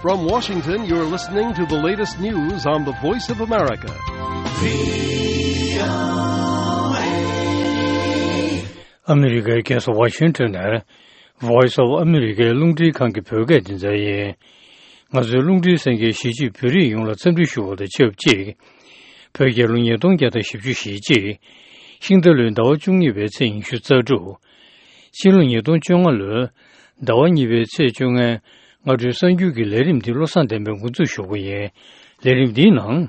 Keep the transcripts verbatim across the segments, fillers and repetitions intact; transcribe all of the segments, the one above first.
From Washington, you're listening to the latest news on the Voice of America. ཨ་མི་རི་ཀའི་རྒྱལ་ས་ཝ་ཤིང་ཊོན་ནས་Voice of America རླུང་འཕྲིན་ཁང་གི་བོད་སྐད་སྡེ་ཚན་ཡིན། ང་ཚོའི་རླུང་འཕྲིན་གསན་མཁན་གཞིས་བྱེས་བོད་རིགས་ཡོངས་ལ་འཚམས་འདྲི་ཞུ་བ་དང་ཆབས་ཅིག་བོད་རྒྱལ་ལོ་ཉིས་སྟོང་བརྒྱ་དང་བཞི་བཅུ་ཞེ་གཅིག་ཤིང་རྟ་ལོའི་ཟླ་བ་བཅུ་གཉིས་པའི་ཚེས་ཉི་ཤུ་རྩ་དྲུག་སྤྱི་ལོ་ཉིས་སྟོང་བཅོ་ལྔ་ལོའི་ཟླ་བ་གཉིས་པའི་ཚེས་བཅོ་ལྔའི་སྔ་དྲོའི་གསར་འགྱུར་གྱི་ལས་རིམ་འདི་བློ་བཟང་བསྟན་པས་འགོ་འཛུགས་ཞུ་གི་ཡིན། ལས་རིམ་འདིའི་ནང་།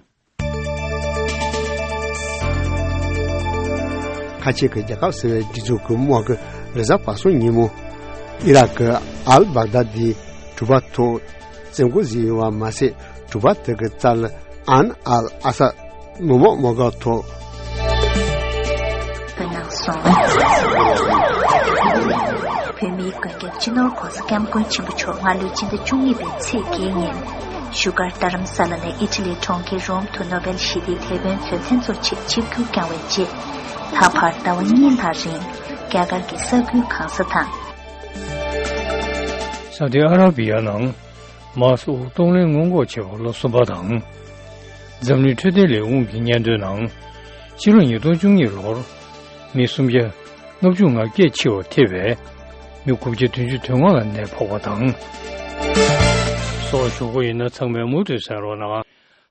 ཁ་ཆེ་གི་རྒྱལ་ཁབ་ཟེར་བའི་སྒྲིག་འཛུགས་ཀྱི་དམག་གི་རེས་གཟའ་པ་སངས་ཉིན་མོ། ཨི་རག་གི་ཨལ་བག་དཱ་དིའི་གྲུ་པ་ཐོག་བཙན་རྒོལ་ཟིན་ཡོད་པ་མ་ཟད། གྲུ་པ་དེ་གི་རྩ་ལ་ཨན་ཨལ་ཨ་ས་མི་དམངས་དམག་སྒར་ཐོག་བོད་ནང་སོང་། བོད་མིའི་མགོན་སྐྱབས་སྤྱི་ནོར་༧གོང་ས་༧སྐྱབས་མགོན་ཆེན་པོ་མཆོག་སྔ་ལོའི་སྤྱི་ཟླ་བཅུ་གཉིས་པའི་ཚེས་བརྒྱད་ཉིན། བཞུགས་སྒར་རྡ་རམ་ས་ལ་ནས་ཨི་ཊ་ལིའི་གྲོང་ཁྱེར་རོམ་དུ་ནོ་བེལ་ཞི་བདེའི་དེད་དཔོན་ཚོས་མཚན་ཚོགས་ཆེད་ཆིབས་བསྒྱུར་བསྐྱངས་པའི་རྗེས། ད་བར་ཟླ་བ་གཉིས་ལྷག་རིང་རྒྱ་གར་གྱི་ས་ཁུལ་གང་ས་དང་། ས་ཨུ་དི་ཨ་ར་བི་ཡ་ནང་མཱ་སི་དབུགས་གཏོང་ལེན་སྔོན་འགོག་བྱེད་པར་ལོ་གསུམ་པ་དང་། འཛམ་གླིང་འཕྲོད་བསྟེན་ལས་ཁུངས་ཀྱི་སྙན་ཐོའི་ནང་། ཕྱི་ལོ་ཉིས་སྟོང་བཅུ་གཉིས་ལོར་མི་སུམ་བརྒྱ་ལྔ་བཅུ་ང་བརྒྱད་འཆི་བར་ཐེ་བའི་མི་དགུ་བརྒྱ་བདུན་ཅུ་དོན་ལྔ་ལ་ནད་ཕོག་པ་དང་། སོགས་ཞུ་གི་ཡིན་ན་ཚང་མས་མུ་མཐུད་གསན་རོགས་གནང་།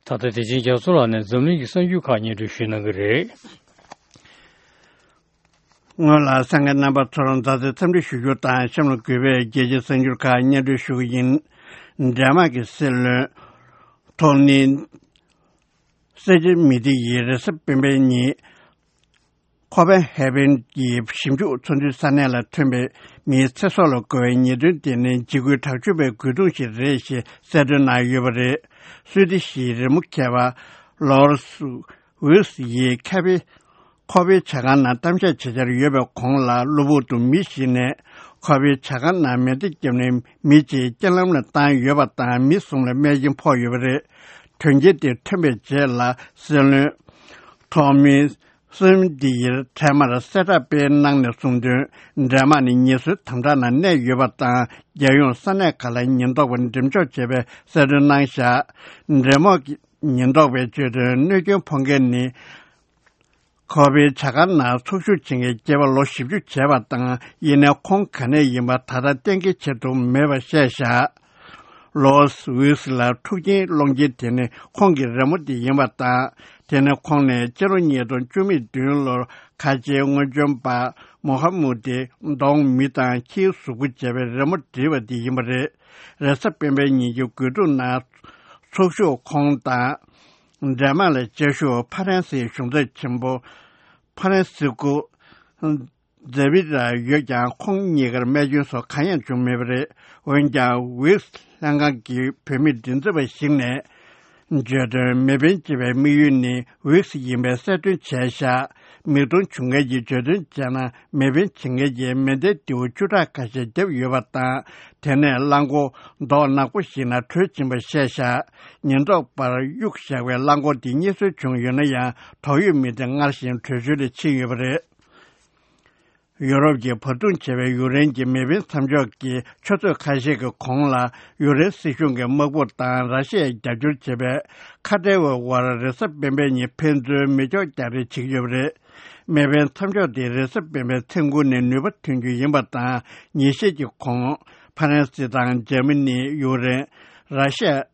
ད་ལྟ་བདེ་ཆེན་རྒྱ་མཚོ་ལགས་ནས་འཛམ་གླིང་གི་གསར་འགྱུར་ཁག་སྙན་སྒྲོན་ཞུ་གནང་གི་རེད། སྔོན་ལ་གསན་མཁན་རྣམ་པ་ཚོར་མཛའ་བརྩེའི་འཚམས་འདྲི་ཞུ་རྒྱུ་དང་གཤམ་ལ་དགོས་པའི་རྒྱལ་སྤྱིའི་གསར་འགྱུར་ཁག་སྙན་སྒྲོན་ཞུ་གི་ཡིན། ཌེན་མཱག་གི་སྲིད་བློན་ཐོ་ནི་སེ་ཇི་མི་ཏི་ཡིས་རེས་གཟའ་སྤེན་པའི་ཉིན། ཁོ་པན་ཧེ་བན་གྱི་ཞིབ་འཇུག་ཚོགས་འདུའི་ས་གནས་ལ་ཐོན་པའི་མིའི་ཚེ་སྲོག་ལ་རྒོལ་བའི་ཉེས་དོན་དེ་ནི་འཇིགས་སྐུལ་དྲག་སྤྱོད་པའི་རྒོལ་རྡུང་ཞིག་རེད་ཞེས་གསལ་སྟོན་གནང་ཡོད་པ་རེད། སུའི་ཏི་ཞིའི་རི་མོ་མཁས་པ་ལོར་སུ་ཝིས་ཡིས་ཁ་པའི་ཁོ་པའི་ཇ་ཁང་ནང་གཏམ་བཤད་བྱེད་འཆར་ཡོད་པའི་གོང་ལ། གློ་བུར་དུ་མི་ཞིག་ནས་ཁོ་པའི་ཇ་ཁང་ནང་མེ་མདའ་བརྒྱབ་ནས་མི་གཅིག་རྐྱེན་ལམ་ལ་བཏང་ཡོད་པ་དང་། མི་གསུམ་ལ་རྨས་སྐྱོན་ཕོག་ཡོད་པ་རེད། དོན་རྐྱེན་དེ་ཐོན་པའི་རྗེས་ལ་སྲིད་བློན་ཐོ་མི་སུན་དི་ཡིར་འཕྲལ་མར་གསལ་བསྒྲགས་སྤེལ་གནང་ནས་གསུངས་དོན། ཌེན་མཱག་ནི་ངལ་གསོའི་དམ་དྲག་ནང་གནས་ཡོད་པ་དང་། རྒྱལ་ཡོངས་ས་གནས་ཁག་ལ་ཉེན་རྟོག་པ་འགྲེམས་འཇོག་བྱས་པའི་གསལ་སྟོན་གནང་བཞག་ཌེན་མཱག་གི་ཉེན་རྟོག་པས་བརྗོད་དོན། གནོད་སྐྱོན་ཕོག་མཁན་ནི་ཁོ་པའི་ཇ་ཁང་ནང་ཚོགས་ཞུགས་བྱེད་མཁན་སྐྱེས་པ་ལོ་བཞི་བཅུ་བྱས་པ་དང་། ཡིན་ནའི་ཁོང་ག་ནས་ཡིན་པ་ད་ལྟ་གཏན་འཁེལ་བྱེད་ཐུབ་མེད་པ་བཤད་བཞག་ལོ་ཝིས་ལ་འཁྲུག་རྐྱེན་སློང་མཁན་དེ་ནི་ཁོང་གི་རི་མོ་དེ་ཡིན་པ་དང་། དེ་ནི་ཁོང་ནས་སྤྱི་ལོ་ཉིས་སྟོང་བཅུ་མེད་བདུན་ལོར་ཁ་ཆེའི་དངོས་བྱོན་པ་མོ་ཧ་མུ་ཏི་གདོང་མི་དང་ཁྱིའི་གཟུགས་པོ་བྱས་པའི་རི་མོ་བྲིས་པ་དེ་ཡིན་པ་རེད། རེས་གཟའ་སྤེན་པའི་ཉིན་གྱི་དགོས་འདུན་ནང་ཚོགས་ཞུགས་ཁོང་དང་། ཌེན་མཱག་ལ་བཅའ་བཞུགས་ཕ་རན་སིའི་གཞུང་ཚབ་ཆེན་པོ་ཕ་རན་སི་ཀུ་ཛེ་བི་ར་ཡོད་ཀྱང་། ཁོང་གཉིས་ཀར་རྨས་སྐྱོན་སོགས་གང་ཡང་བྱུང་མེད་པ་རེད། འོན་ཀྱང་ཝིས་ལྷན་ཁང་གི་བོད་མི་མགྲིན་ཚབ་པ་ཞིག་ནས་བརྗོད་དོན། མེ་འཕེན་བྱེད་པའི་དམིགས་ཡུལ་ནི་ཝིས་ཡིན་པའི་གསལ་སྟོན་བྱས་བཞག་མིག་མཐོང་བྱུང་མཁན་གྱིས་བརྗོད་དོན་བྱས་ན། མེ་འཕེན་བྱེད་མཁན་གྱིས་མེ་མདའི་མདེའུ་བཅུ་ཕྲག་ཁ་ཤས་བརྒྱབ་ཡོད་པ་དང་། དེ་ནས་རླངས་འཁོར་མདོག་ནག་པོ་ཞིག་ནང་བྲོས་ཕྱིན་པ་བཤད་བཞག་ཉེན་རྟོག་པར་གཡུགས་བཞག་པའི་རླངས་འཁོར་དེ་རྙེད་སོན་བྱུང་ཡོད་ན་ཡང་། དོགས་ཡོད་མི་དེ་སྔར་བཞིན་བྲོས་བྱོལ་དུ་ཕྱིན་ཡོད་པ་རེད། ཡུ་རོབ་ཀྱི་བར་འདུམ་བྱས་པའི་ཡུཀ་རེན་གྱི་མེ་འཕེན་མཚམས་འཇོག་གི་ཆུ་ཚོད་ཁ་ཤས་ཀྱི་གོང་ལ། ཡུཀ་རེན་སྲིད་གཞུང་གི་དམག་དཔུང་དང་ར་ཤི་ཡས་རྒྱབ་སྐྱོར་བྱེད་པའི་ཁ་བྲལ་བའི་དབར་རེས་གཟའ་སྤེན་པའི་ཉིན་ཕན་ཚུན་མེ་སྒྱོགས་རྒྱག་རེས་བྱེད་ཀྱི་ཡོད་པ་རེད། མེ་འཕེན་མཚམས་འཇོག་དེ་རེས་གཟའ་སྤེན་པའི་མཚན་དགུ་ནས་ནུས་པ་ཐོན་རྒྱུ་ཡིན་པ་དང་། ཉིན་ཤས་ཀྱི་གོང་ཕ་རན་སི་དང་འཇར་མ་ནི། ཡུཀ་རེན། ར་ཤི་ཡ།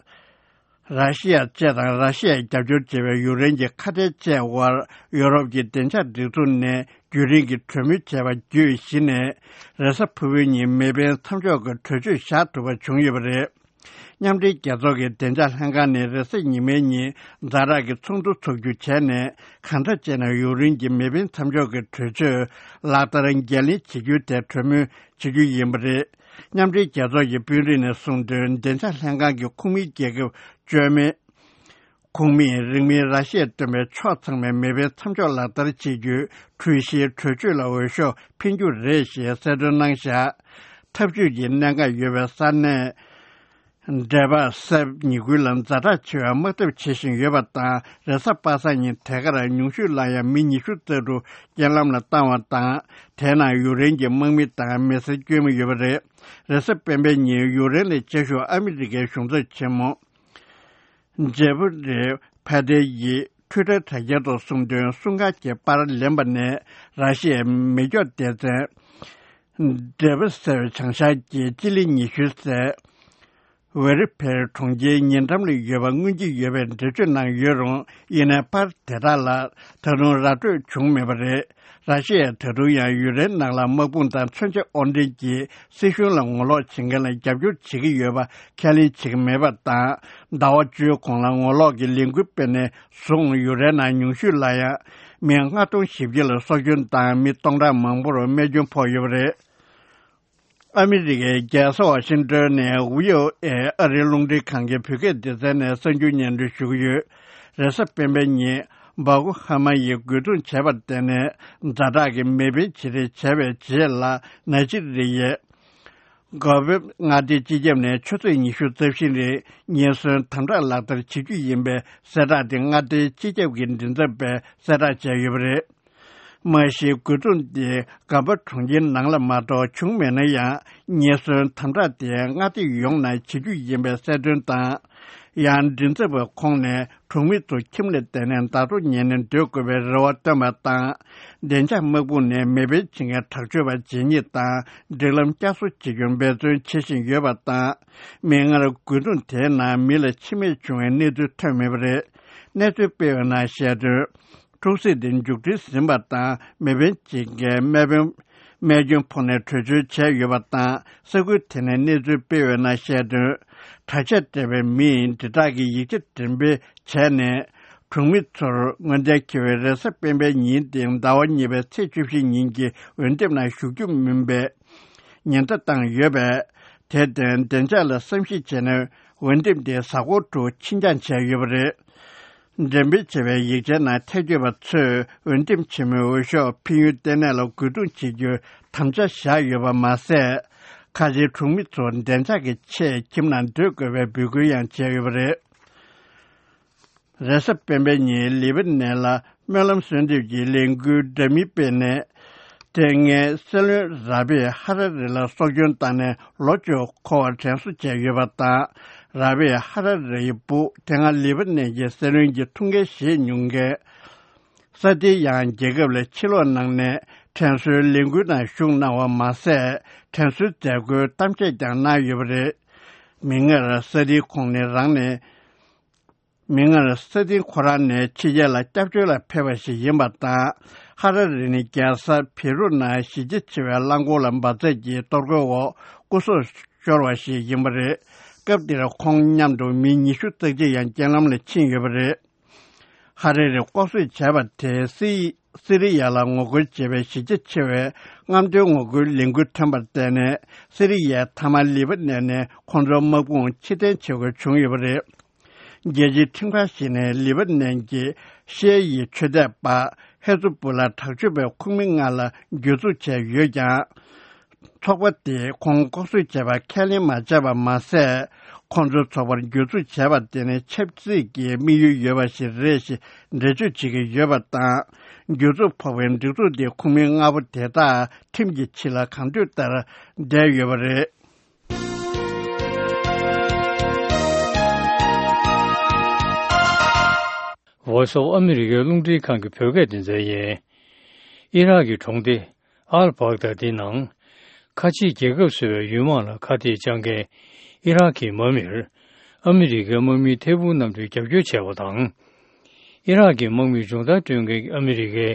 ར་ཤི་ཡ་བཅས་དང་། ར་ཤི་ཡས་རྒྱབ་སྐྱོར་བྱེད་པའི་ཡུཀ་རེན་གྱི་ཁ་བྲལ་བཅས་དབར་ཡུ་རོབ་ཀྱི་བདེ་འཇགས་སྒྲིག་འཛུགས་ནས་རྒྱུན་རིང་གི་གྲོས་མོལ་བྱས་པ་བརྒྱུད་གཞི་ནས་རེས་གཟའ་ཕུར་བུའི་ཉིན་མེ་འཕེན་མཚམས་འཇོག་གི་གྲོས་ཆོད་བཞག་ཐུབ་པ་བྱུང་ཡོད་པ་རེད། མཉམ་འབྲེལ་རྒྱལ་ཚོགས་ཀྱི་བདེ་འཇགས་ལྷན་ཁང་ནས་རེས་གཟའ་ཉི་མའི་ཉིན་ཛ་དྲག་གི་ཚོགས་འདུ་འཚོགས་རྒྱུ་བྱས་ནས། གང་འདྲ་བྱས་ན་ཡུཀ་རེན་གྱི་མེ་འཕེན་མཚམས་འཇོག་གི་གྲོས་ཆོད་ལག་བསྟར་འགན་ལེན་བྱེད་རྒྱུའི་ཐད་གྲོས་མོལ་བྱེད་རྒྱུ་ཡིན་པ་རེད། མཉམ་འབྲེལ་རྒྱལ་ཚོགས་ཀྱི་དཔོན་རིགས་ནས་གསུངས་དོན། བདེ་འཇགས་ལྷན་ཁང་གི་ཁོངས་མི་རྒྱལ་ཁབ་བཅོ་ལྔ། ཁོངས་མིས་རིང་མིན་ར་ཤི་ཡས་བཏོན་པའི་ཕྱོགས་ཚང་མའི་མེ་འཕེན་མཚམས་འཇོག་ལག་བསྟར་བྱེད་རྒྱུའི་གྲོས་གཞིའི་གྲོས་ཆོད་ལ་འོས་ཤོག་འཕེན་རྒྱུ་རེད་ཞེས་གསལ་སྟོན་གནང་བཞག་ཐབས་ཇུས་ཀྱི་གནད་འགག་ཡོད་པའི་ས་གནས་ འབྲེལ་པ་གསར་པ་ཉིས་ཁུལ་ལ་ཛ་དྲག་ཆེ་བའི་དམག་འཐབ་བྱེད་བཞིན་ཡོད་པ་དང་། རེས་གཟའ་པ་སངས་ཉིན་དེ་གར་ཉུང་ཤོས་ལ་ཡང་མི་ཉི་ཤུ་རྩ་དྲུག་རྐྱེན་ལམ་ལ་བཏང་བ་དང་། དེའི་ནང་ཡུཀ་རེན་གྱི་དམག་མི་དང་མི་སེར་བཅོས་མི་ཡོད་པ་རེད། རེས་གཟའ་སྤེན་པའི་ཉིན་ཡུཀ་རེན་ལ་བཅའ་བཞུགས་ཨ་མི་རི་ཀའི་གཞུང་ཚབ་ཆེན་མོ་ཇེ་ཕི་རི་ཕ་ཏེ་ཡིས་ཊུའི་ཊར་དྲ་རྒྱའི་ཐོག་གསུངས་དོན། སྲུང་སྐར་གྱི་པར་ལེན་པ་ནས་ར་ཤི་ཡའི་མེ་སྒྱོགས་སྡེ་ཚན་འབྲེ་པི་སེ་བྱང་ཤར་གྱི་སྤྱི་ལེ་ཉི་ཤུ་སའི་ཝེ་རི་ཕེར་གྲོང་ཁྱེར་ཉེ་འགྲམ་ལ་ཡོད་པ་མངོན་གྱི་ཡོད་པའི་འགྲེལ་བརྗོད་གནང་ཡོད་རུང་། ཡིན་ནའི་པར་དེ་དག་ལ་ད་དུང་ར་སྤྲོད་བྱུང་མེད་པ་རེད། ར་ཤི་ཡས་ད་དུང་ཡང་ཡུཀ་རེན་ནང་ལ་དམག་དཔུང་དང་མཚོན་ཆ་དབོར་འདྲེན་གྱིས་སྲིད་གཞུང་ལ་ངོ་ལོག་བྱེད་མཁན་ལ་རྒྱབ་སྐྱོར་བྱེད་ཀྱི་ཡོད་པ་ཁས་ལེན་བྱེད་ཀྱི་མེད་པ་དང་། ཟླ་བ་བཅུའི་གོང་ལ་ངོ་ལོག་གི་ལས་འགུལ་སྤེལ་ནས་བཟུང་ཡུཀ་རེན་ནང་ཉུང་ཤོས་ལ་ཡང་མི་ལྔ་སྟོང་བཞི་བརྒྱ་ལ་སྲོག་སྐྱོན་དང་མི་སྟོང་ཕྲག་མང་པོར་རྨས་སྐྱོན་ཕོག་ཡོད་པ་རེད། ཨ་མི་རི་ཀའི་རྒྱལ་ས་ཝ་ཤིང་ཏོན་ནས་བྷི་ཨོ་ཨེ་ཨ་རིའི་རླུང་འཕྲིན་ཁང་གི་བོད་སྐད་སྡེ་ཚན་ནས་གསར་འགྱུར་སྙན་སྒྲོན་ཞུ་གི་ཡོད། རེས་གཟའ་སྤེན་པའི་ཉིན་སྦག་ཧ་མ་ཡིས་རྒོལ་རྡུང་བྱས་པར་བརྟེན་ནས་ཛ་དྲག་གི་མེ་འཕེན་བྱེད་རེས་བྱས་པའི་རྗེས་ལ། ནཱི་ཇི་རི་ཡའི་གོ་བེབ་མངའ་སྡེའི་སྤྱི་ཁྱབ་ནས་ཆུ་ཚོད་ཉི་ཤུ་རྩ་བཞི་རིང་ཉེན་ཟོན་དམ་དྲག་ལག་བསྟར་བྱེད་རྒྱུ་ཡིན་པའི་གསལ་བསྒྲགས་དེ་མངའ་སྡེའི་སྤྱི་ཁྱབ་ཀྱི་མགྲིན་ཚབ་པས་གསལ་བསྒྲགས་བྱས་ཡོད་པ་རེད། མ་གཞི་རྒོལ་རྡུང་དེ་གམ་པ་གྲོང་ཁྱེར་ནང་ལ་མ་གཏོགས་བྱུང་མེད་ན་ཡང་། ཉེན་ཟོན་དམ་དྲག་དེ་མངའ་སྡེ་ཡོངས་ནང་བྱེད་རྒྱུ་ཡིན་པའི་གསལ་སྟོན་དང་། ཡང་མགྲིན་ཚབ་པ་ཁོང་ནས་གྲོང་མི་ཚོ་ཁྱིམ་ལ་བསྡད་ནས་ཟླ་གྲོགས་ཉར་ནས་སྡོད་དགོས་པའི་རེ་བ་བཏོན་པ་དང་། བདེ་འཇགས་དམག་དཔུང་ནས་མེ་འཕེན་བྱེད་མཁན་དྲག་སྤྱོད་པ་རྗེས་སྙེག་དང་སྒྲིག་ལམ་བསྐྱར་གསོ་བྱེད་རྒྱུར་འབད་བརྩོན་བྱེད་བཞིན་ཡོད་པ་དང་། མིག་སྔར་རྒོལ་རྡུང་དེའི་ནང་མི་ལ་འཆི་རྨས་བྱུང་བའི་གནས་ཚུལ་ཐོན་མེད་པ་རེད། གནས་ཚུལ་སྤེལ་བའི་ནང་བཤད་དོན། འཁྲུག་རྩོད་དེ་མཇུག་སྒྲིལ་ཟིན་པ་དང་། མེ་འཕེན་བྱེད་མཁན་རྨས་དཔོན་རྨས་སྐྱོན་ཕོག་ནས་བྲོས་བྱོལ་བྱས་ཡོད་པ་དང་། ས་ཁུལ་དེ་ནས་གནས་ཚུལ་སྤེལ་བའི་ནང་བཤད་དོན། དྲག་ཆས་སྤྲས་པའི་མིས་དྲིལ་བསྒྲགས་ཀྱི་ཡིག་ཆ་འགྲེམས་སྤེལ་བྱས་ནས། གྲོང་མི་ཚོར་སྔོན་གཏན་འཁེལ་བའི་རེས་གཟའ་སྤེན་པའི་ཉིན་སྟེང་ཟླ་བ་གཉིས་པའི་ཚེས་བཅུ་བཞི་ཉིན་གྱི་འོས་འདེམས་ནང་ཞུགས་རྒྱུ་མིན་པའི་ཉེན་བརྡ་བཏང་ཡོད་པས། དེར་བརྟེན་བདེ་འཇགས་ལ་བསམ་གཞིག་བྱས་ནས་འོས་འདེམས་དེ་གཟའ་འཁོར་དྲུག་ཕྱི་འགྱངས་བྱས་ཡོད་པ་རེད། འགྲེམས་སྤེལ་བྱས་པའི་ཡིག་ཆའི་ནང་ཐེ་བྱུས་པ་ཚོས་འོས་འདེམས་ཆེན་མོའི་འོས་ཤོག་ཕུལ་ཡུལ་ལྟེ་གནས་ལ་རྒོལ་རྡུང་བྱེད་རྒྱུའི་དམ་བཅའ་བཞག་ཡོད་པ་མ་ཟད། ཁ་ཆེའི་གྲོང་མི་ཚོ་བདེ་འཇགས་ཀྱི་ཆེད་ཁྱིམ་ནང་སྡོད་དགོས་པའི་འབོད་སྐུལ་ཡང་བྱས་ཡོད་པ་རེད། རེས་གཟའ་སྤེན་པའི་ཉིན་ལི་པ་ནན་ལ་སྨོན་ལམ་གསོལ་འདེབས་ཀྱི་ལས་འགུལ་འདྲ་མིན་སྤེལ་ནས། དེ་སྔའི་སྲིད་བློན་ར་བྷི་ཧ་ར་རི་ལ་སྲོག་སྐྱོན་བཏང་ནས་ལོ་བཅུ་འཁོར་བར་དྲན་གསོ་བྱས་ཡོད་པ་དང་། ར་བྷི་ཧ་ར་རིའི་བུ་དེ་སྔ་ལི་པ་ནན་གྱི་སྲིད་བློན་གྱི་ཐུགས་འགན་བཞེས་མྱོང་མཁན་ས་ཏི་ཡང་རྒྱལ་ཁབ་ལ་ཕྱིར་ལོག་གནང་ནས་དྲན་གསོའི་ལས་འགུལ་ནང་ཞུགས་གནང་བ་མ་ཟད། དྲན་གསོའི་མཛད་སྒོའི་གཏམ་བཤད་ཀྱང་གནང་ཡོད་པ་རེད། མིག་སྔར་ས་ཏི་ཁོང་ནི་རང་ནས། མིག་སྔར་ས་ཏི་ཁོ་རང་ནི་ཕྱི་རྒྱལ་ལ་སྐྱབས་བཅོལ་ལ་ཕེབས་པ་ཞིག་ཡིན་པ་དང་། ཧ་ར་རི་ནི་རྒྱལ་ས་བེ་རུ་ནང་གཞིས་རྒྱ་ཆེ་བའི་རླངས་འཁོར་ལ་འབར་འཛེགས་ཀྱི་གཏོར་རྒོལ་འོག་སྐུ་སྲོག་ཤོར་བ་ཞིག་ཡིན་པ་རེད། སྐབས་དེར་ཁོང་མཉམ་དུ་མི་ཉི་ཤུ་རྩ་གཅིག་ཡང་རྐྱེན་ལམ་ལ་ཕྱིན་ཡོད་པ་རེད། ཧ་ར་རི་ལྐོག་གསོད་བྱས་པ་དེས་སི་སི་རི་ཡ་ལ་ངོ་རྒོལ་བྱེད་པའི་གཞིས་རྒྱ་ཆེ་བའི་རྔམ་སྟོན་ངོ་རྒོལ་ལས་འགུལ་ཐོན་པར་བརྟེན་ནས། སི་རི་ཡའི་མཐའ་མ་ལི་པ་ནན་ནས་ཁོང་ཚོའི་དམག་དཔུང་ཕྱིར་འཐེན་བྱེད་དགོས་བྱུང་ཡོད་པ་རེད། རྒྱལ་སྤྱིའི་ཁྲིམས་ཁང་ཞིག་ནས་ལི་པ་ནན་གྱི་ཤེ་ཡི་ཆོས་དད་པ་ཧེ་ཛུ་བུ་ལ་དྲག་སྤྱོད་པའི་ཁོངས་མི་ལྔ་ལ་གྱོད་འཛུགས་བྱས་ཡོད་ཀྱང་། ཚོགས་པ་དེས་ཁོང་ལྐོག་གསོད་བྱས་པ་ཁས་ལེན་མ་བྱས་པ་མ་ཟད། ཁོང་ཚོའི་ཚོགས་པར་གྱོད་འཛུགས་བྱས་པ་དེ་ནི་ཆབ་སྲིད་ཀྱི་དམིགས་ཡུལ་ཡོད་པ་ཞིག་རེད་ཞེས་འགྲེལ་བརྗོད་བྱེད་ཀྱི་ཡོད་པ་དང་། གྱོད་འཛུགས་ཕོག་པའི་སྒྲིག་འཛུགས་དེའི་ཁོངས་མི་ལྔ་པོ་དེ་དག་ཁྲིམས་ཀྱི་ཕྱི་ལ་གང་འདོད་ལྟར་བསྡད་ཡོད་པ་རེད། Voice of America རླུང་འཕྲིན་ཁང་གི་བོད་སྐད་སྡེ་ཚན་ཡིན། ཨི་རག་གི་གྲོང་སྡེ་ཨལ་བྷག་དཱ་དེ་ནང་། ཁ་ཆེའི་རྒྱལ་ཁབ་བཟོ་བའི་ཡུལ་དམག་ལ་ཁ་གཏད་བཅག་མཁན་ཨི་རག་གི་དམག་མིར་ཨ་མི་རི་ཀའི་དམག་མིའི་ཐད་འཕུར་གནམ་གྲུས་རྒྱབ་སྐྱོར་བྱས་པ་དང་། ཨི་རག་གི་དམག་མིར་སྦྱོང་བརྡར་སྤྲོད་མཁན་ཨ་མི་རི་ཀའི་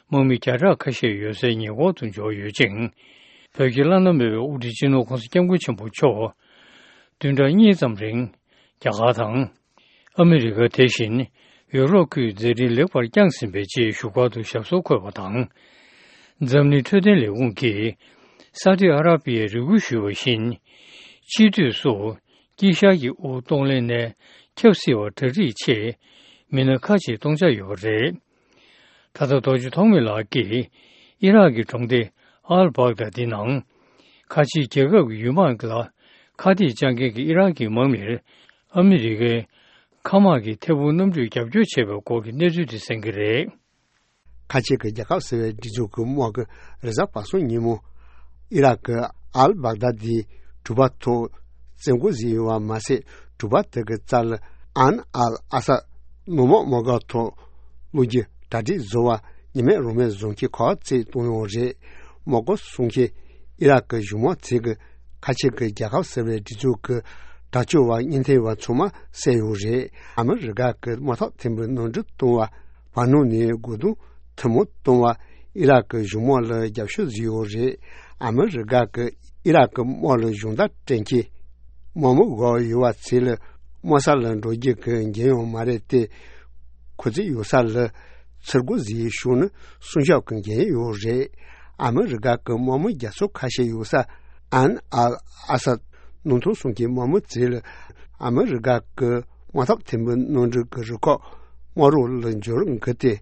དམག་མི་བརྒྱ་ཕྲག་ཁ་ཤས་ཡོད་སའི་ཉེ་འཁོར་དུ་འབྱོར་ཡོད་ཅིང་། བོད་ཀྱི་བླ་ན་མེད་པའི་དབུ་ཁྲིད་སྤྱི་ནོར་༧གོང་ས་༧སྐྱབས་མགོན་ཆེན་པོ་མཆོག་བདུན་ཕྲག་གཉིས་ཙམ་རིང་རྒྱ་གར་དང་། ཨ་མི་རི་ཀ་དེ་བཞིན་ཡུ་རོབ་ཁུལ་མཛད་འཕྲིན་ལེགས་པར་བསྐྱངས་ཟིན་པའི་ཆེད་བཞུགས་སྒར་དུ་ཞབས་སོར་འཁོད་པ་དང་། འཛམ་གླིང་འཕྲོད་བསྟེན་ལས་ཁུངས་ཀྱིས་ས་ཨུ་ཌི་ཨ་ར་པི་ཡར་རེ་སྐུལ་ཞུས་པ་བཞིན། སྤྱི་འཐུས་སུ་དཀྱིལ་ཤར་གྱི་དབུ་གཏོང་ལེན་ནས་ཁྱབ་སྲིད་པར་གྲ་སྒྲིག་ཆེད་མི་སྣ་ཁག་ཅིག་གཏོང་འཆར་ཡོད་པ་རེད། ད་ལྟ་རྡོ་རྗེ་ཐོགས་མེད་ལགས་ཀྱིས་ཨི་རག་གི་གྲོང་སྡེ་ཨལ་བྷག་དཱ་དེ་ནང་ཁ་ཆེའི་རྒྱལ་ཁབ་ཀྱི་ཡུལ་དམག་ལ་ ཁ་གཏད་བཅག་མཁན་གྱི་ཨི་རན་གྱི་དམག་མིར་ཨ་མི་རི་ཀའི་མཁའ་དམག་གི་ཐད་འཕུར་གནམ་གྲུས་རྒྱབ་སྐྱོར་བྱས་པའི་སྐོར་གྱི་གནས་ཚུལ་དེ་གསན་གྱི་རེད། ཁ་ཆེ་གི་རྒྱལ་ཁབ་ཟེར་བའི་སྒྲིག་འཛུགས་ཀྱི་དམག་གིས་རེས་གཟའ་པ་སངས་ཉིན་མོ་ཨི་རག་གི་ཨལ་བག་དཱ་དིའི་གྲུ་པ་ཐོག་བཙན་རྒོལ་བཟོས་ཡོད་པ་མ་ཟད། གྲུ་པ་དེ་གི་རྩ་ལ་ཨན་ཨལ་ཨ་ས་ནུབ་དམག་དམག་སྒར་ཐོག་བླུག་རྒྱུ་གྲ་སྒྲིག་བཟོ་བ་ཉི་མས་རང་མོས་བཟོ་མཁན་ཁག་བརྩེགས་གཏོང་ཡོད་རེད། དམག་སྒར་སྲུང་མཁན་ཨི་རག་གི་གཞུང་དམག་ཚོས་ཀྱི་ཁ་ཆེ་གི་རྒྱལ་ཁབ་ཟེར་བའི་སྒྲིག་འཛུགས་ཀྱི་དྲག་སྤྱོད་པ་གཉེན་ཐེ་བ་ཚང་མ་བསད་ཡོད་རེད། ཨ་མི་རི་ཀ་གི་དམག་འཐབ་ཐིམ་པའི་ནོར་འཁྲུལ་གཏོང་བ། བར་སྣང་ནས་རྒོལ་རྡུང་ཐུན་མོང་གཏོང་བ། ཨི་རག་གི་གཞུང་དམག་ལ་རྒྱབ་སྐྱོར་བཟོས་ཡོད་རེད། ཨ་མི་རི་ཀ་གི་ཨི་རག་གི་དམག་ལ་གཞུང་བརྡ་སྤྲད་མཁན་དམག་མི་འགོག་ཡོད་པ་ཚོ་ལ་དམག་ས་ལ་འགྲོ་རྒྱུ་གི་འགན་ཡང་མ་རེད་དེ། ཁོ་ཚོས་ཡོད་ས་ལ་ཚུར་རྒོལ་བཟོས་ཤོག་ནི་སྲུང་སྐྱོབ་ཀྱི་འགན་ཡོད་རེད། ཨ་མི་རི་ཀ་གི་དམག་མི་རྒྱ་མཚོ་ཁ་ཤས་ཡོད་ས་ཨན་ཨལ་ཨ་ས་ནང་ཐོག་སྲུང་མཁན་དམག་མི་ཚོ་ལ་ཨ་མི་རི་ཀ་གི་དམག་འཐབ་ཐིམ་པའི་ནང་འགྲིག་གི་རུ་ཁག་དམག་རོགས་ལ་འབྱོར་འགི་སྟེ།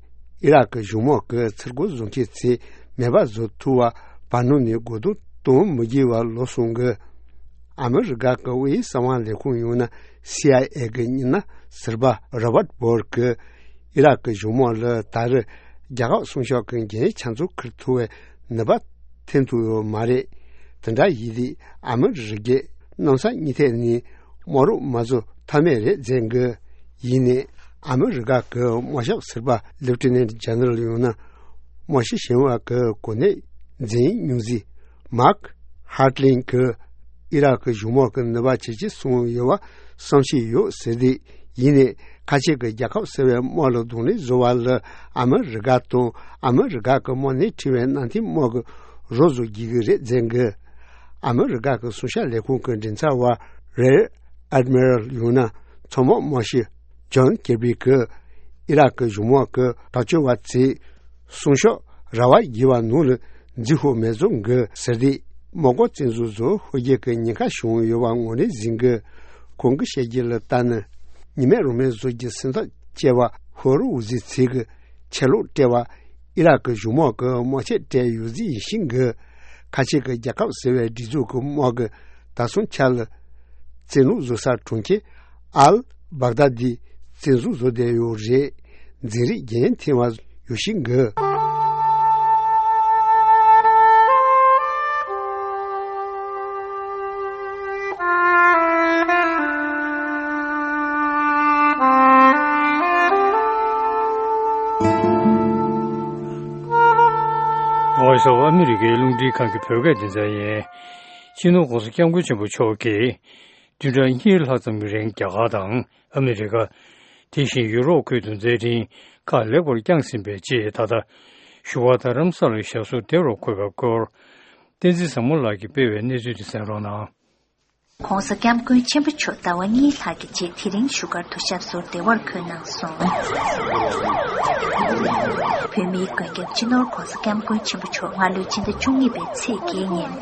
ཨི་རག་གི་གཞུང་དམག་གི་ཚུར་རྒོལ་བཟོ་མཁན་ཚོས་མེད་པ་བཟོ་ཐུབ་པ། བར་སྣང་ནས་རྒོལ་རྡུང་གཏོང་མི་དགོས་པ་ལོབས་སོང་གི། ཨ་མི་རི་ཀ་གི་དབུས་གསང་བ་ལས་ཁུངས་ཡང་ན་སི་ཨའི་ཨེ་གི་མི་སྣ་ཟུར་པ་རོ་བར་བྷོར་གྱིས་ཨི་རག་གི་གཞུང་དམག་ལ་ད་རེས་རྒྱལ་ཁབ་སྲུང་སྐྱོབ་ཀྱི་འགན་ཆ་ཚང་འཁུར་ཐུབ་པའི་ནུས་པ་ཐོན་ཐུབ་ཡོད་མ་རེད། དེ་འདྲ་ཡིན་དུས་ཨ་མི་རི་ཀས་གནམ་ས་གཉིས་ཐད་ནས་དམག་རོགས་མ་བཟོ་ཐབས་མེད་རེད་ཟེར་གི། ཡིན་ནའི་ཨ་མི་རི་ཀ་གི་དམག་ཞབས་ཟུར་པ་ལེབ་ཊི་ནེན་ཇེ་ནེ་རལ་ཡང་ན་དམག་སྤྱི་གཞན་པ་གི་གོ་གནས་འཛིན་མྱོང་མཛད་མཱག་ཧར་ལིན་གྱིས་ཨི་རག་གི་གཞུང་དམག་གི་ནུས་པ་ཇེ་ཆེར་སོང་ཡོད་པ་བསམ་ཤེས་ཡོད་ཟེར་ཏེ། ཡིན་ནའི་ཁ་ཆེ་གི་རྒྱལ་ཁབ་ཟེར་བའི་དམག་ལ་གདོང་ལེན་བཟོ་བ་ལ་ཨ་མི་རི་ཀ་དང་ཨ་མི་རི་ཀ་གི་དམག་སྣེ་ཁྲིད་པའི་ནང་བསྟན་དམག་གི་རོགས་བཟོ་དགོས་ཀྱི་རེད་ཟེར་གི། ཨ་མི་རི་ཀ་གི་གསང་བཤད་ལས་ཁུངས་ཀྱི་མགྲིན་ཚབ་པ་རེར་ཨེ་ཌི་མི་རལ་ཡང་ན་མཚོ་དམག་དམག་སྤྱི་ཇོན་ཀེར་བི་གིས་ཨི་རག་གི་གཞུང་དམག་གི་དྲག་སྤྱོད་པ་ཚོས་སྲུང་སྐྱོབ་ར་བ་བརྒྱུད་པ་ནང་ལ་འཛུལ་ཤོག་མེད་བཟོ་གི་ཟེར་ཏེ། དམག་སྒར་བཙན་འཛུལ་བཟོ་ཧོལ་རྒྱལ་གྱི་ཉེན་ཁ་བྱུང་ཡོད་པ་ངོས་ལེན་ཟིན་གི། ཁོང་གིས་བཤད་རྒྱུ་ལ་ལྟ་ན། ཉི་མས་རང་མོས་བཟོ་རྒྱུ་སེམས་ཐག་བཅད་པ་ཧོར་འུ་ཟི་ཚིག་གི་ཆད་ལོག་སྤྲད་པ། ཨི་རག་གི་གཞུང་དམག་གི་དམག་ཆས་སྤྲད་ཡོད་རྫི་ཡིན་ཤིང་གི། ཁ་ཆེ་གི་རྒྱལ་ཁབ་ཟེར་བའི་སྒྲིག་འཛུགས་ཀྱི་དམག་གི་ད་སོང་ཆ་ལ་བཙན་ལུགས་བཟོ་ས་གྲོང་ཁྱེར་ཨལ་བག་དཱ་དི་བཙན་བཟུང་བཟོ་བསྡད་ཡོད་རེད། འཛིན་རིགས་རྒྱན་འཐེན་པ་ཡོད་ཤིང་གི། ཝོ་ཡིས་ཨོཕ་ཨ་མི་རི་ཀའི་རླུང་འཕྲིན་ཁང་གི་བོད་སྐད་སྡེ་ཚན་ཡིན། སྤྱི་ནོར་༸གོང་ས་༸སྐྱབས་མགོན་ཆེན་པོ་མཆོག་གིས་བདུན་ཕྲག་གཉིས་ལྷག་ཙམ་གྱི་རིང་རྒྱ་གར་དང་ཨ་མི་རི་ཀ། དེ་བཞིན་ཡུ་རོབ་ཁུལ་དུ་མཛད་འཕྲིན་ཁག་ལེགས་པར་བསྐྱངས་ཟིན་པའི་རྗེས། ད་ལྟ་བཞུགས་སྒར་རྡ་རམ་ས་ལར་ཞབས་སོར་བདེ་བར་འཁོད་པའི་སྐོར། བསྟན་འཛིན་བཟང་མོ་ལགས་ཀྱིས་སྤེལ་བའི་གནས་ཚུལ་དེ་གསན་རོགས་གནང་། ༸གོང་ས་༸སྐྱབས་མགོན་ཆེན་པོ་མཆོག་ཟླ་བ་གཉིས་ལྷག་གི་རྗེས་དེ་རིང་བཞུགས་སྒར་དུ་ཞབས་སོར་བདེ་བར་འཁོད་གནང་སོང་། བོད་མིའི་མགོན་སྐྱབས་སྤྱི་ནོར་༸གོང་ས་༸སྐྱབས་མགོན་ཆེན་པོ་མཆོག་སྔ་ལོའི་ཕྱི་ཟླ་བཅུ་གཉིས་པའི་ཚེས་བརྒྱད་ཉིན།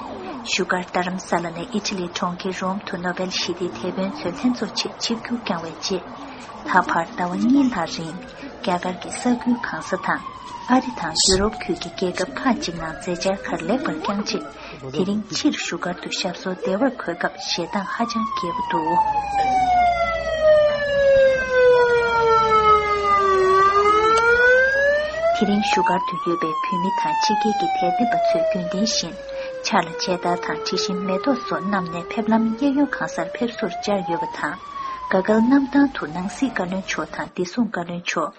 བཞུགས་སྒར་རྡ་རམ་ས་ལ་ནས་ཨི་ཊ་ལིའི་གྲོང་ཁྱེར་རོམ་དུ་ནོ་བེལ་ཞི་བདེའི་དེད་དཔོན་ཚོའི་ལྷན་ཚོགས་ཆེད་ཆིབས་བསྒྱུར་བསྐྱངས་པའི་རྗེས། ད་བར་ཟླ་བ་གཉིས་ལྷག་རིང་རྒྱ་གར་གྱི་ས་ཁུལ་གང་ས་དང་། ཨ་རི་དང་ཡུ་རོབ་ཁུལ་གྱི་རྒྱལ་ཁབ་ཁག་ཅིག་ནང་མཛད་འཆར་ཁག་ལེགས་པར་བསྐྱངས་རྗེས། དེ་རིང་ཕྱིར་བཞུགས་སྒར་དུ་ཞབས་སོར་བདེ་བར་འཁོད་སྐབས་ཞལ་གདངས་ཧ་ཅང་རྒྱས་པོ་འདུག། དེ་རིང་བཞུགས་སྒར་དུ་ཡོད་པའི་བོད་མི་དང་ཕྱི་རྒྱལ་གྱི་དད་ལྡན་པ་ཚོས་རྒྱུན་ལྡན་བཞིན་ཕྱག་ལ་མཇལ་དར་དང་དྲི་ཞིམ་མེ་ཏོག་སོགས་བསྣམས་ནས་ཕེབས་ལམ་གཡས་གཡོན་གང་སར་ཕེབས་བསུར་བཅར་ཡོད་པ་དང་། དགའ་སྐལ་གནམ་ཐང་དུ་ནང་སྲིད་བཀའ་བློན་མཆོག་དང་བདེ་སྲུང་བཀའ་བློན་མཆོག་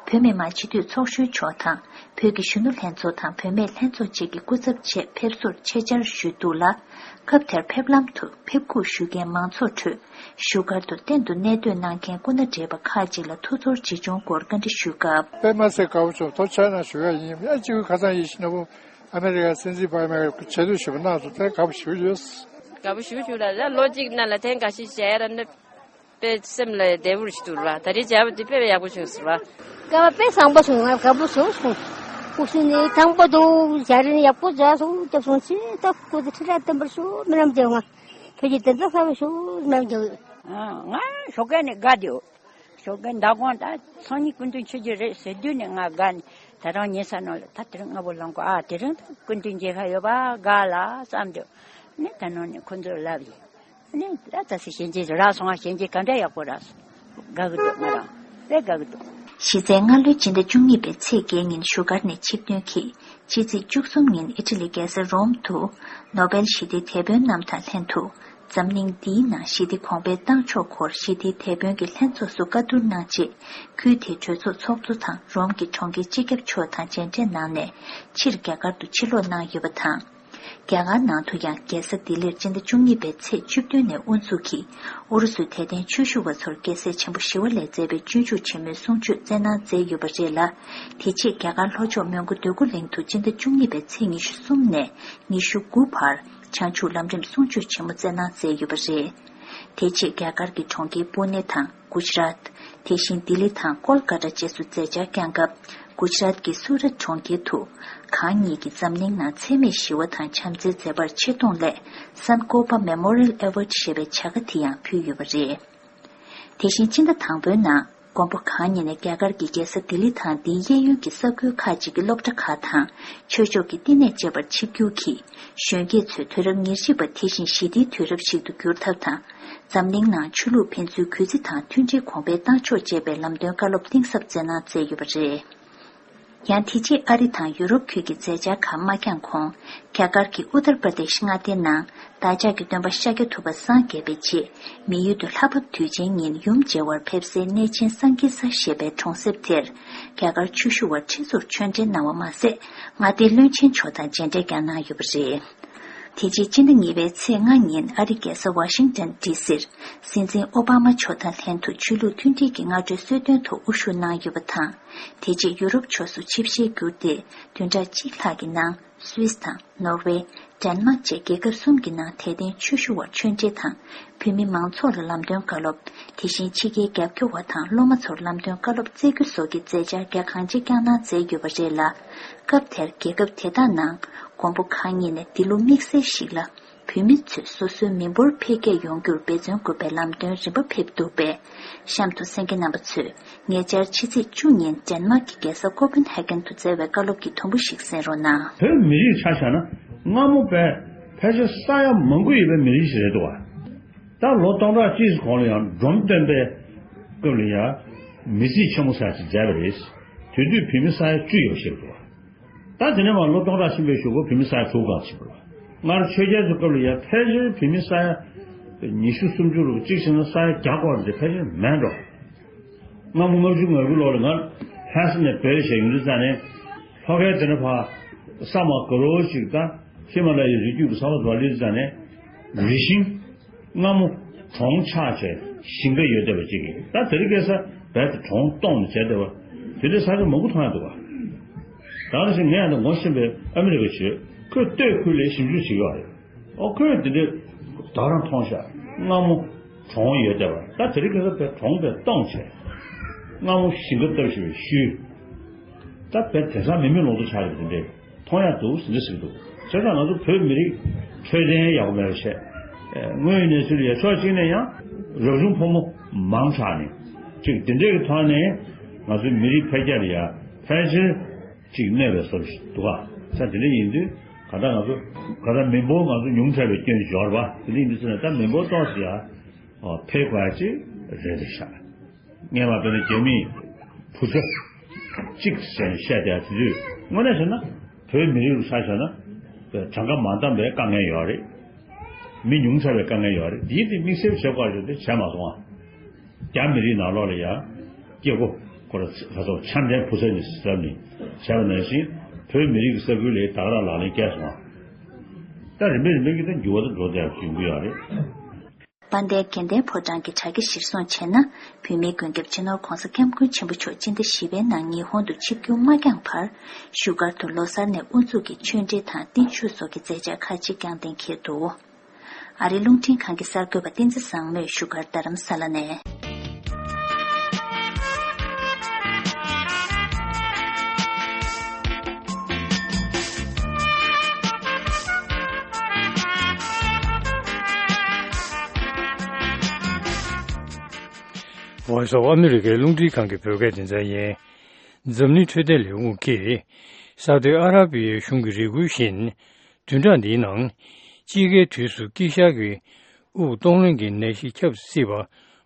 བོད་མི་མང་སྤྱི་འཐུས་ཚོགས་གཞོན་མཆོག་དང་། བོད་ཀྱི་གཞོན་ནུ་ལྷན་ཚོགས་དང་བུད་མེད་ལྷན་ཚོགས་བཅས་ཀྱི་སྐུ་ཚབ་ཆེད་ཕེབས་བསུར་ཆེད་བཅར་ཞུས་འདུག་ལ། སྐབས་དེར་ཕེབས་ལམ་དུ་ཕེབས་སྒུག་ཞུ་མཁན་མང་ཚོགས་ཁྲོད། བཞུགས་སྒར་དུ་གཏན་དུ་གནས་སྡོད་གནང་མཁན་སྐུ་ན་བགྲེས་པ་ཁག་ཅིག་ལ་ཐུགས་ཚོར་ཇི་བྱུང་སྐོར་བཀའ་འདྲི་ཞུས་སྐབས། དཔེ་མ་ཚད་དགའ་པོ་བྱུང་། ཐུགས་རྗེ་ཆེ་གནང་ཞུ་ཡ་ཡིན། ཨ་ཅིག་ཁ་སང་ཡིད་བཞིན་ནོར་བུ་ཨ་མེ་རི་ཀའི་སྲིད་འཛིན་འབངས་མའི་ཆེད་དུ་ཞུ་བ་གནང་སོང་། དེ་དགའ་པོ་ཞེ་པོ་ཡོད། དགའ་པོ་ཞེ་པོ་བྱུང་ལ། ཡང་ལོ་གཅིག་ནང་ལ་ཐེངས་འགའ་ཞིག་མཇལ་ཡ་ར་ནི། དཔེ་སེམས་ལ་བདེ་པོ་ཞིག་འདུག་ར། ད་རེས་མཇལ་བ་འདི་དཔེ་ཡག་པོ་བྱུང་སོང་ར། སྐལ་བ་དཔེ་བཟང་པོ་བྱུང་། ང་དགའ་པོ་བྱུང་སོང་། སྐུ་སྲུང་ནི་དང་པོ་དུ་མཇལ་རིན་ཡག་པོ་མཇལ་སོང་། སྐྱབས་སོང་ཆེ། ད་སྐུ་ཚེ་ཁྲི་ཕྲག་བརྟན་པར་ཤོག། རྨི་ལམ་རྒྱལ་བ། བོད་ཀྱི་བདེན་མཐའ་གསལ་བར་ཤོག། རྨི་ལམ་རྒྱལ་བ། ང་ཞོགས་ཀས་ནས་དགའ་བདེའོ། ཞོགས་ཀས་མདང་དགོང་ད་སང་ཉིན་སྐུ་མདུན་མཆོད་རྒྱུ་རེད་ཟེར་དུས་ནས་ང་དགའ་ནས། ད་རང་ཉལ་ས་ནང་ལ་ད་དེ་རིང་སྔ་པོ་ལངས་གོ། ཨ་དེ་རིང་ད་སྐུ་མདུན་མཇལ་ཁ་ཡོད་པ་དགའ་ལ་བསམ་དུས་ནས་ད་ནང་ནས་ཁོ་ཚོར་ལབ་ཡིན། ནི་ད་ད་སི་གཞན་གྱིས་རག་སོང་ང་། གཞན་གྱིས་ག་འདྲ་ཡག་པོ་རག་སོང་། དགའ་གི་འདུག་ང་རང་དཔེ་དགའ་གི་འདུག་གཞི་རྩའི་སྔ་ལོའི་སྤྱི་ཟླ་བཅུ་གཉིས་པའི་ཚེས་བརྒྱད་ཉིན་བཞུགས་སྒར་ནས་ཆིབས་ཐོན་གྱིས་ཕྱི་ཚེས་བཅུ་གསུམ་ཉིན་ཨི་ཊ་ལི་རྒྱལ་ས་རོམ་དུ་ནོ་བེལ་ཞི་བདེའི་དེད་དཔོན་རྣམས་དང་ལྷན་དུ། འཛམ་གླིང་འདིའི་ནང་ཞི་བདེ་གོང་འཕེལ་བཏང་ཕྱོགས་སྐོར་ཞི་བདེའི་དེད་དཔོན་གྱི་ལྷན་ཚོགས་སུ་བཀའ་བསྡུར་གནང་རྗེས། ཁུལ་དེའི་གྲོས་ཚོགས་ཚོགས་གཙོ་དང་རོམ་གྱི་གྲོང་ཁྱེར་སྤྱི་ཁྱབ་མཆོག་དང་མཇལ་འཕྲད་གནང་ནས་ཕྱིར་རྒྱ་གར་དུ་ཕྱིར་ལོག་གནང་ཡོད་པ་དང་། རྒྱ་གར་ནང་དུ་ཡང་རྒྱལ་ས་ལྡི་ལིར་སྤྱི་ཟླ་བཅུ་གཉིས་པའི་ཚེས་བཅུ་བདུན་ནས་དབུ་འཛུགས་ཀྱིས་ཨུ་རུ་སུའི་དད་ལྡན་ཆོས་ཞུ་བ་ཚོར་རྒྱལ་སྲས་ཆེན་པོ་ཞི་བ་ལྷས་མཛད་པའི་སྤྱོད་འཇུག་ཆེན་མོའི་གསུང་ཆོས་སྩལ་གནང་མཛད་ཡོད་པ་རེད་ལ། དེ་རྗེས་རྒྱ་གར་ལྷོ་ཕྱོགས་མོན་གྷོ་འདོད་རྒུ་གླིང་དུ་སྤྱི་ཟླ་བཅུ་གཉིས་པའི་ཚེས་ཉི་ཤུ་གསུམ་ནས་ཉི་ཤུ་དགུ་བར་བྱང་ཆུབ་ལམ་རིམ་གསུང་ཆོས་ཆེན་མོ་སྩལ་གནང་མཛད་ཡོད་པ་རེད། དེ་རྗེས་རྒྱ་གར་གྱི་གྲོང་ཁྱེར་པུ་ནེ་དང་། གུ་ཇ་རཱཏ། དེ་བཞིན་ལྡི་ལི་དང་ཀོལ་ཀ་ཏ་བཅས་སུ་མཛད་འཆར་བསྐྱངས་སྐབས། གུ་ཇ་རཱཏ་ཀྱི་སུ་རཏ་གྲོང་ཁྱེར་དུ། གང་ཉིད་ཀྱིས་འཛམ་གླིང་ནང་འཚེ་མེད་ཞི་བ་དང་བྱམས་བརྩེའི་མཛད་པར་ཆེ་མཐོང་སླད། Sankalpa Memorial Award ཞེས་པའི་བྱ་དགའ་དེ་ཡང་ཕུལ་ཡོད་པ་རེད། དེ་བཞིན་སྤྱི་ཟླ་དང་པོའི་ནང་། མགོན་པོ་གང་ཉིད་ནས་རྒྱ་གར་གྱི་རྒྱལ་ས་ལྡི་ལི་དང་དེའི་གཡས་གཡོན་གྱི་ས་ཁུལ་ཁག་ཅིག་གི་སློབ་གྲྭ་ཁག་དང་ཆོས་ཕྱོགས་ཀྱི་བསྟི་གནས་བཅས་པར་ཆིབས་བསྒྱུར་གྱིས། གཞོན་སྐྱེས་ཚོས་དུས་རབས་ཉེར་གཅིག་པ་དེ་བཞིན་ཞི་བདེའི་དུས་རབས་ཤིག་ཏུ་འགྱུར་ཐབས་དང་། འཛམ་གླིང་ནང་ཆོས་ལུགས་ཕན་ཚུན་གུས་བརྩི་དང་མཐུན་སྒྲིལ་གོང་འཕེལ་གཏང་ཕྱོགས་ཅེས་པའི་ལམ་སྟོན་བཀའ་སློབ་གཏིང་ཟབ་སྩལ་གནང་མཛད་ཡོད་པ་རེད། ཡང་དེ་རྗེས་ཨ་རི་དང་ཡུ་རོབ་ཁུལ་གྱི་མཛད་འཆར་ཁག་མ་འགྱངས་གོང་། རྒྱ་གར་གྱི་ཨུ་ཏར་པྲ་དེཤ་མངའ་སྡེའི་ནང་བདག་ཅག་གི་སྟོན་པ་ཤཱཀྱ་ཐུབ་པ་སངས་རྒྱས་པའི་རྗེས། མི་ཡུལ་དུ་ལྷ་བབས་དུས་ཆེན་ཉིན་ཡུམ་མཇལ་བར་ཕེབས་སའི་གནས་ཆེན་སཾ་ཀི་ས་ཞེས་པའི་གྲོང་གསེབ་དེར། རྒྱ་གར་ཆོས་ཞུ་བ་ཁྲི་ཚོར་ཆོས་འབྲེལ་གནང་བ་མ་ཟད། མངའ་སྡེའི་བློན་ཆེན་མཆོག་དང་མཇལ་འཕྲད་ཀྱང་གནང་ཡོད་པ་རེད། དེ་རྗེས་སྤྱི་ཟླ་གཉིས་པའི་ཚེས་ལྔ་ཉིན་ཨ་རི་རྒྱལ་ས་ཝ་ཤིང་ཏན་ཌི་སིར། སྲིད་འཛིན་ཨོ་བྷ་མ་མཆོག་དང་ལྷན་དུ་ཆོས་ལུགས་མཐུན་སྒྲིལ་གྱི་སྔ་དྲོའི་གསོལ་སྟོན་ཐོག་དབུ་བཞུགས་གནང་ཡོད་པ་དང་། དེ་རྗེས་ཡུ་རོབ་ཕྱོགས་སུ་ཆིབས་ཞལ་བསྒྱུར་ཏེ། བདུན་ཕྲག་གཅིག་ལྷག་གི་ནང་སུད་སི་དང་ནོར་ཝེ། ཌེན་མཱག་བཅས་རྒྱལ་ཁབ་གསུམ་གྱི་ནང་དད་ལྡན་ཆོས་ཞུ་བར་ཆོས་འབྲེལ་དང་། བོད་མི་མང་ཚོགས་ལ་ལམ་སྟོན་བཀའ་སློབ། དེ་བཞིན་ཕྱི་རྒྱལ་རྒྱབ་སྐྱོར་བ་དང་སློབ་མ་ཚོར་ལམ་སྟོན་བཀའ་སློབ་སྩལ་རྒྱུ་སོགས་ཀྱི་མཛད་འཆར་རྒྱ་གང་ཆེ་བསྐྱངས་གནང་མཛད་ཡོད་པ་རེད་ལ། སྐབས་དེར་རྒྱལ་ཁབ་དེ་དག་ནང་མགོན་པོ་གང་ཉིད་ནས་འདི་ལོ་དམིགས་བསལ་ཞིག་ལ། བོད་མི་ཚོས་སོ་སོའི་མི་འབོར་འཕེལ་རྒྱས་ཡོང་རྒྱུར་འབད་བརྩོན་དགོས་པའི་ལམ་སྟོན་རིམ་པ་ཕེབས་འདུག་པས། གཤམ་དུ་གསན་མཁན་རྣམ་པ་ཚོས་ཉེ་ཆར་ཕྱི་ཚེས་བཅུ་ཉིན་ཌེན་མཱག་གི་རྒྱལ་ས་ཀོ་པན་ཧེ་གན་དུ་སྩལ་བའི་བཀའ་སློབ་ཀྱི་དུམ་བུ་ཞིག་གསན་རོགས་གནང་། བོད་མི་རིགས་ཆ་བཞག་ན་སྔ་མོ་བས་ཕལ་ཆེར་ས་ཡ་མང་པོ་ཡོད་པའི་མི་རིགས་ཤིག་རེད་འདུག་བ། ད་ལོ་སྟོང་ཕྲག་གཅིག་གོང་ལ་ཡང་འབྲོམ་སྟོན་པའི་སྐབས་ལ་ཡང་མི་རྩིས་ཆེན་མོ་ས་ཅིག་མཛད་པ་རེད། དེ་དུས་བོད་མི་ས་ཡ་བཅུ་ཡོད་ཤེས་འདུག་བ། ད་དེ་ནས་མར་ལོ་སྟོང་ཕྲག་ཕྱིན་པའི་གཞུག་གུ་བོད་མི་ས་ཡ་དྲུག་གང་ཕྱིན་པ་རེད་བ། སྔར་ཆོས་རྒྱལ་ཚོའི་སྐབས་ལ་ཡང་ཕལ་ཆེར་བོད་མི་ས་ཡ་ཉི་ཤུ་སུམ་ཅུ་རུ་གཅིག་བྱས་ན་ས་ཡ་བརྒྱ་སྐོར་འདི་ཕལ་ཆེར་མེད་འགྲོ། སྔ་མོ་ལྔ་བཅུ་ང་དགུ་ལོ་ལ་ང་ལྷ་ས་ནས་བོད་ལ་བྱས་ཡོང་དུས་ཙང་ནས་ལྷོ་ཁའི་དེ་ནས་ཕར་ས་མ་དགའ་རོ་ཞིག་དང་ཧི་མ་ལ་ཡའི་རི་རྒྱུད་ཀྱི་ས་བ་དུ་བ་སླེབས་དུས་ཙང་ནས་རི་ཤིང་སྔ་མོ་གྲོང་ཆགས་བྱས་ཞིང་ཁ་ཡོད་བསྡད་པ་ཅིག་གིས་ད་དེ་རིང་ཁ་སང་བལ་དུ་གྲོང་སྟོང་ནས་བྱས་བསྡད་པ་དེ་འདྲའི་ས་ཆ་མང་པོ་མཐོང་ཡ་འདུག་ག། ད་ནང་བཞིན་ངས་ཡང་ད་ངོ་ཤེས་པའི་ཨ་མི་རི་ཀ་ཞིག་ཁོས་སྟོད་ཁུལ་ལ་ཞིབ་འཇུག་བྱེད་ཀྱི་ཡོད་རེད། ཨོ་ཁོས་དེ་འདྲའི་ད་རང་མཐོང་ཤག་སྔ་མོ་གྲོང་ཡོད་བསྡད་པ་ད་དེ་རིང་ཁ་སང་བལ་གྲོང་བལ་སྟོང་བྱས། སྔ་མོ་ཞིང་ཁ་བཏབ་བཞིན་པའི་ཤུལ། ད་བལ་དེང་སང་མི་མེད་ལོང་དུ་ཆགས་ཡོད་པ་དེ་འདྲའི། མཐོང་ཡག་འདུག་ཟེར་འདྲ་ཟེར་གྱི་འདུག་བྱས་ཙང་ང་ཚོ་བོད་མི་རིགས་འཕྲོད་བསྟེན་ཡག་པོ་མེད་པ་བྱས། དངོས་ཡོད་གནས་ཚུལ་ལ་ཡ་ཕྱོགས་གཅིག་ནས་ཡང་རབ་བྱུང་ཕོ་མོ་མང་དྲགས་ནས་ཅིག་དེ་འདྲས་ཀྱི་ཐོག་ནས་ང་ཚོའི་མི་རིགས་འཕེལ་རྒྱས་ལ་ཡ་ཕལ་ཆེར་ཅིག་གནོད་པའི་བཟོ་ཞིག་འདུག་ག་ས་དེ་འདྲ་ཡིན་དུས་ག་ད་ང་ཚོ་ག་ད་མི་འབོར་ང་ཚོ་ཉུང་དྲགས་པའི་སྐྱོན་ཞིག་ཡོད་རེད་པ། དེ་འདྲ་ཡིན་དུས་ཚོད་ནས་ད་མི་འབོར་ཏོག་ཙམ་ཡ་འཕེལ་དགོས་ཡ་ཅིག་རེད་འདུག་ཤག་སྔས་མ་བོད་ནས་རྒྱ་མིས་བུ་ཚ་གཅིག་ཟེར་ནས་བཤད་བསྡད་དེ་དུས་དངོས་གནས་བྱས་ན་བོད་མི་རིགས་ལ་ཆ་བཞག་ན་གྲངས་ཀ་མ་འདང་བའི་དཀའ་ངལ་ཡོད་རེད། མི་ཉུང་དྲགས་པའི་དཀའ་ངལ་ཡོད་རེད། འདིའི་དེ་དམིགས་བསལ་བྱེད་དགོས་རེད་དེ་བྱས་མ་སོང་ཨ། རྒྱ་མི་རིགས་ནང་ལོགས་ལ་ཡང་སྐྱེ་སྒོ་ཁོ་ར་ཁ་སོགས་ཆམ་ལྡན་བུ་ཚ་ནས་ཟབ་ནས་བྱས་པ་ནང་བཞིན་བོད་མི་རིགས་ཀྱི་ས་ཁུལ་ལ་ད་ག་རང་ལག་ལེན་བཀལ་སོང་ཨ། ད་རིམ་པས་རིམ་པས་ཀྱི་ད་འགྱུར་བ་ད་འགྲོ་བསྡད་ཡོང་གི་ཡོད་རེད། དཔལ་ལྡན་དགེ་ལྡན་ཕོ་བྲང་གི་དྲ་རྒྱ་གཞིར་བཟུང་བྱས་ན། བོད་མིའི་མགོན་སྐྱབས་སྤྱི་ནོར་༧གོང་ས་༧སྐྱབས་མགོན་ཆེན་པོ་མཆོག་སྤྱི་ཟླ་བཞི་པའི་ནང་ཉི་ཧོང་དུ་ཆིབས་བསྒྱུར་མ་བསྐྱངས་བར། བཞུགས་སྒར་དུ་ལོ་གསར་ནས་དབུ་འཛུགས་ཀྱི་ཆོས་འབྲེལ་དང་བརྟན་བཞུགས་སོགས་ཀྱི་མཛད་འཆར་ཁག་ཅིག་བསྐྱངས་གཏན་འཁེལ་འདུག་ཨ་རིའི་རླུང་འཕྲིན་ཁང་གི་གསར་འགོད་པ་བསྟན་འཛིན་བཟང་མོས་བཞུགས་སྒར་རྡ་རམ་ས་ལ་ནས། Voice of America རླུང་འཕྲིན་ཁང་གི་བོད་སྐད་སྡེ་ཚན་ཡིན། འཛམ་གླིང་འཕྲོད་བསྟེན་ལས་ཁུངས་ཀྱིས་ས་ཨུ་དི་ཨ་ར་པི་ཡའི་གཞུང་གི་རེ་སྐུལ་བཞིན། བདུན་ཕྲག་འདིའི་ནང་དཔྱིད་ཀའི་དུས་སུ་དཀྱིལ་ཤར་གྱི་ དབུགས་གཏོང་ལེན་གྱི་ནད་གཞི་ཁྱབ་སྲིད་པ་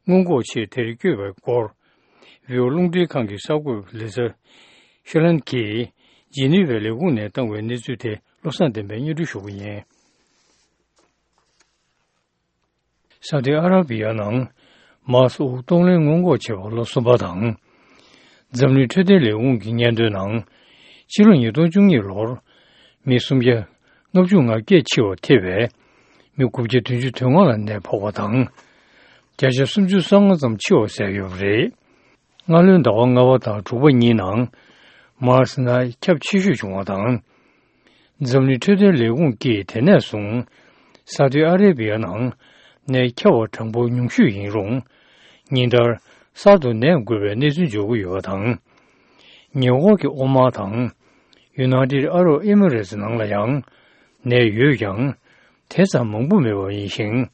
སྔོན་འགོག་ཆེད་དེར་བསྐྱོད་པའི་སྐོར། བྷི་ཨོ་རླུང་འཕྲིན་ཁང་གི་གསར་འགོད་པ་ལི་ཛ་ཤེ་ལན་གྱིས་ཇི་ནི་ཝའི་ལས་ཁུངས་ནས་བཏང་བའི་གནས་ཚུལ་དེ་བློ་བཟང་བསྟན་པས་སྙན་སྒྲོན་ཞུ་གི་ཡིན། ས་ཨུ་ཏི་ཨ་ར་བི་ཡ་ནང་མཱ་སི་དབུགས་གཏོང་ལེན་སྔོན་འགོག་བྱེད་པར་ལོ་གསུམ་པ་དང་། འཛམ་གླིང་འཕྲོད་བསྟེན་ལས་ཁུངས་ཀྱི་སྙན་ཐོའི་ནང་། ཕྱི་ལོ་ཉིས་སྟོང་བཅུ་གཉིས་ལོར་མི་སུམ་བརྒྱ་ལྔ་བཅུ་ང་བརྒྱད་འཆི་བར་ཐེ་བའི་མི་དགུ་བརྒྱ་བདུན་ཅུ་དོན་ལྔ་ལ་ནད་ཕོག་པ་དང་། བརྒྱ་ཆ་སུམ་ཅུ་སོ་ལྔ་ཙམ་འཆི་བ་བསལ་ཡོད་པ་རེད། སྔ་ལོའི་ཟླ་བ་ལྔ་པ་དང་དྲུག་པ་གཉིས་ནང་མཱ་སི་ནད་ཁྱབ་ཆེ་ཤོས་བྱུང་བ་དང་། འཛམ་གླིང་འཕྲོད་བསྟེན་ལས་ཁུངས་ཀྱིས་དེ་ནས་བཟུང་ས་ཨུ་ཏི་ཨ་རེ་བི་ཡ་ནང་ནད་ཁྱབ་པ་གྲངས་འབོར་ཉུང་ཤོས་ཡིན་རུང་། ཉིན་ལྟར་གསར་དུ་ནད་འགོས་པའི་གནས་ཚུལ་འབྱོར་གྱི་ཡོད་པ་དང་། ཉེ་འཁོར་གྱི་ཨོ་མཱན་དང་ཡུ་ནའི་ཊེཌ་ཨ་རབ་ཨེ་མི་རེ་ཊི་ནང་ལ་ཡང་ནད་ཡོད་ཀྱང་དེ་ཙམ་མང་པོ་མེད་པ་ཡིན་ཞིང་།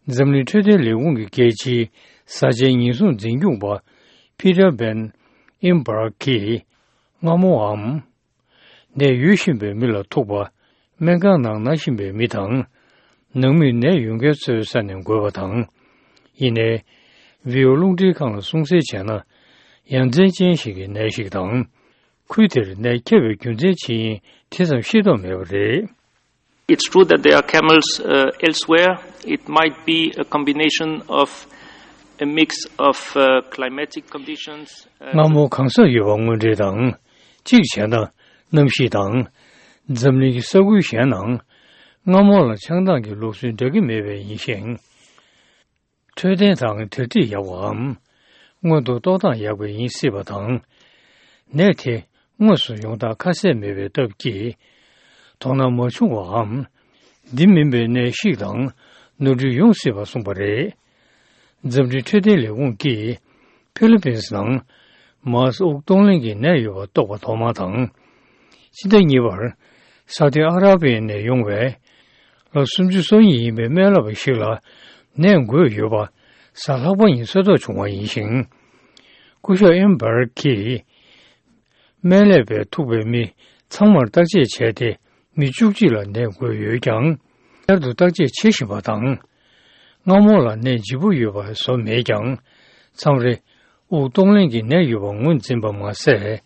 འཛམ་གླིང་འཕྲོད་བསྟེན་ལས་ཁུངས་ཀྱི་རྒྱལ་སྤྱིའི་གསར་བརྗེའི་ཉེན་སྲུང་འཛིན་སྐྱོང་པ་ཕི་ཊར་བྷན་ཨིན་བྷར་གྱིས་སྔ་མོའམ། ནད་ཡོད་བཞིན་པའི་མི་ལ་ཐུག་པ། སྨན་ཁང་ནང་ན་བཞིན་པའི་མི་དང་། ནང་མིས་ནད་ཡོད་མཁན་ཚོའི་ས་ནས་འགོས་པ་དང་། ཡིན་ནའི། བྷི་ཨོ་རླུང་འཕྲིན་ཁང་ལ་གསུང་གསལ་བྱས་ན། ཡ་མཚན་ཅན་ཞིག་གི་ནད་ཞིག་དང་། ཁུལ་དེར་ནད་ཁྱབ་པའི་རྒྱུ་མཚན་ཇི་ཡིན་དེ་ཙམ་ཤེས་རྟོགས་མེད་པ་རེད། It's true that there are camels, uh, elsewhere. It might be a combination of a mix of, uh, climatic conditions, uh, སྔ་མོ་གང་སར་ཡོད་པ་དངོས་འབྲེལ་དང་། གཅིག་བྱས་ན་གནམ་གཤིས་དང་། འཛམ་གླིང་གི་ས་ཁུལ་གཞན་ནང་སྔ་མོ་ལ་ཆང་འཐུང་གི་ལུགས་སྲོལ་འདྲ་གི་མེད་པས་ཡིན་ཞིང་། འཕྲོད་བསྟེན་དང་དལ་ཁྲིད་ཡག་པའམ། སྔོན་དུ་ལྟོ་ཐངས་ཡག་པས་ཡིན་སྲིད་པ་དང་། ནད་དེ་དངོས་སུ་ཡོང་སྟངས་ཁ་གསལ་མེད་པའི་སྟབས་ཀྱིས། དོ་སྣང་མ་བྱུང་བའམ། འདི་མིན་པའི་ནད་ཤིག་དང་ནོར་འཁྲུལ་ཡོང་སྲིད་པ་གསུངས་པ་རེད། འཛམ་གླིང་འཕྲོད་བསྟེན་ལས་ཁུངས་ཀྱིས་ཕི་ལི་པིན་སི་ནང་མཱ་སི་དབུགས་གཏོང་ལེན་གྱི་ནད་ཡོད་པ་རྟོགས་པ་ཐོག་མ་དང་། ཕྱི་ཟླ་གཉིས་པར་ས་ཨུ་ཏི་ཨ་ར་བི་ཡ་ནས་ཡོང་བའི་ལོ་སུམ་ཅུ་སོ་གཉིས་ཡིན་པའི་སྨན་བསླབ་པ་ཞིག་ལ་ནད་འགོས་ཡོད་པ་གཟའ་ལྷག་པ་ཉིན་གསལ་རྟོགས་བྱུང་བ་ཡིན་ཞིང་། སྐུ་ཞབས་ཨེམ་བྷར་གྱིས། སྨན་ལས་པས་ཐུག་པའི་མི་ཚང་མར་བརྟག་དཔྱད་བྱས་ཏེ་མི་བཅུ་གཅིག་ལ་ནད་འགོས་ཡོད་ཀྱང་། བསྐྱར་དུ་བརྟག་དཔྱད་བྱེད་བཞིན་པ་དང་། སྔ་མོ་ལ་ནད་ལྗིད་པོ་ཡོད་པ་བཟོ་མེད་ཀྱང་། མཚམས་རེ་དབུགས་གཏོང་ལེན་གྱི་ནད་ཡོད་པ་ངོས་འཛིན་པ་མ་ཟད།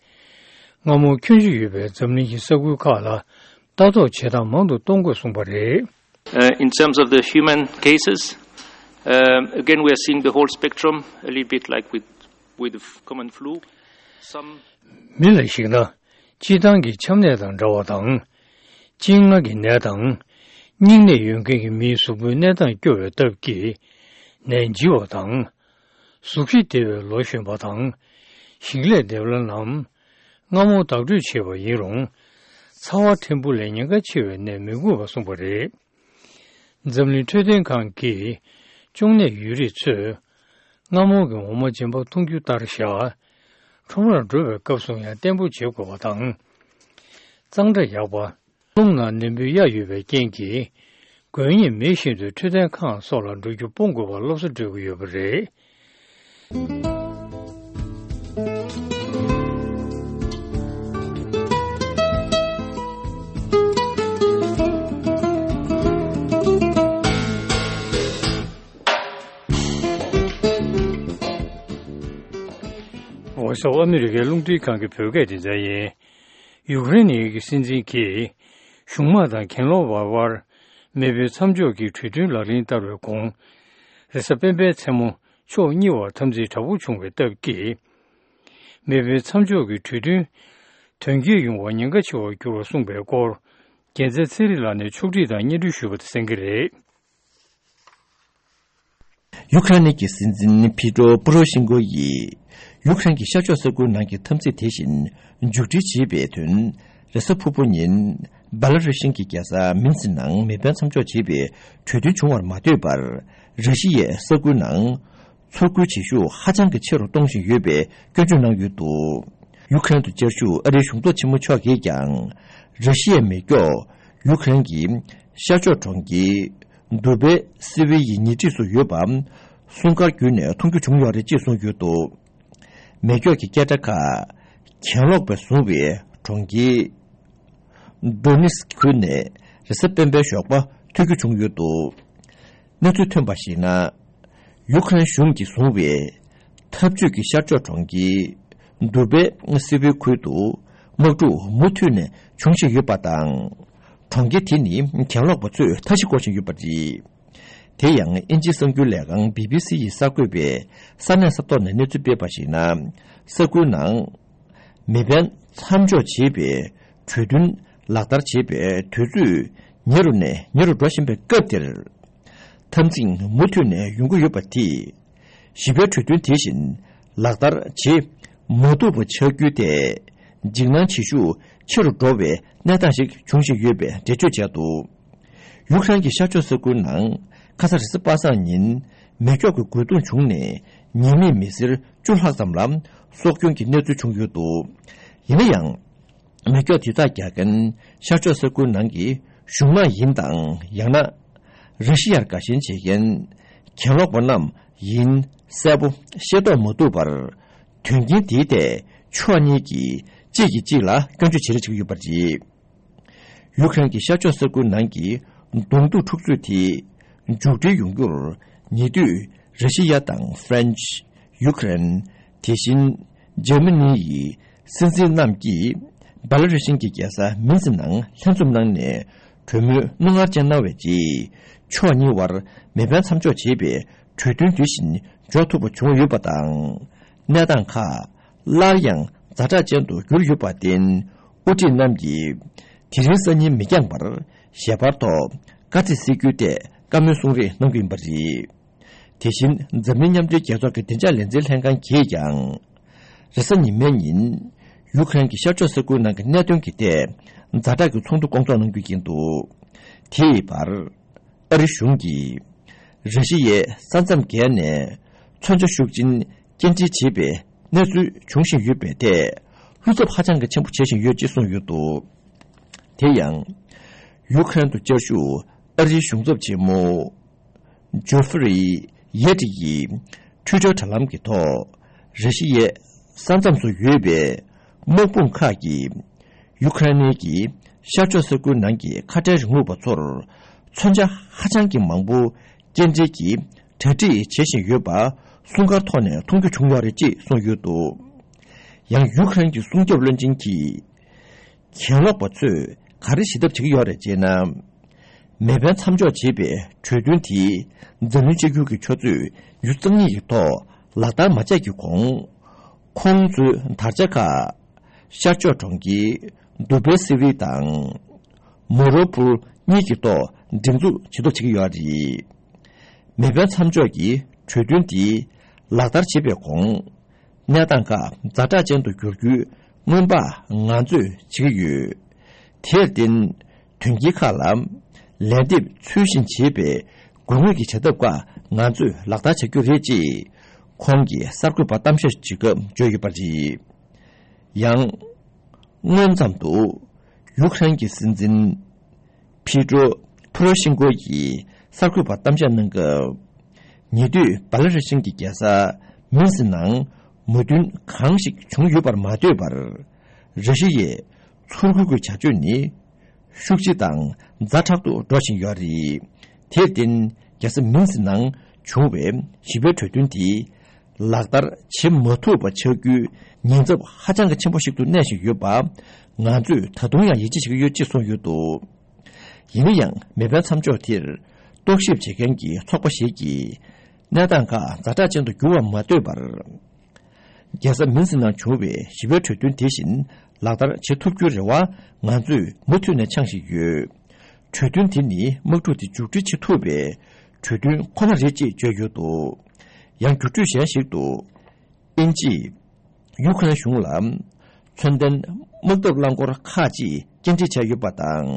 སྔ་མོ་ཁྱོན་ཆེ་ཡོད་པའི་འཛམ་གླིང་གི་ས་ཁུལ་ཁག་ལ་ལྟ་རྟོག་བྱེད་སྟངས་མང་དུ་གཏོང་དགོས་གསུངས་པ་རེད། Uh, in terms of the human cases, um, again, we are seeing the whole spectrum, a little bit like with, with the f- common flu. Some མི་ལ་གཞིགས་ན། སྤྱིར་བཏང་གི་ཆམ་ནད་དང་འདྲ་བ་དང་། གཅིན་རྔ་གི་ནད་དང་། སྙིང་ནད་ཡོད་མཁན་གྱི་མིའི་གཟུགས་པོའི་གནས་སྟངས་སྐྱོ་བའི་སྟབས་ཀྱིས། ནད་འཇིགས་པ་དང་། གཟུགས་གཞི་བདེ་བའི་ལོ་གཞོན་པ་དང་། ཞིང་ལས་འདེབས་ལ་ནམ། སྔ་མོ་བདག་སྤྲོད་བྱས་པ་ཡིན་རུང་། ཚ་བ་ཕྲན་བུ་ལས་ཉེན་ཁ་ཆེ་བའི་ནད་མི་འགོས་པ་གསུངས་པ་རེད། འཛམ་གླིང་འཕྲོད་བསྟེན་ཁང་གིས་གཅོང་ནད་ཡོད་རིགས་ཚོས་སྔ་མོ་གི་འོ་མ་རྗེན་པ་འཐུང་རྒྱུ་ལྟར་བཞག་ཁྲོམ་རར་འགྲོ་བའི་སྐབས་སུ་ཡང་བརྟན་པོ་བྱེད་དགོས་པ་དང་། གཙང་སྦྲ་ཡག་པ། རླུང་ནང་ནད་འབུའི་གཡའ་ཡོད་པའི་རྐྱེན་གྱིས། འགོས་ངེས་མེད་བཞིན་དུ་འཕྲོད་བསྟེན་ཁང་སོགས་ལ་འགྲོ་རྒྱུ་སྤོང་དགོས་པར་སློབ་གསོ་སྤྲོད་ཀྱི་ཡོད་པ་རེད། འོ་ཤོག་ཨ་མི་རི་ཀའི་རླུང་འཕྲིན་ཁང་གི་བོད་སྐད་སྡེ་ཚན་ཡིན། ཡུཀ་རེན་གྱི་སྲིད་འཛིན་གྱིས་གཞུང་དམག་དང་གྱེན་ལོག་པ་དབར་མེ་འཕེན་མཚམས་འཇོག་གི་གྲོས་མཐུན་ལག་ལེན་བསྟར་བའི་གོང་། རེས་གཟའ་སྤེན་པའི་མཚན་མོ་ཕྱོགས་གཉིས་བར་འཐབ་འཛིང་དྲག་པོ་བྱུང་བའི་སྟབས་ཀྱིས། མེ་འཕེན་མཚམས་འཇོག་གི་གྲོས་མཐུན་དོན་འཁྱོལ་ཡོང་བར་ཉེན་ཁ་ཆེ་བར་གྱུར་བ་གསུངས་པའི་སྐོར། རྒྱལ་མཚན་ཚེ་རིང་ལགས་ནས་ཕྱོགས་སྒྲིག་དང་སྙན་སྒྲོན་ཞུས་པ་དེ་གསན་གྱི་རེད། ཡུ་ཁ་རེན་གྱི་སྲིད་འཛིན་ཕི་ཏྲོ་པོ་རོ་ཤིན་ཀོ་ཡིས་ཡུ་ཁ་རེན་གྱི་ཤར་ཕྱོགས་ས་ཁུལ་ནང་གི་འཐབ་འཛིང་དེ་བཞིན་མཇུག་སྒྲིལ་བྱེད་པའི་དོན། རེས་གཟའ་ཕུར་བུ་ཉིན་སྦེ་ལ་རུ་ཤིན་གྱི་རྒྱལ་ས་མིན་སི་ནང་མེ་འཕེན་མཚམས་འཇོག་བྱེད་པའི་གྲོས་མཐུན་བྱུང་བར་མ་ལྟོས་པར། ར་ཤི་ཡས་ས་ཁུལ་ནང་ཚུར་རྒོལ་བྱེད་ཤུགས་ཧ་ཅང་གི་ཆེ་རུ་གཏོང་བཞིན་ཡོད་པའི་སྐྱོན་བརྗོད་གནང་ཡོད་འདུག་ཡུ་ཁ་རེན་དུ་བཅའ་བཞུགས་ཨ་རིའི་གཞུང་ཚབ་ཆེན་མོ་མཆོག་གིས་ཀྱང་། ར་ཤི་ཡའི་མེ་སྒྱོགས་ཡུ་ཁ་རེན་གྱི་ཤར་ཕྱོགས་གྲོང་ཁྱེར། དུ་བེ་སི་བི་ཡི་ཉེ་འཁྲིས་སུ་ཡོད་པ། སྲུང་སྐར་བརྒྱུད་ནས་མཐོང་རྒྱུ་བྱུང་ཡོད་རེད་ཅེས་གསུངས་ཡོད་འདུག་མེ་སྒྱོགས་ཀྱི་སྐད་སྒྲ་ཁག་གྱེན་ལོག་པས་བཟུང་བའི་གྲོང་ཁྱེར་ཌོ་ནེ་སི་ཁུལ་ནས་རེས་གཟའ་སྤེན་པའི་ཞོགས་པ་ཐོས་རྒྱུ་བྱུང་ཡོད་འདུག་གནས་ཚུལ་ཐོན་པར་གཞིགས་ན། ཡུ་ཁ་རེན་གཞུང་གིས་བཟུང་བའི་འཐབ་ཇུས་ཀྱི་ཤར་ཕྱོགས་གྲོང་ཁྱེར་དུ་བེ་སི་བི་ཁུལ་དུ་དམག་འཁྲུག་མུ་མཐུད་ནས་འབྱུང་བཞིན་ཡོད་པ་དང་། གྲོང་ཁྱེར་དེ་ནི་གྱེན་ལོག་པ་ཚོས་མཐའ་བཞི་བསྐོར་བཞིན་ཡོད་པ་རེད། དེ་ཡང་དབྱིན་ཇིའི་གསར་འགྱུར་ལས་ཁང་བི་བི་སི་ཡིས་གསར་འགོད་པས་ས་གནས་ས་ཐོག་ནས་གནས་ཚུལ་སྤེལ་བར་གཞིགས་ན། ས་ཁུལ་ནང་མེ་འཕེན་མཚམས་འཇོག་བྱེད་པའི་གྲོས་མཐུན་ལག་བསྟར་བྱེད་པའི་དུས་ཚོད་ཉེ་རུ་ནས་ཉེ་རུ་འགྲོ་བཞིན་པའི་སྐབས་དེར། འཐབ་འཛིང་མུ་མཐུད་ནས་ཡོང་གི་ཡོད་པ་དེས། ཞི་བའི་གྲོས་མཐུན་དེ་བཞིན་ལག་བསྟར་བྱེད་མ་ཐུབ་པ་ཆགས་རྒྱུ་དེ། འཇིགས་སྣང་བྱེད་ཤུགས་ཆེ་རུ་འགྲོ་བའི་གནས་སྟངས་ཤིག་འབྱུང་བཞིན་ཡོད་པའི་འགྲེལ་བརྗོད་བྱས་འདུག་ཡུཀ་རེན་གྱི་ཤར་ཕྱོགས་ས་ཁུལ་ནང་ཁ་ས་རེས་གཟའ་པ་སངས་ཉིན་མེ་སྒྱོགས་ཀྱི་རྒོལ་རྡུང་བྱུང་ནས་ཉེས་མེད་མི་སེར་བཅུ་ལྷག་ཙམ་ལ་སྲོག་སྐྱོན་གྱི་གནས་ཚུལ་བྱུང་ཡོད་འདུག་ཡིན་ན་ཡང་། མེ་སྒྱོགས་དེ་དག་རྒྱག་མཁན་ཤར་ཕྱོགས་ས་ཁུལ་ནང་གི་གཞུང་དམག་ཡིན་དང་ཡང་ན། ར་ཤི་ཡར་དགའ་ཞེན་བྱེད་མཁན་གྱེན་ལོག་པ་རྣམས་ཡིན་གསལ་པོ་ཤེས་རྟོགས་མ་ཐུབ་པར། དོན་རྐྱེན་དེའི་ཐད་ཕྱོགས་གཉིས་ཀྱིས་གཅིག་གིས་གཅིག་ལ་སྐྱོན་བརྗོད་བྱེད་རེས་བྱེད་ཀྱི་ཡོད་པ་རེད། ཡུཀ་རེན་གྱི་ཤར་ཕྱོགས་ས་ཁུལ་ནང་གི་གདོང་ཐུག་འཁྲུག་རྩོད་དེ་མཇུག་སྒྲིལ་ཡོང་རྒྱུར་ཉེ་དུས་ར་ཤི་ཡ་དང་ཧྥ་རན་ཆི། ཡུཀ་རེན། དེ་བཞིན་འཇར་མ་ནི་ཡི་སྲིད་འཛིན་རྣམས་ཀྱིས་སྦེ་ལ་རུ་ཤིན་གྱི་རྒྱལ་ས་མིན་སི་ནང་ལྷན་འཛོམས་གནང་ནས་གྲོས་མོལ་གནང་གར་བཅར་གནང་བའི་རྗེས། ཕྱོགས་གཉིས་བར་མེ་འཕེན་མཚམས་འཇོག་བྱེད་པའི་གྲོས་མཐུན་དེ་བཞིན་འཇོག་ཐུབ་པ་བྱུང་ཡོད་པ་དང་། གནས་སྟངས་ཁག་སླར་ཡང་ཛ་དྲག་ཅན་དུ་གྱུར་ཡོད་པར་བརྟེན། དབུ་ཁྲིད་རྣམས་ཀྱིས་དེ་རིང་སང་ཉིན་མི་འགྱངས་པར་ཞལ་པར་ཐོག་དཀའ་ཚེགས་སེལ་རྒྱུའི་ཐད་བཀའ་མོལ་གསུང་རེས་གནང་གི་ཡིན་པ་རེད། དེ་བཞིན་འཛམ་གླིང་མཉམ་འབྲེལ་རྒྱལ་ཚོགས་ཀྱི་བདེ་འཇགས་ལས་འཛིན་ལྷན་ཁང་གིས་ཀྱང་། རེས་གཟའ་ཉི་མའི་ཉིན་ཡུཀ་རེན་གྱི་ཤར་ཕྱོགས་ས་ཁུལ་ནང་གི་གནད་དོན་གྱི་ཐད་ཛ་དྲག་གི་ཚོགས་འདུ་སྐོང་ཚོགས་གནང་རྒྱུ་ཡིན་འདུག་དེའི་བར། ཨ་རི་གཞུང་གིས་ར་ཤི་ཡའི་ས་མཚམས་བརྒལ་ནས་མཚོན་ཆ་ཤུགས་ཆེན་སྐྱེལ་འདྲེན་བྱེད་པའི་གནས་ཚུལ་འབྱུང་བཞིན་ཡོད་པའི་ཐད་བློ་འཚབ་ཧ་ཅང་གི་ཆེན་པོ་བྱེད་བཞིན་ཡོད་ཅེས་གསུངས་ཡོད་འདུག་དེ་ཡང་ཡུཀ་རེན་དུ་བཅའ་བཞུགས་ཨ་རིའི་གཞུང་ཚབ་ཆེན་མོ་ཇོ་ཧྥེ་རི་ཡེ་ཏི་ཡིས་ཊུའི་ཊར་དྲ་ལམ་གྱི་ཐོག་ར་ཤི་ཡའི་ས་མཚམས་སུ་ཡོད་པའི་དམག་དཔུང་ཁག་གིས་ཡུ་ཁ་རེན་གྱི་ཤར་ཕྱོགས་ས་ཁུལ་ནང་གི་ཁ་བྲལ་རིང་ལུགས་པ་ཚོར་མཚོན་ཆ་ཧ་ཅང་གི་མང་པོ་སྐྱེལ་འདྲེན་གྱི་གྲ་སྒྲིག་བྱེད་བཞིན་ཡོད་པ་སྲུང་སྐར་ཐོག་ནས་མཐོང་རྒྱུ་བྱུང་ཡོད་རེད་ཅེས་གསུངས་ཡོད་འདུག་ཡང་ཡུ་ཁ་རེན་གྱི་སྲུང་སྐྱོབ་བློན་ཆེན་གྱིས། གྱེན་ལོག་པ་ཚོས་ག་རེ་བྱེད་ཐབས་བྱེད་ཀྱི་ཡོད་རེད་ཅེ་ན། མེ་འཕེན་མཚམས་འཇོག་བྱེད་པའི་གྲོས་མཐུན་དེ་འཛམ་གླིང་གཅིག་གྱུར་གྱི་ཆུ་ཚོད་ཉི་ཤུ་རྩ་གཉིས་ཀྱི་ཐོག་ལག་བསྟར་མ་བྱས་ཀྱི་གོང་། ཁོང་ཚོའི་དར་ཆ་ཁག་ཤར་ཕྱོགས་གྲོང་ཁྱེར་དུ་བེ་སི་བི་དང་མོ་རོ་པུར་གཉིས་ཀྱི་ཐོག་སྒྲེང་འཛུགས་བྱེད་ཐབས་བྱེད་ཀྱི་ཡོད་རེད། མེ་འཕེན་མཚམས་འཇོག་གི་གྲོས་མཐུན་དེ་ལག་བསྟར་བྱེད་པའི་གོང་། གནས་སྟངས་ཁག་ཛ་དྲག་ཅན་དུ་འགྱུར་རྒྱུའི་སྔོན་དཔག་ང་ཚོས་བྱེད་ཀྱི་ཡོད། དེར་བརྟེན། དོན་རྐྱེན་ཁག་ལ་ལན་འདེབས་ཚུལ་བཞིན་བྱེད་པའི་དགོས་ངེས་ཀྱི་བྱ་ཐབས་ཁག་ང་ཚོས་ལག་བསྟར་བྱ་རྒྱུ་རེད་ཅེས་ཁོང་གིས་གསར་འགོད་པར་གཏམ་བཤད་བྱེད་སྐབས་བརྗོད་ཡོད་པ་རེད། ཡང་། སྔོན་ཙམ་དུ་ཡུཀ་རེན་གྱི་སྲིད་འཛིན་ཕི་ཏྲོ་ཕོ་རོ་ཤིན་ཀོ་ཡིས་གསར་འགོད་པར་གཏམ་བཤད་གནང་སྐབས། ཉེ་དུས་སྦེ་ལ་རུ་ཤིན་གྱི་རྒྱལ་ས་མིན་སི་ནང་མོས་མཐུན་གང་ཞིག་བྱུང་ཡོད་པར་མ་ལྟོས་པར། ར་ཤི་ཡས་ཚུར་རྒོལ་གྱི་བྱ་སྤྱོད་ནི་ཤུགས་ཆེ་དང་ཛ་དྲག་ཏུ་འགྲོ་བཞིན་ཡོད་རེད། དེར་བརྟེན། རྒྱལ་ས་མིན་སི་ནང་བྱུང་བའི་ཞི་བའི་གྲོས་མཐུན་དེ་ལག་བསྟར་བྱེད་མ་ཐུབ་པ་ཆགས་རྒྱུའི་ཉེན་ཚབས་ཧ་ཅང་གི་ཆེན་པོ་ཞིག་ཏུ་གནས་བཞིན་ཡོད་པ། ང་ཚོས་ད་དུང་ཡང་ཡིད་ཆེས་བྱེད་ཀྱི་ཡོད་ཅེས་གསུངས་ཡོད་འདུག་ཡིན་ན་ཡང་མེ་འཕེན་མཚམས་འཇོག་དེར་རྟོག་ཞིབ་བྱེད་མཁན་གྱི་ཚོགས་པ་ཞིག་གིས་གནས་སྟངས་ཁག་ཛ་དྲག་ཅན་དུ་འགྱུར་བར་མ་ལྟོས་པར། རྒྱལ་ས་མིན་སི་ནང་བྱུང་བའི་ཞི་བའི་གྲོས་མཐུན་དེ་བཞིན་ལག་བསྟར་བྱེད་ཐུབ་རྒྱུའི་རེ་བ་ང་ཚོས་མུ་མཐུད་ནས་འཆང་བཞིན་ཡོད། གྲོས་མཐུན་དེ་ནི་དམག་འཁྲུག་དེ་མཇུག་སྒྲིལ་བྱེད་ཐུབ་པའི་གྲོས་མཐུན་ཁོ་ན་རེད་ཅེས་བརྗོད་ཡོད་འདུག་ཡང་བརྒྱུད་སྤྲོད་གཞན་ཞིག་ཏུ། དབྱིན་ཇིས་ཡུ་ཁ་རེན་གཞུང་ལ་མཚོན་ལྡན་དམག་འཐབ་རླངས་འཁོར་ཁག་ཅིག་སྐྱེལ་འདྲེན་བྱས་ཡོད་པ་དང་།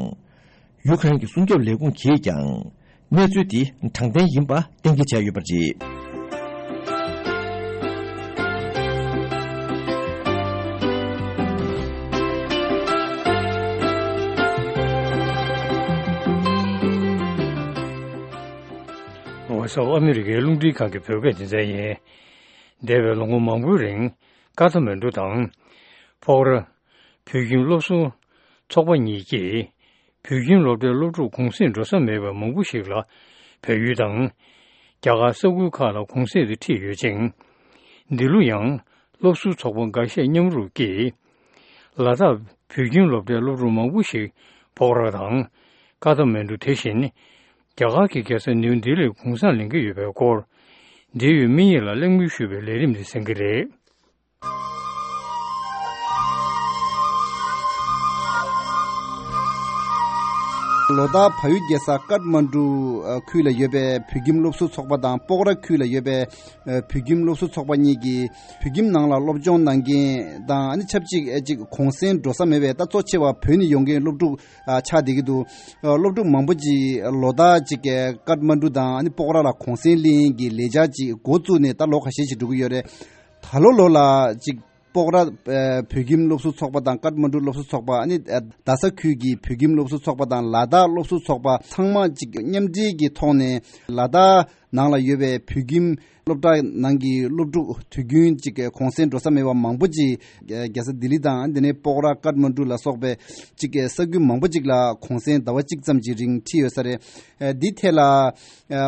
ཡུ་ཁ་རེན་གྱི་སྲུང་སྐྱོབ་ལས་ཁུངས་ཀྱིས་ཀྱང་གནས་ཚུལ་འདི་དྲང་བདེན་ཡིན་པ་གཏན་འཁེལ་བྱས་ཡོད་པ་རེད། ངོ་སོ་ཨ་མི་རི་ཀའི་རླུང་འཕྲིན་ཁང་གི་བོད་སྐད་སྡེ་ཚན་ཡིན། འདས་པའི་ལོ་ངོ་མང་པོའི་རིང་ཀ་ཐ་མན་གྲུ་དང་། ཕོག་ར། བོད་ཁྱིམ་སློབ་ཟུར་ཚོགས་པ་གཉིས་ཀྱིས་བོད་ཁྱིམ་སློབ་གྲྭའི་སློབ་ཕྲུག་གུང་སེང་འགྲོ་ས་མེད་པ་མང་པོ་ཞིག་ལ་ བལ་ཡུལ་དང་། རྒྱ་གར་ས་ཁུལ་ཁག་ལ་གུང་སེང་དུ་ཁྲིད་ཡོད་ཅིང་། འདི་ལོ་ཡང་སློབ་ཟུར་ཚོགས་པ་འགའ་ཤས་མཉམ་རུབ་ཀྱིས། ལ་དྭགས་བོད་ཁྱིམ་སློབ་གྲྭའི་སློབ་ཕྲུག་མང་པོ་ཞིག་སྤོག་ར་དང་། ཀ་ཐ་མན་གྲུ། དེ་བཞིན་རྒྱ་གར་གྱི་རྒྱལ་ས་ནིའུ་ལྡི་ལིར་གུང་སེང་ལེན་གྱི་ཡོད་པའི་སྐོར། འབྲེལ་ཡོད་མི་ཡིས་ལ་གླེང་མོལ་ཞུས་པའི་ལས་རིམ་དེ་གསན་གྱི་རེད། ལོ་ལྟར་བལ་ཡུལ་རྒྱལ་ས་ཀཏ་མན་གྲུ་ཁུལ་ལ་ཡོད་པའི་བོད་ཁྱིམ་སློབ་ཟུར་ཚོགས་པ་དང་། སྤོག་ར་ཁུལ་ལ་ཡོད་པའི་བོད་ཁྱིམ་སློབ་ཟུར་ཚོགས་པ་གཉིས་ཀྱིས་བོད་ཁྱིམ་ནང་ལ་སློབ་སྦྱོང་གནང་མཁན་དང་། ཨ་ནི་ཆབས་ཅིག་ཅིག་གུང་སེང་འགྲོ་ས་མེད་པའི། ད་གཙོ་ཆེ་བ་བོད་ནས་ཡོང་མཁན་སློབ་ཕྲུག་ཆགས་བསྡད་ཀྱི་འདུག་སློབ་ཕྲུག་མང་པོ་ཅིག་ལོ་ལྟར་ཅིག་ཀཏ་མན་གྲུ་དང་། ཨ་ནི་སྤོག་ར་ལ་གུང་སེང་ལེན་གྱི་ལས་འཆར་ཅིག་འགོ་བཙུགས་ནས་ད་ལོ་ཁ་ཤས་ཤིག་འགྲོ་གི་ཡོད་རེད། ད་ལོ་ལོ་ལ་ཅིག་སྤོག་ར་ཨ་བོད་ཁྱིམ་སློབ་ཟུར་ཚོགས་པ་དང་། ཀཏ་མན་གྲུ་སློབ་ཟུར་ཚོགས་པ། ཨ་ནི་ཨ་རྡ་ས་ཁུལ་གྱི་བོད་ཁྱིམ་སློབ་ཟུར་ཚོགས་པ་དང་། ལ་དྭགས་སློབ་ཟུར་ཚོགས་པ་ཚང་མ་ཅིག་མཉམ་འབྲེལ་གྱི་ཐོག་ནས་ལ་དྭགས་ནང་ལ་ཡོད་པའི་བོད་ཁྱིམ་སློབ་གྲྭ་ནང་གི་སློབ་ཕྲུག་དུས་རྒྱུན་ཅིག་གུང་སེང་འགྲོ་ས་མེད་པ་མང་པོ་ཅིག་རྒྱལ་ས་ལྡི་ལི་དང་། དེ་ནས་སྤོག་ར། ཀཏ་མན་གྲུ་ལ་སོགས་པའི་ཅིག་ས་ཁུལ་མང་པོ་ཅིག་ལ་གུང་སེང་ཟླ་བ་གཅིག་ཙམ་གྱི་རིང་ཁྲིད་ཡོད་ས་རེད། ཨ་འདི་ཐད་ལ་ཨ་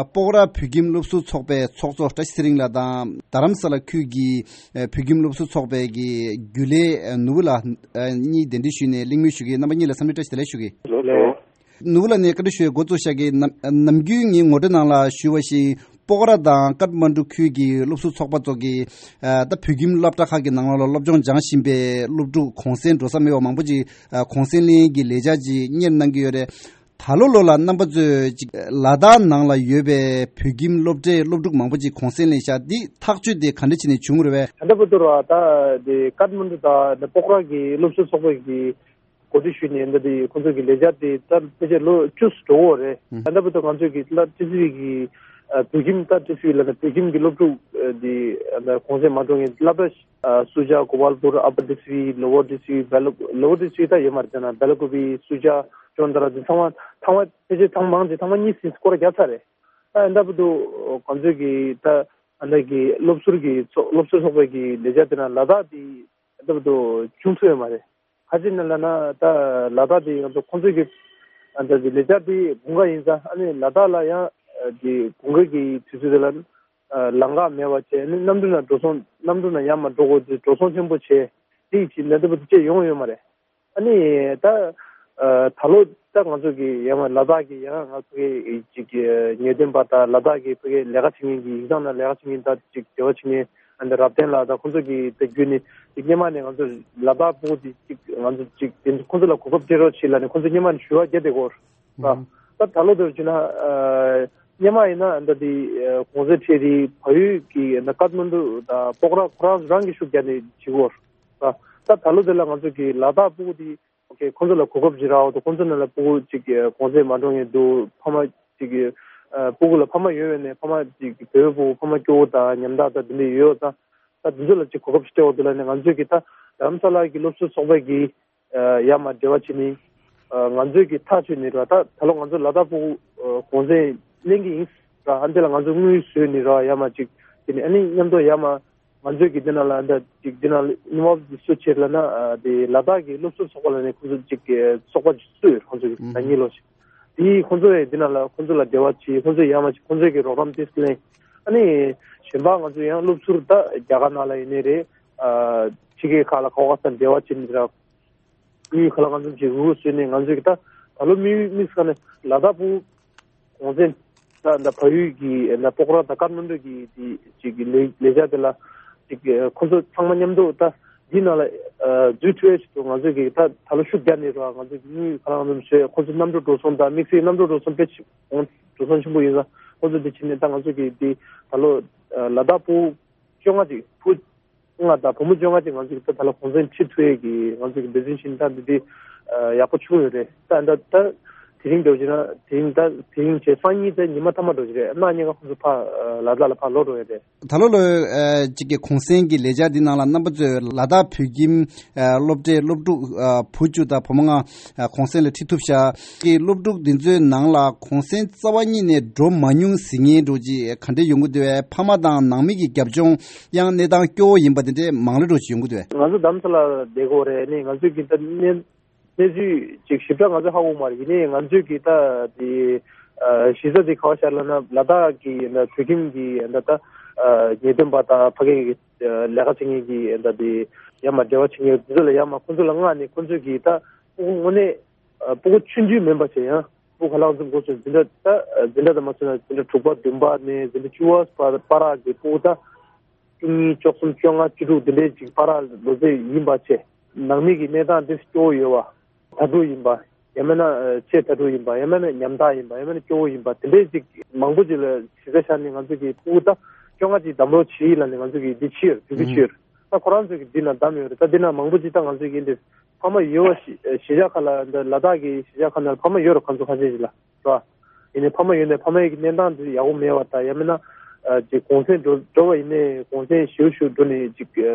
སྤོག་ར་བོད་ཁྱིམ་སློབ་ཟུར་ཚོགས་པའི་ཚོགས་གཙོ་བཀྲ་ཤིས་ཚེ་རིང་ལགས་དང་། རྡ་རམ་ས་ལ་ཁུལ་གྱི་ཨ་བོད་ཁྱིམ་སློབ་ཟུར་ཚོགས་པའི་གི་རྒྱུན་ལས་ཨ་ནོར་བུ་ལགས་ཨ་གཉིས་གདན་འདྲེན་ཞུས་ནས་གླེང་མོལ་ཞུ་གི་ཡིན། རྣམ་པ་གཉིས་ལ་འཚམས་འདྲི་བཀྲ་ཤིས་བདེ་ལེགས་ཞུ་གི་ཡིན། ལགས་སོ། ནོར་བུ་ལགས་ནས་བཀའ་འདྲི་ཞུ་ཡས་འགོ་བཙུགས་བཞག་གི། ནམ་ནམ་རྒྱུན་ངས་ངོ་སྤྲོད་ནང་ལ་ཞུས་པ་བཞིན། སྤོག་ར་དང་ཀཏ་མན་གྲུ་ཁུལ་གྱི་སློབ་ཟུར་ཚོགས་པ་ཚོ་གིས་ཨ་ད་བོད་ཁྱིམ་སློབ་གྲྭ་ཁག་གི་ནང་ལོགས་ལ་སློབ་སྦྱོང་སྦྱང་བཞིན་པའི་སློབ་ཕྲུག་གུང་སེང་འགྲོ་ས་མེད་པ་མང་པོ་ཅིག་ཨ་གུང་སེང་ལེན་གྱི་ལས་འཆར་ཅིག་གཉེར་གནང་གི་ཡོད་རེད། ད་ལོ་ལོ་ལ་རྣམ་པ་ཚོས་ཅིག་ལ་དྭགས་ནང་ལ་ཡོད་པའི་བོད་ཁྱིམ་སློབ་གྲྭའི་སློབ་ཕྲུག་མང་པོ་ཅིག་གུང་སེང་ལེན་ཤག་འདི་ཐག་གཅོད་དེ་ག་འདྲ་བྱས་ནས་བྱུང་རེད་པས། ད་ལྟ་བར་དུ་ར་ད་དེ་ཀཏ་མན་གྲུ་དང་སྤོག་ར་གི་སློབ་ཟུར་ཚོགས་པ་གི་འགོ་ཁྲིད་ཞུས་ནས་འདི་དེ་ཁོང་ཚོ་གི་ལས་འཆར་དེ་ད་ཕལ་ཆེར་ལོ་བཅུ་འགྲོ་གི་རེད། ཨུམ། ད་ལྟ་བར་དུ་ང་ཚོས་ཀྱི་སླར་ཏི་སི་ཝི་གི་ཨ་བོད་ཁྱིམ། ད་ཏི་སི་ཝི་ལབ་ན་བོད་ཁྱིམ་གྱི་སློབ་ཕྲུག་ཨ་དེ་ཨ་གུང་སེང་མ་འགྲོ་མཁན་སློབ་གྲྭ་ཨ་སུ་ཇཱ། གོ་པལ་པུར། ཨ་པར་ཏི་སི་ཝི། ལོ་ཝར་ཏི་སི་ཝི། སྦེལ་ལོ་ཝར་ཏི་སི་ཝི་ད་ཡོད་མ་རེད། ད་ན་སྦེལ་ཀོབ། སུ་ཇཱ། ཅོན་ཏ་ར། དེ་ཚང་མ་ཚང་མ་ཕལ་ཆེར་ཚང་མ་མང་ཆེ་ཚང་མ་གཉིས་ཟིན། སྐོར་ར་བརྒྱབ་ཚར་རེད། ད་ད་ལྟ་བར་དུ་ང་ཚོས་ཀྱི་ད་ཨ་ད་གི་སློབ་ཟུར་གྱི་ཚོགས་སློབ་ཟུར་ཚོགས་པའི་གི་ལས་འཆར་དེ་ན་ལ་དྭགས་དེ་ད་ལྟ་བར་དུ་བྱུང་ཐུབ་ཡོད་མ་རེད། ག་ཅི་ཡིན་ན་ལབ་ན་ད་ལ་དྭགས་དེ་ང་ཚོ་ཁོང་ཚོའི་གི་ཨ་ད་གི་ལས་འཆར་དེ་དགུན་ཁ་ཡིན་ཙང་། ཨ་ནི་ལ་དྭགས་ལ་ཡང་ཨ་དེ་དགུན་ཁ་གི་དུས་ཚོད་དེ་ལ་ཨ་ལམ་ཁ་མེད་པ་བྱས། ཨ་ནི་གནམ་གྲུ་ནང་འགྲོ་སོང་། གནམ་གྲུ་ནང་ཡར་མར་འགྲོ་དགོས་དུས་འགྲོ་སོང་ཆེན་པོ་བྱས། དེ་ཡི་ཕྱིར་ལ་ད་ལྟ་བར་དུ་ཅིག་ཡོང་ཡོད་མ་རེད། ཨ་ནི་ད་ཨ་ད་ལོ་ད་ང་ཚོ་གི་ཡང་ལ་དྭགས་ཀྱི་ཡང་ང་ཚོ་གི་ཅིག་གི་ཉེ་དོན་པ་དང་། ལ་དྭགས་ཀྱི་ཕ་གི་ལས་ཀ་བྱེད་མཁན་གྱི་ཡིག་ཚང་ནང་ལས་ཀ་བྱེད་མཁན་དང་ཅིག་འབྲེལ་བ་བྱེད་མཁན་ཨ་ནི་རབ་བརྟན་ལགས་དང་ཁོང་ཚོ་གི་ད་བརྒྱུད་ནས་ཅིག་སྔོན་མ་ནས་ང་ཚོ་ལ་དྭགས་སྤོ་དེ་ཅིག་ང་ཚོ་ཅིག་དེ་ཁོང་ཚོ་ལ་གོ་སྐབས་སྤྲད་རོགས་བྱེད་ལབ་ནས་ཁོང་ཚོ་སྔོན་མ་ནས་ཞུ་བ་བརྒྱབ་བསྡད་ཀྱི་ཡོད་རེད། ཨ་ད་ད་ལོ་དེར་བྱས་ན་ཨ་སྔོན་མ་ཡིན་ན་ད་དེ་ཨ་གུང་སེང་ཁྲིད་དེ་བལ་ཡུལ་གྱི་ད་ཀཏ་མན་གྲུ་དང་སྤོག་ར་ཁོ་རང་རང་གིས་ཤུགས་རྒྱག་ནས་བྱེད་ཀྱི་ཡོད་རེད། ད་ད་ད་ལོ་དེ་ལ་ང་ཚོ་གི་ལ་དྭགས་སྤོ་དེ་ཨོ་ཁེ་ཁོང་ཚོ་ལ་གོ་སྐབས་ཅིག་རག་འོ་དུ། ཁོང་ཚོ་ནང་ལ་སྤུ་གུ་ཅིག་གུང་སེང་མ་འགྲོ་མཁན་འདུག་ཕ་མ་ཅིག་ཨ་སྤུ་གུ་ལ་ཕ་མ་ཡོད་པ་ནས་ཕ་མ་ཅིག་བོད་པའི་སྤུ་གུ་ཕ་མ་སྐྱོ་བོ་དང་ཉམ་ཐག་དང་དེ་འདྲ་ཡོད་ཙང་། ད་དེ་ཚོ་ལ་ཅིག་གོ་སྐབས་ཤིག་སྤྲད་འོ་དུ་ལབ་ནས་ང་ཚོས་ཀྱི་ད་རྡ་རམ་ས་ལ་གི་སློབ་ཟུར་ཚོགས་པ་གིས་ཨ་ཡར་མར་འབྲེལ་བ་བྱས་ནས་ཨ་ང་ཚོས་ཀྱི་ཐག་གཅོད་ནས་ར། ད་ད་ལོ་ང་ཚོ་ལ་དྭགས་སྤུ་གུ་ཨ་གུང་སེང་ལེན་གྱི་ཡིན་ར། ཨ་འདི་ལ་ང་ཚོ་དངུལ་བཟོས་ནས་ར་ཡར་མར་ཅིག་དེ་ནས་ཨ་ནི་མཉམ་དུ་ཡར་མར་ང་ཚོས་ཀྱི་འདི་ནང་ལ་འདི་ཅིག་འདི་ནང་ལ་ཉི་མ་སུ་བྱེད་ལབ་ན་ཨ་དེ་ལ་དྭགས་ཀྱི་སློབ་ཟུར་ཚོགས་པ་ལ་ནས་ཁོང་ཚོ་ཅིག་གི་ཚོགས་པ་ཅིག་བཙུགས་ཡོད། ཁོང་ཚོ་གི་ཨུམ་ཟླ་ཉིན་ལོ་ཞིག་དེ་ཁོང་ཚོ་ཡང་འདི་ནང་ལ་ཁོང་ཚོ་ལ་འབྲེལ་བ་བྱེད། ཁོང་ཚོས་ཡར་མར་ཅིག་ཁོང་ཚོས་ཀྱི་རོགས་རམ་ཏིས་ལེན། ཨ་ནི་གཞན་པ་ང་ཚོ་ཡང་སློབ་ཟུར་ད་རྒྱ་གར་ནང་ལ་ཡིན་ནའི་རེད། ཨ་ཕྱི་རྒྱལ་ཁག་ལ་ག་བ་ག་ས་འབྲེལ་བ་བྱེད་ནས་ར། དངུལ་ག་ལ་གང་འཚམ་ཅིག་འུར་འུར་བཟོས་ནས་ང་ཚོས་ཀྱི་ད་ད་ལོ་དམིགས་དམིགས་བསལ་ནས་ལ་དྭགས་སྤུ་གུ་གུང་སེང་ད་ད་བལ་ཡུལ་གྱི་ད་སྤོག་ར་དང་ཀཏ་མན་གྲུ་གི་དེ་ཅིག་གི་ལས་ལས་འཆར་དེ་ལ་ཅིག་ཁོང་ཚོ་ཚང་མ་མཉམ་དུ་ད་འདི་ནང་ལ་ཨ་འཛུལ་ཐུབ་ཡ་ཞིག་ཏུ་ང་ཚོས་ཀྱི་ད་ད་ལོ་ཤུགས་རྒྱག་ནས་ར། ང་ཚོས་ཀྱི་དངུལ་ག་ལ་གང་འཚམ་བཟོས། ཁོང་ཚོ་གནམ་གྲུ་འགྲོ་སོང་དང་དམིགས་བསལ་གནམ་གྲུ་འགྲོ་སོང་དཔེ་ཆེ་འགྲོ་སོང་ཆེན་པོ་ཡིན་ཙང་ཁོང་ཚོ་འདི་བྱས་ནས་ད་ང་ཚོས་ཀྱི་འདི་ད་ལོ་ཨ་ལ་དྭགས་སྤུ་གུ་བཅོ་ལྔ་ཅིག་བུ་ལྔ་དང་བུ་མོ་བཅོ་ལྔ་ཅིག་ང་ཚོས་ཀྱི་ད་ད་ལོ་གུང་སེང་ཁྲིད་ཐུབ་ཡས་ཀྱི་ང་ཚོས་ཀྱི་འབད་བརྩོན་བྱས་ནས་ད་འདི་འདི་ཨ་ཡག་པོ་བྱུང་ཡོད་རེད། ད་ད་ད་དེ་རིང་འདྲ་བོ་བྱས་ན་དེ་རིང་ད་དེ་རིང་བྱས་སང་ཉིན་ད་ཉི་མ་མཐའ་མ་འདྲ་བོ་ཞིག་རེད། གནངས་ཉིན་ང་ཁོང་ཚོ་ཕར་ཨ་ལ་དྭགས་ལ་ཕར་ལོག་འགྲོ་ཡས་རེད། ད་ལོ་ལོ་ཨ་གཅིག་གི་གུང་སེང་གི་ལས་འཆར་འདི་ནང་ལ་རྣམ་པ་ཚོས་ལ་དྭགས་བོད་ཁྱིམ་ཨ་སློབ་གྲྭའི་སློབ་ཕྲུག་ཨ་བུ་བཅུ་དང་བུ་མོ་ལྔ་ཨ་གུང་སེང་ལ་ཁྲིད་ཐུབ་ཤག་གི་སློབ་ཕྲུག་འདི་ཚོའི་ནང་ལ་གུང་སེང་རྩ་བ་ཉིད་ནས་འགྲོ་མ་མྱོང་ཟེར་མཁན་འདྲ་བོ་ཅིག་ག་འདྲ་ཡོང་གི་འདུག་བས། ཕ་མ་དང་ནང་མི་གི་རྒྱབ་ལྗོངས་ཡང་གནས་སྟངས་སྐྱོ་བོ་ཡིན་པ་དེ་འདྲའི་མང་ལེ་འདྲ་བོ་ཅིག་ཡོང་གི་འདུག་བས། ང་ཚོ་རྡ་རམ་ས་ལ་བསྡད་ཀྱི་ཡོད་རེད། ནི་ང་ཚོས་ཀྱི་ད་གནས་གནས་ཚུལ་ཅིག་ཞིབ་ཕྲ་ང་ཚོས་ཧ་གོ་མ་རེད། ཡིན་ནའི་ང་ཚོས་ཀྱི་ད་དེ་ གཞི་རྩ་དེ་ག་བ་ཤར་ལབ་ན་ལ་དྭགས་ཀྱི་ད་བོད་ཁྱིམ་གྱི་ད་ད་ཉེས་དོན་པ་དང་ཕ་གི་ལས་ཀ་བྱེད་མཁན་གྱི་ད་དེ་ཡར་མར་འབྲེལ་བ་བྱེད་མཁན་དེ་ཚོ་ལ་ཡར་མར་ཁོང་ཚོ་ལ་མངགས་ནས་ཁོང་ཚོས་ཀྱི་ད་དངོས་གནས་ཨ་སྤུ་གུ་ཆུང་ཆུང་མིན་པ་བྱས་ཡང་སྤུ་གུ་ཧ་ལམ་ཙམ་འགོ་ཚུགས་འཛིན་གྲྭ་ད་འཛིན་གྲྭ་དང་མ་ཚུགས་ན་འཛིན་གྲྭ་དྲུག་པ་བདུན་པ་ནས་འཛིན་གྲྭ་བཅུ་པ་བར་བར་གྱི་སྤུ་གུ་ད་བཅུ་གཉིས་བཅུ་གསུམ་བཅོ་ལྔ་བཅུ་དྲུག་འདི་འདྲའི་ཅིག་བར་ལོ་ཚད་ཡིན་པ་བྱས་ནང་མི་གི་གནས་སྟངས་འདི་སྐྱོ་བོ་ཡོད་པ་དྭ་ཕྲུག་ཡིན་པ་ཡང་མིན་ན་ཆེས་དྭ་ཕྲུག་ཡིན་པ་ཡང་མིན་ན་ཉམ་ཐག་ཡིན་པ་ཡང་མིན་ན་སྐྱོ་བོ་ཡིན་པ་དེ་འདྲའི་ཅིག་མང་པོ་ཅིག་ལ་གཞི་རྩ་བཞག་ནས་ང་ཚོ་གི་སྤུ་གུ་ད་བཅོ་ལྔ་ཅིག་བདམས་རོགས་བྱེད་ཡིན་ལབ་ནས་ང་ཚོ་གི་འདི་ཕྱིར་དུས་ཚོད་ཕྱིར་ད་ཁོ་རང་ཚོ་གི་འདི་ན་བདམས་ཡོད་རེད། ད་འདི་ན་མང་པོ་ཅིག་ད་ང་ཚོ་གི་འདི་ཕ་མ་ཡོད་པ་གཞིས་ཆགས་ཁག་ལ་འདི་ལ་དྭགས་ཀྱི་གཞིས་ཆགས་ཁག་ནང་ཕ་མ་ཡོད་རེད་ཁ་མཆུ་ཁ་ཤས་ཤིག་ལ། རེད་བ། ཡིན་ནའི་ཕ་མ་ཡོད་ནའི་ཕ་མའི་གི་གནས་སྟངས་དེ་ཡག་པོ་མེད་པ་དང་ཡང་མིན་ན་ཅིག་གུང་སེང་འགྲོ་འགྲོ་བ་ཡིན་ནའི་གུང་སེང་ཞེ་པོ་ཞིག་འགྲོ་ནས་ཅིག་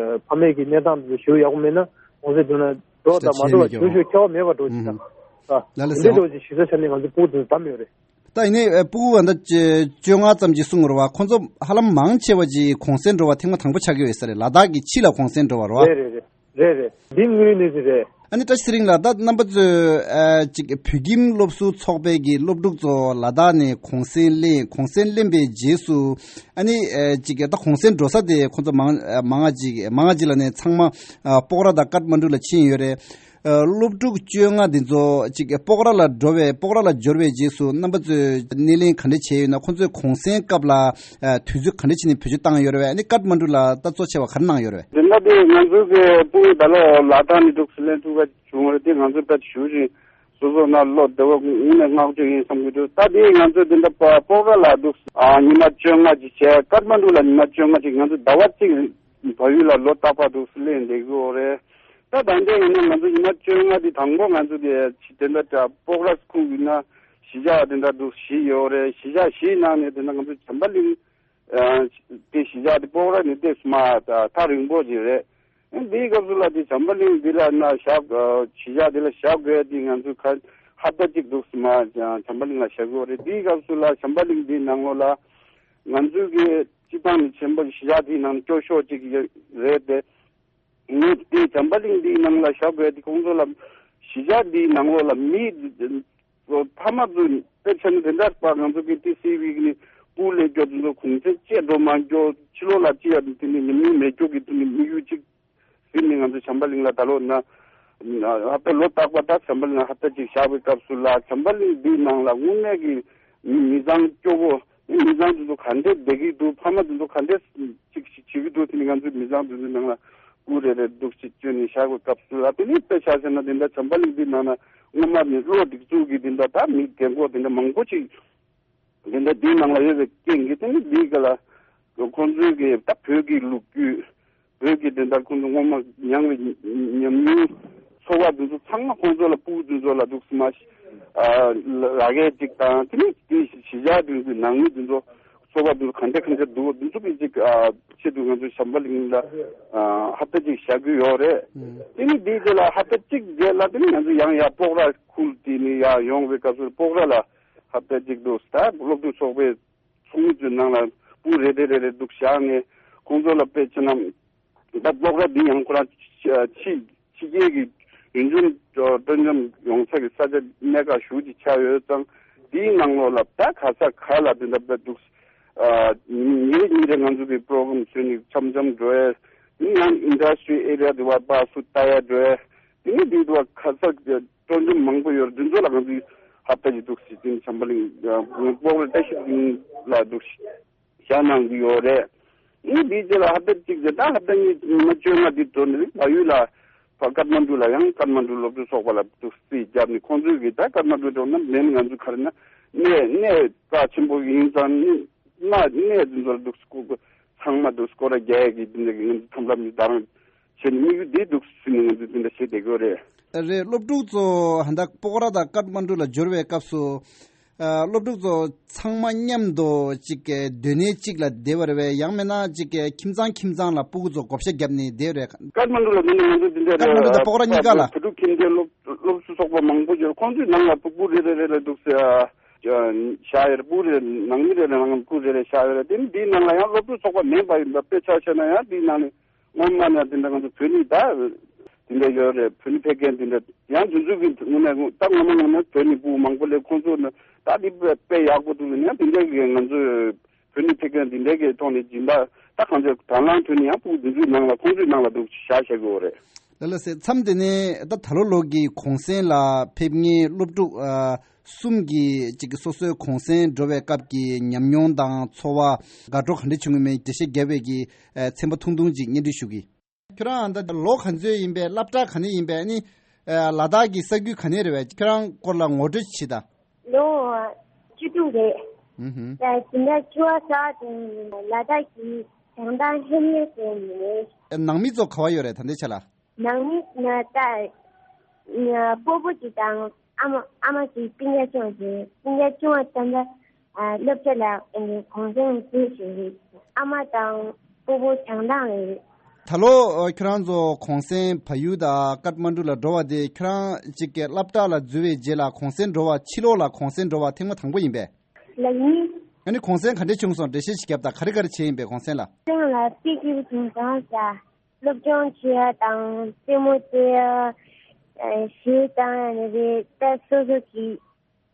ཕ་མའི་གི་གནས་སྟངས་དེ་ཞེ་པོ་ཡག་པོ་མེད་ན་གུང་སེང་འགྲོ་ན་འགྲོ་བ་དང་མ་འགྲོ་བ་ཞེ་པོ་ཞིག་ཁྱད་པར་མེད་པ་འགྲོ་ཅིག་དང་། ལ་ལ་འདི་འགྲོ་ཅིག་གཞིས་ཆགས་ཆ་ནས་ང་ཚོ་སྤུ་གུ་དེ་བདམས་ཡོད་རེད། ད་ཡིན་ནའི་སྤུ་གུ་བ་འདི་བཅོ་ལྔ་ཙམ་ཅིག་གསུང་རོགས་བ་ཁོང་ཚོ་ཧ་ལམ་མང་ཆེ་བ་ཅིག་གུང་སེང་འགྲོ་བ་ཐེངས་མ་དང་པོ་ཆགས་ཀྱི་ཡོད་ས་རེད། ལ་དྭགས་ཀྱི་ཕྱི་ལ་གུང་སེང་འགྲོ་བ་རེད་བ། རེད་རེད་རེད། རེད་རེད། འདི་དངོས་ཡོད་གནས་ཚུལ་རེད། ཨ་ནི་བཀྲ་ཤིས་ཚེ་རིང་ལགས་ད་རྣམ་པ་ཚོས་ཨ་ཅིག་བོད་ཁྱིམ་སློབ་ཟུར་ཚོགས་པའི་གི་སློབ་ཕྲུག་ཚོ་ལ་དྭགས་ནས་གུང་སེང་ལེན་གུང་སེང་ལེན་པའི་རྗེས་སུ་ཨ་ནི་ཨ་ཅིག་ད་གུང་སེང་འགྲོ་ས་དེ་ཁོང་ཚོ་མང་མང་ང་ཅིག་མང་ང་ཅིག་ལ་ནས་ཚང་མ་ཨ་སྤོག་ར་དང་ཀཏ་མན་ཌུ་ལ་ཕྱིན་ཡོད་རེད། ཨ་སློབ་ཕྲུག་བཅོ་ལྔ་འདི་ཚོ་ཅིག་སྤོག་ར་ལ་འགྲོ་བའི་སྤོག་ར་ལ་འབྱོར་བའི་རྗེས་སུ་རྣམ་པ་ཚོས་སྣེ་ལེན་ག་འདྲ་བྱས་ཡོད་ན། ཁོང་ཚོས་གུང་སེང་སྐབས་ལ་ཨ་དུས་ཚོད་ག་འདྲ་བྱས་ནས་བེད་སྤྱོད་བཏང་ཡོད་རེད་བས། ཨ་ནི་ཀཏ་མན་ཌུ་ལ་ད་གཙོ་ཆེ་བ་ག་རེ་གནང་ཡོད་རེད་བས། དེ་འདྲ་དེ་ང་ཚོ་གི་སྤུན་ད་ལོ་ལ་དྭགས་ནས་འདུག་སེ་ལེན་ཐུབ་པ་བྱུང་བ་རེད། དེ་ང་ཚོ་དཔེ་ཞུ་བཞིན་སོ་སོ་ན་བློ་བདེ་བ་དངོས་གནས་བསྔགས་བརྗོད་ཡིན་བསམ་གྱི་འདུག་ད་དེ་ང་ཚོ་དེ་འདྲ་སྤོག་ར་ལ་འདུག་ཨ་ཉི་མ་བཅོ་ལྔ་ཅིག་བྱས། ཀཏ་མན་ཌུ་ལ་ཉི་མ་བཅོ་ལྔ་ཅིག་ང་ཚོ་ཟླ་བ་གཅིག་བལ་ཡུལ་ལ་ལོ་རྟག་པར་འདུག་སེ་ལེན་བསྡད་ཀྱི་ཡོད་རེད། ད་ད་ལྟའི་ཡིན་ན་ང་ཚོ་ཉི་མ་བཅོ་ལྔ་དེ་དང་པོ་ང་ཚོ་དེ་དེ་འདྲ་འདྲ་སྤོག་ར་ཁུག་ཡིན་ན་གཞིས་ཆགས་དེ་འདྲ་འདུག་བཞི་ཡོད་རེད། གཞིས་ཆགས་བཞིའི་ནང་ནས་དེ་འདྲ་ང་ཚོ་བྱམས་པ་གླིང་དེ་གཞིས་ཆགས་དེ་སྤོག་ར་ནས་དེ་སུ་མ་ཐག་རིང་པོ་ཅིག་རེད། འདིའི་སྐབས་སུ་ལ་དེ་བྱམས་པ་གླིང་འདི་ལ་ན་བཞག་གཞིས་ཆགས་དེ་ལ་བཞག་དགོས་དེ་ང་ཚོ་ཁ་ཧབ་ཏ་གཅིག་འདུག་སུ་མ་བྱམས་པ་གླིང་ལ་བཞག་གི་ཡོད་རེད། འདིའི་སྐབས་སུ་ལ་བྱམས་པ་གླིང་འདིའི་ནང་ལོགས་ལ་ང་ཚོའི་གི་སྤྱི་བཏང་ནས་ཆེན་པོ་གཞིས་ཆགས་དེའི་ནང་སྐྱོ་ཤོས་གཅིག་རེད་དེ། ངས་དེ་བྱམས་པ་གླིང་འདིའི་ནང་ལ་བཞག་དགོས་དེ་ཁོང་ཚོ་ལ་གཞིས་ཆགས་འདིའི་ནང་ལོགས་ལ་མི་ཕ་མ་ཚོ་དཔེ་ཆ་ནི་དེ་འདྲ་པ་ང་ཚོ་གི་ཏི་སི་ཝི་གི་ནི་སྤུ་ལས་སྐྱོ་དེ་ཚོ་གུང་སེང་བཅད་འགྲོ་མ་སྐྱོ་ཕྱི་ལོགས་ལ་ཅི་ཡ་དེ་ནི་ཉམས་མྱོང་མེད་སྐྱོ་གི་དེ་ནི་དམིགས་ཡུལ་གཅིག་ཟིན་ནས་ང་ཚོ་བྱམས་པ་གླིང་ལ་ད་ལོ་ན་ཧབ་ཏ་ལོ་རྟག་པ་ད་བྱམས་པ་གླིང་ལ་ཧབ་ཏ་གཅིག་བཞག་པའི་སྐབས་སུ་ལ་བྱམས་པ་གླིང་འདིའི་ནང་ལ་དངོས་གནས་ཀྱི་མི་མི་ཚང་སྐྱོ་བོ་མི་མི་ཚང་དེ་ཚོ་ག་འདྲས་བསྡད་ཀྱི་འདུག་ཕ་མ་དེ་ཚོ་ག་འདྲས་ཅིག་ཅིག་བྱེད་ཀྱི་འདུག་དེ་ནི་ང་ཚོའི་མི་ཚང་དེ་ཚོའི་ནང་ལ་སྐུ་རེ་རེ་འདུག་ཅིག་བཅོས་ནས་བཞག་པའི་སྐབས་སུ་ལ་དེ་ནི་དཔེ་ཆ་བཞག་ན་དེ་འདྲ་བྱམས་པ་གླིང་འདིའི་ནང་ན་སྔོན་མ་ནས་བློ་སྒྲིག་འཛུགས་ཀྱི་དེ་འདྲ་ད་མི་རྒན་གོག་དེ་འདྲ་མང་པོ་ཅིག་དེ་འདྲ་འདིའི་ནང་ལ་ཡོད་པའི་རྐྱེན་གྱིས་དེ་ནི་འདིའི་སྒང་ལ་ཁོང་ཚོའི་གི་ད་བོད་ཀྱི་ལོ་རྒྱུས་བོད་ཀྱི་དེ་འདྲ་ཁོང་ཚོ་སྔོན་མ་མྱངས་པའི་ཉམས་མྱོང་ཚོར་བ་དེ་ཚོ་ཚང་མ་ཁོང་ཚོ་ལ་སྤུ་གུ་དེ་ཚོ་ལ་འདུག་སེ་མ་ཨ་ལ་རྒྱ་གཅིག་དང་དེ་ནི་དེ་གཞིས་ཆགས་དེ་ཚོའི་ནང་མི་དེ་ཚོ་ཚོར་བ་དེ་ཚོ་ག་འདྲ་ག་འདྲ་འདུག་དེ་ཚོ་གི་ཅིག་ཨ་ཆེད་དུ་ང་ཚོ་བྱམས་པ་གླིང་ལ་ཨ་ཧབ་ཏ་གཅིག་བཞག་གི་ཡོད་རེད། དེ་ནི་དེའི་རྗེས་ལ་ཧབ་ཏ་གཅིག་རྗེས་ལ་དེ་ནི་ང་ཚོ་ཡང་ཡར་སྤོག་ར་ཁུལ་དེ་ནི་ཡར་ཡོང་བའི་སྐབས་སུ་སྤོག་ར་ལ་ཧབ་ཏ་གཅིག་འདུག་ད་སློབ་ཕྲུག་ཚོགས་པའི་ཚོགས་མི་ཚོའི་ནང་ལ་སྤུ་རེ་རེ་རེ་རེ་འདུག་བཞག་ནས་ཁོང་ཚོ་ལ་དཔེ་ཆ་ན་ད་སློབ་གྲྭ་འདི་ཡང་ཁོ་རང་ཕྱི་ཕྱི་རྒྱལ་གྱི་ཡུལ་ལྗོངས་སྤྲོ་འཆམ་ཡོང་ས་ཀྱི་ས་ཆ་གནད་འགག་ཞེ་པོ་ཅིག་ཆགས་ཡོད་ཙང་འདིའི་ནང་ལོགས་ལ་ད་ག་ས་ག་ལ་འདི་འདྲ་འདུག་ཉིན་རེ་ཉིན་རེ་ང་ཚོ་གི་པོ་རོ་གྷ་རམ་བཟོས་ནས་འཆམ་འཆམ་འགྲོ་ཡ། ཡང་ཨིན་ཌ་སི་ཊི་རི་ཨེ་རི་ཡ་དེ་བ་པ་སུ་ལྟ་ཡ་འགྲོ་ཡ། དེ་ནས་འདི་དུ་བ་ཁ་ས་སྤྲོ་འཆམ་མང་པོ་ཡོད་རེད། འདི་ཚོ་ལ་ང་ཚོས་ཧབ་ཏ་གཅིག་འདུག་སེ་དེ་ནི་བྱམས་པ་གླིང་སྤོག་ར་བཀྲ་ཤིས་གླིང་ལ་འདུག་སེ་བཞག་གནང་གི་ཡོད་རེད། ཨ་ནི་དེའི་རྗེས་ལ་ཧབ་ཏ་གཅིག་རྗེས་ད་ཧབ་ཏ་གཉིས་ཉི་མ་བཅོ་ལྔ་འདི་འགྲོ་ནས་བལ་ཡུལ་ལ་ཕར་ཀཏ་མན་ཌུ་ལ་ཡང་ཀཏ་མན་ཌུ་སློབ་ཕྲུག་ཚོགས་པ་ལ་འདུག་སེ་རྩིས་བརྒྱབ་ནས་ཁོང་ཚོས་ཀྱིས་ད་ཀཏ་མན་ཌུ་འགྲོ་ན་མེད་ན་ང་ཚོ་ག་རེ་ན་གནས་གནས་རྩ་ཆེན་པོ་ཡིན་ཙང་ནི་གནས་གནས་འདི་ཚོ་ལ་འདུག་སེ་སྐོར་ཚང་མ་འདུག་སེ་སྐོར་ར་རྒྱག་ཡ་གི་འདི་འདྲ་གི་ང་ཚོ་ཐབས་ལམ་འདི་ད་རང་བྱས་ནས་དམིགས་ཡུལ་འདི་འདུག་སེ་ནས་ང་ཚོས་འདི་འདྲ་བྱེད་བསྡད་ཀྱི་ཡོད་རེད། རེད། སློབ་ཕྲུག་ཚོ་ཧ་ད་སྤོག་ར་དང་ཀཏ་མན་ཌུ་ལ་འབྱོར་བའི་སྐབས་སུ། ཨ་སློབ་ཕྲུག་ཚོ་ཚང་མ་མཉམ་དུ་ཅིག་གི་སྡོད་གནས་གཅིག་ལ་བསྡད་པ་རེད་པས། ཡང་མིན་ན་ཅིག་གི་ཁྱིམ་ཚང་ཁྱིམ་ཚང་ལ་སྤུ་གུ་ཚོ་བགོ་བཤའ་བརྒྱབ་ནས་བསྡད་པ་རེད། ཀཏ་མན་ཌུ་ལ་འདི་ནས་ང་ཚོ་འདི་འདྲ་ཀཏ་མན་ཌུ་དང་སྤོག་ར་གཉིས་ཀ་ལ། བོད་ཕྲུག་ཁྱིམ་སྡེ་སློབ་སློབ་ཟུར་ཚོགས་པ་མང་པོ་ཡོད། ཁོང་ཚོའི་ནང་ལ་སྤུ་གུ་རེ་རེ་རེ་ལ་འདུག་སེ་བཞག་ཡོད་རེད། སྤུ་གུ་རེ་ནང་མི་རེ་རེ་ནང་སྤུ་གུ་རེ་རེ་བཞག་ཡོད་རེད། དེ་ནི་འདིའི་ནང་ལ་ཡང་སློབ་ཕྲུག་ཚོགས་པ་མིན་པ་ཡིན་པ་དཔེ་ཆ་བཤད་ན་ཡང་འདིའི་ནང་ནས་སྔོན་མ་ནས་འདི་འདྲ་ང་ཚོ་བོད་ནས་ད། འདི་འདྲ་ཡོད་རེད། བོད་ནས་ཕེབས་མཁན་འདི་འདྲ་ཡང་དེ་ཚོ་གི་ངོས་ནས་ད་ངོ་མ་ངོ་མ་བོད་ནས་ཕྲུ་གུ་མང་པོ་སླེབས། ཁོང་ཚོ་ནི་ད་འདི་དཔེ་དཔེ་ཡག་པོ་འདུག་ཡང་དེ་འདྲ་གི་ང་ཚོས་བོད་ནས་ཕེབས་མཁན་འདི་འདྲ་གི་ཐོག་ནས་སྦྱིན་བདག་ད་གང་ཚོད་དང་བླངས་ཐོག་ནས་ཡང་ཕྲུ་གུ་འདི་ཚོའི་ནང་ལ་ཁོང་ཚོའི་ནང་ལ་འདུག་བཞག་བཞག་གི་ཡོད་རེད། ལགས་ལགས་སེ། མཚམས་དེ་ནས་ད་ད་ལོ་ལོ་གི་གུང་སེང་ལ་ཕེབས་མཁན་སློབ་ཕྲུག་ཨ་གསུམ་གྱིས་ཅིག་སོ་སོའི་གུང་སེང་འགྲོ་བའི་སྐབས་ཀྱི་ཉམས་མྱོང་དང་ཚོར་བ་དགའ་སྤྲོ་ག་འདྲ་བྱུང་ཡོད་མེད་འགྲེལ་བཤད་རྒྱབ་པའི་གི་ཨ་ཚན་པ་ཐུང་ཐུང་ཅིག་སྙན་སྒྲོན་ཞུ་གི། ཁྱོད་རང་ད་ལོ་ག་ཚོད་ཡིན་པས། སློབ་གྲྭ་ག་ནས་ཡིན་པས། ཨ་ནི་ཨ་ལ་དྭགས་ཀྱི་ས་ཁུལ་ག་ནས་རེད་པས། ཁྱོད་རང་སྐོར་ལ་ངོ་སྤྲོད་བྱེད་དང་། ལོ་བཅུ་དྲུག་རེད། ཨུ་ཧུམ། ད་དེ་འདྲ་ཆུ་བ་ས་དེ་ལ་དྭགས་ཀྱི་བྱང་ཐང་ལྷོ་མོན་ཟེར་ནས་རེད། ནང་མི་ཚོ་ག་པར་ཡོད་རེད་ད་ལྟའི་ཆ་ལ། ནང་མི་ང་ད་ང་སྤོ་བོ་གཅིག་དང་ཨ་མ་ཨ་མ་གཅིག་སྤུན་ཀྱག་ཆུང་བ་ཅིག་སྤུན་ཀྱག་ཆུང་བ་ད་ལྟ་ཨ་སློབ་གྲྭ་ལ་ཨ་ནི་གུང་སེང་འཛུལ་བཞིན་རེད། ཨ་མ་དང་སྤོ་བོ་བྱང་ཐང་ལ་རེད། ད་ལོ་ཨ་ཁྱོད་རང་ཚོ་གུང་སེང་བལ་ཡུལ་དང་ཀཏ་མན་གྲུ་ལ་འགྲོ་བ་དེ་ཁྱོད་རང་གཅིག་གི་སློབ་གྲྭ་ལ་འཛུལ་བའི་རྗེས་ལ་གུང་སེང་འགྲོ་བ་ཕྱི་ལོགས་ལ་གུང་སེང་འགྲོ་བ་ཐེངས་མ་དང་པོ་ཡིན་པས། ལགས་ཡིན། ཨ་ནི་གུང་སེང་ག་འདྲས་བྱུང་སོང་། འགྲེལ་བཤད་ཅིག་རྒྱབ་དང་། ག་རེ་ག་རེ་བྱས་ཡིན་པས་གུང་སེང་ལ། གུང་སེང་ལ་དཔེ་སྐྱིད་པོ་བྱུང་སོང་ཟེར། སློབ་སྦྱོང་བྱེད་ཡ་དང་རྩེད་མོ་རྩེ་ཡ། ཨ་གཞས་བཏང་ཡ་ནི་རེད། ད་སོ་སོ་གི་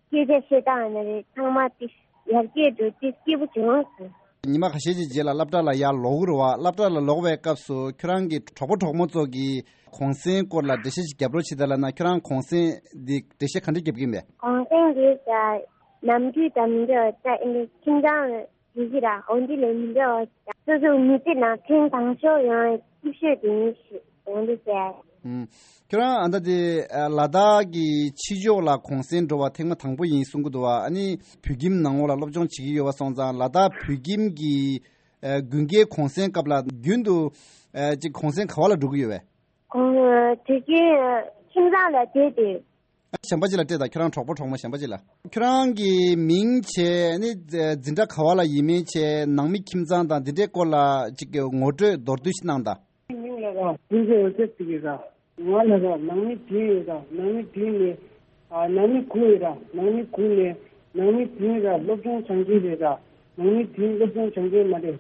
སྐད་ཆ་བཤད་སྟངས་ཡ་ནི་རེད། ཚང་མ་དེ་ཡར་རྒྱས་འགྲོ་དེ་སྐྱིད་པོ་བྱུང་སོང་། ཉི་མ་ཁ་ཤས་ཀྱི་རྗེས་ལ་སློབ་གྲྭ་ལ་ཡར་ལོག་གི་རེད་པ། སློབ་གྲྭ་ལ་ལོག་པའི་སྐབས་སུ་ཁྱོད་རང་གི་གྲོགས་པོ་གྲོགས་མོ་ཚོ་གིས་གུང་སེང་སྐོར་ལ་འགྲེལ་བཤད་ཅིག་རྒྱབ་རོགས་བྱེད་དང་ལབ་ན། ཁྱོད་རང་གུང་སེང་འདི་འགྲེལ་བཤད་ག་འདྲ་རྒྱབ་ཀྱི་ཡིན་པས། གུང་སེང་འདི་ད་ནམ་རྒྱུན་དང་མི་འདྲ་བ། ད་ཨ་ནི་ཁྱིམ་ཚང་ཡི་གེ་ར་འོ་འདི་ལས་མི་འདྲ་བ། སོ་སོ་མི་ཚེ་ནང་ཐེངས་དང་ཤོས་ཡང་སྐྱིད་ཤོས་དེ་ཡིན་ཞེས་འོ་འདི་ཟེར། ཨུམ། ཁྱོད་རང་ཨ་ད་དེ་ཨ་ལ་དྭགས་ཀྱི་ཕྱི་ཕྱོགས་ལ་གུང་སེང་འགྲོ་བ་ཐེངས་མ་དང་པོ་ཡིན་གསུང་གི་འདུག་པ། ཨ་ནི་བོད་ཁྱིམ་ནང་ལོགས་ལ་སློབ་སྦྱོང་བྱེད་ཀྱི་ཡོད་པ་སོང་ཙང་། ལ་དྭགས་བོད་ཁྱིམ་གྱི་ཨ་དགུན་ཁའི་གུང་སེང་སྐབས་ལ་རྒྱུན་དུ་ཨ་ཅིག་གུང་སེང་ག་པ་ལ་འགྲོ་གི་ཡོད་པས། གུང་དེ་གའི་ཁྱིམ་ཚང་ལ་བསྡད་དེ། གཞན་པ་ཅིག་ལ་སྤྲད་དང་། ཁྱོད་རང་གྲོགས་པོ་གྲོགས་མོ་གཞན་པ་ཅིག་ལ། ཁྱོད་རང་གི་མིང་བྱས་ནི་འཛིན་གྲྭ་ག་པ་ལ་ཡིན་མིན་བྱས། ནང་མི་ཁྱིམ་ཚང་དང་འདི་འདྲའི་སྐོར་ལ་ཅིག་གི་ངོ་སྤྲོད་མདོར་བསྡུས་ཤིག་གནང་དང་། མིང་ལ་ར་ཀུན་མཁྱེན་འོད་ཟེར་ཟེར་གི་ར། ང་ལ་ར་ནང་མི་བདུན་ཡོད་ར། ནང་མི་བདུན་ནས་ཨ་ནང་མི་དགུ་ཡོད་ར། ནང་མི་དགུ་ནས་ནང་མི་བདུན་ར་སློབ་སྦྱོང་སྦྱང་མཁན་རེད་ར། ནང་མི་བདུན་སློབ་སྦྱོང་སྦྱང་མཁན་མ་རེད།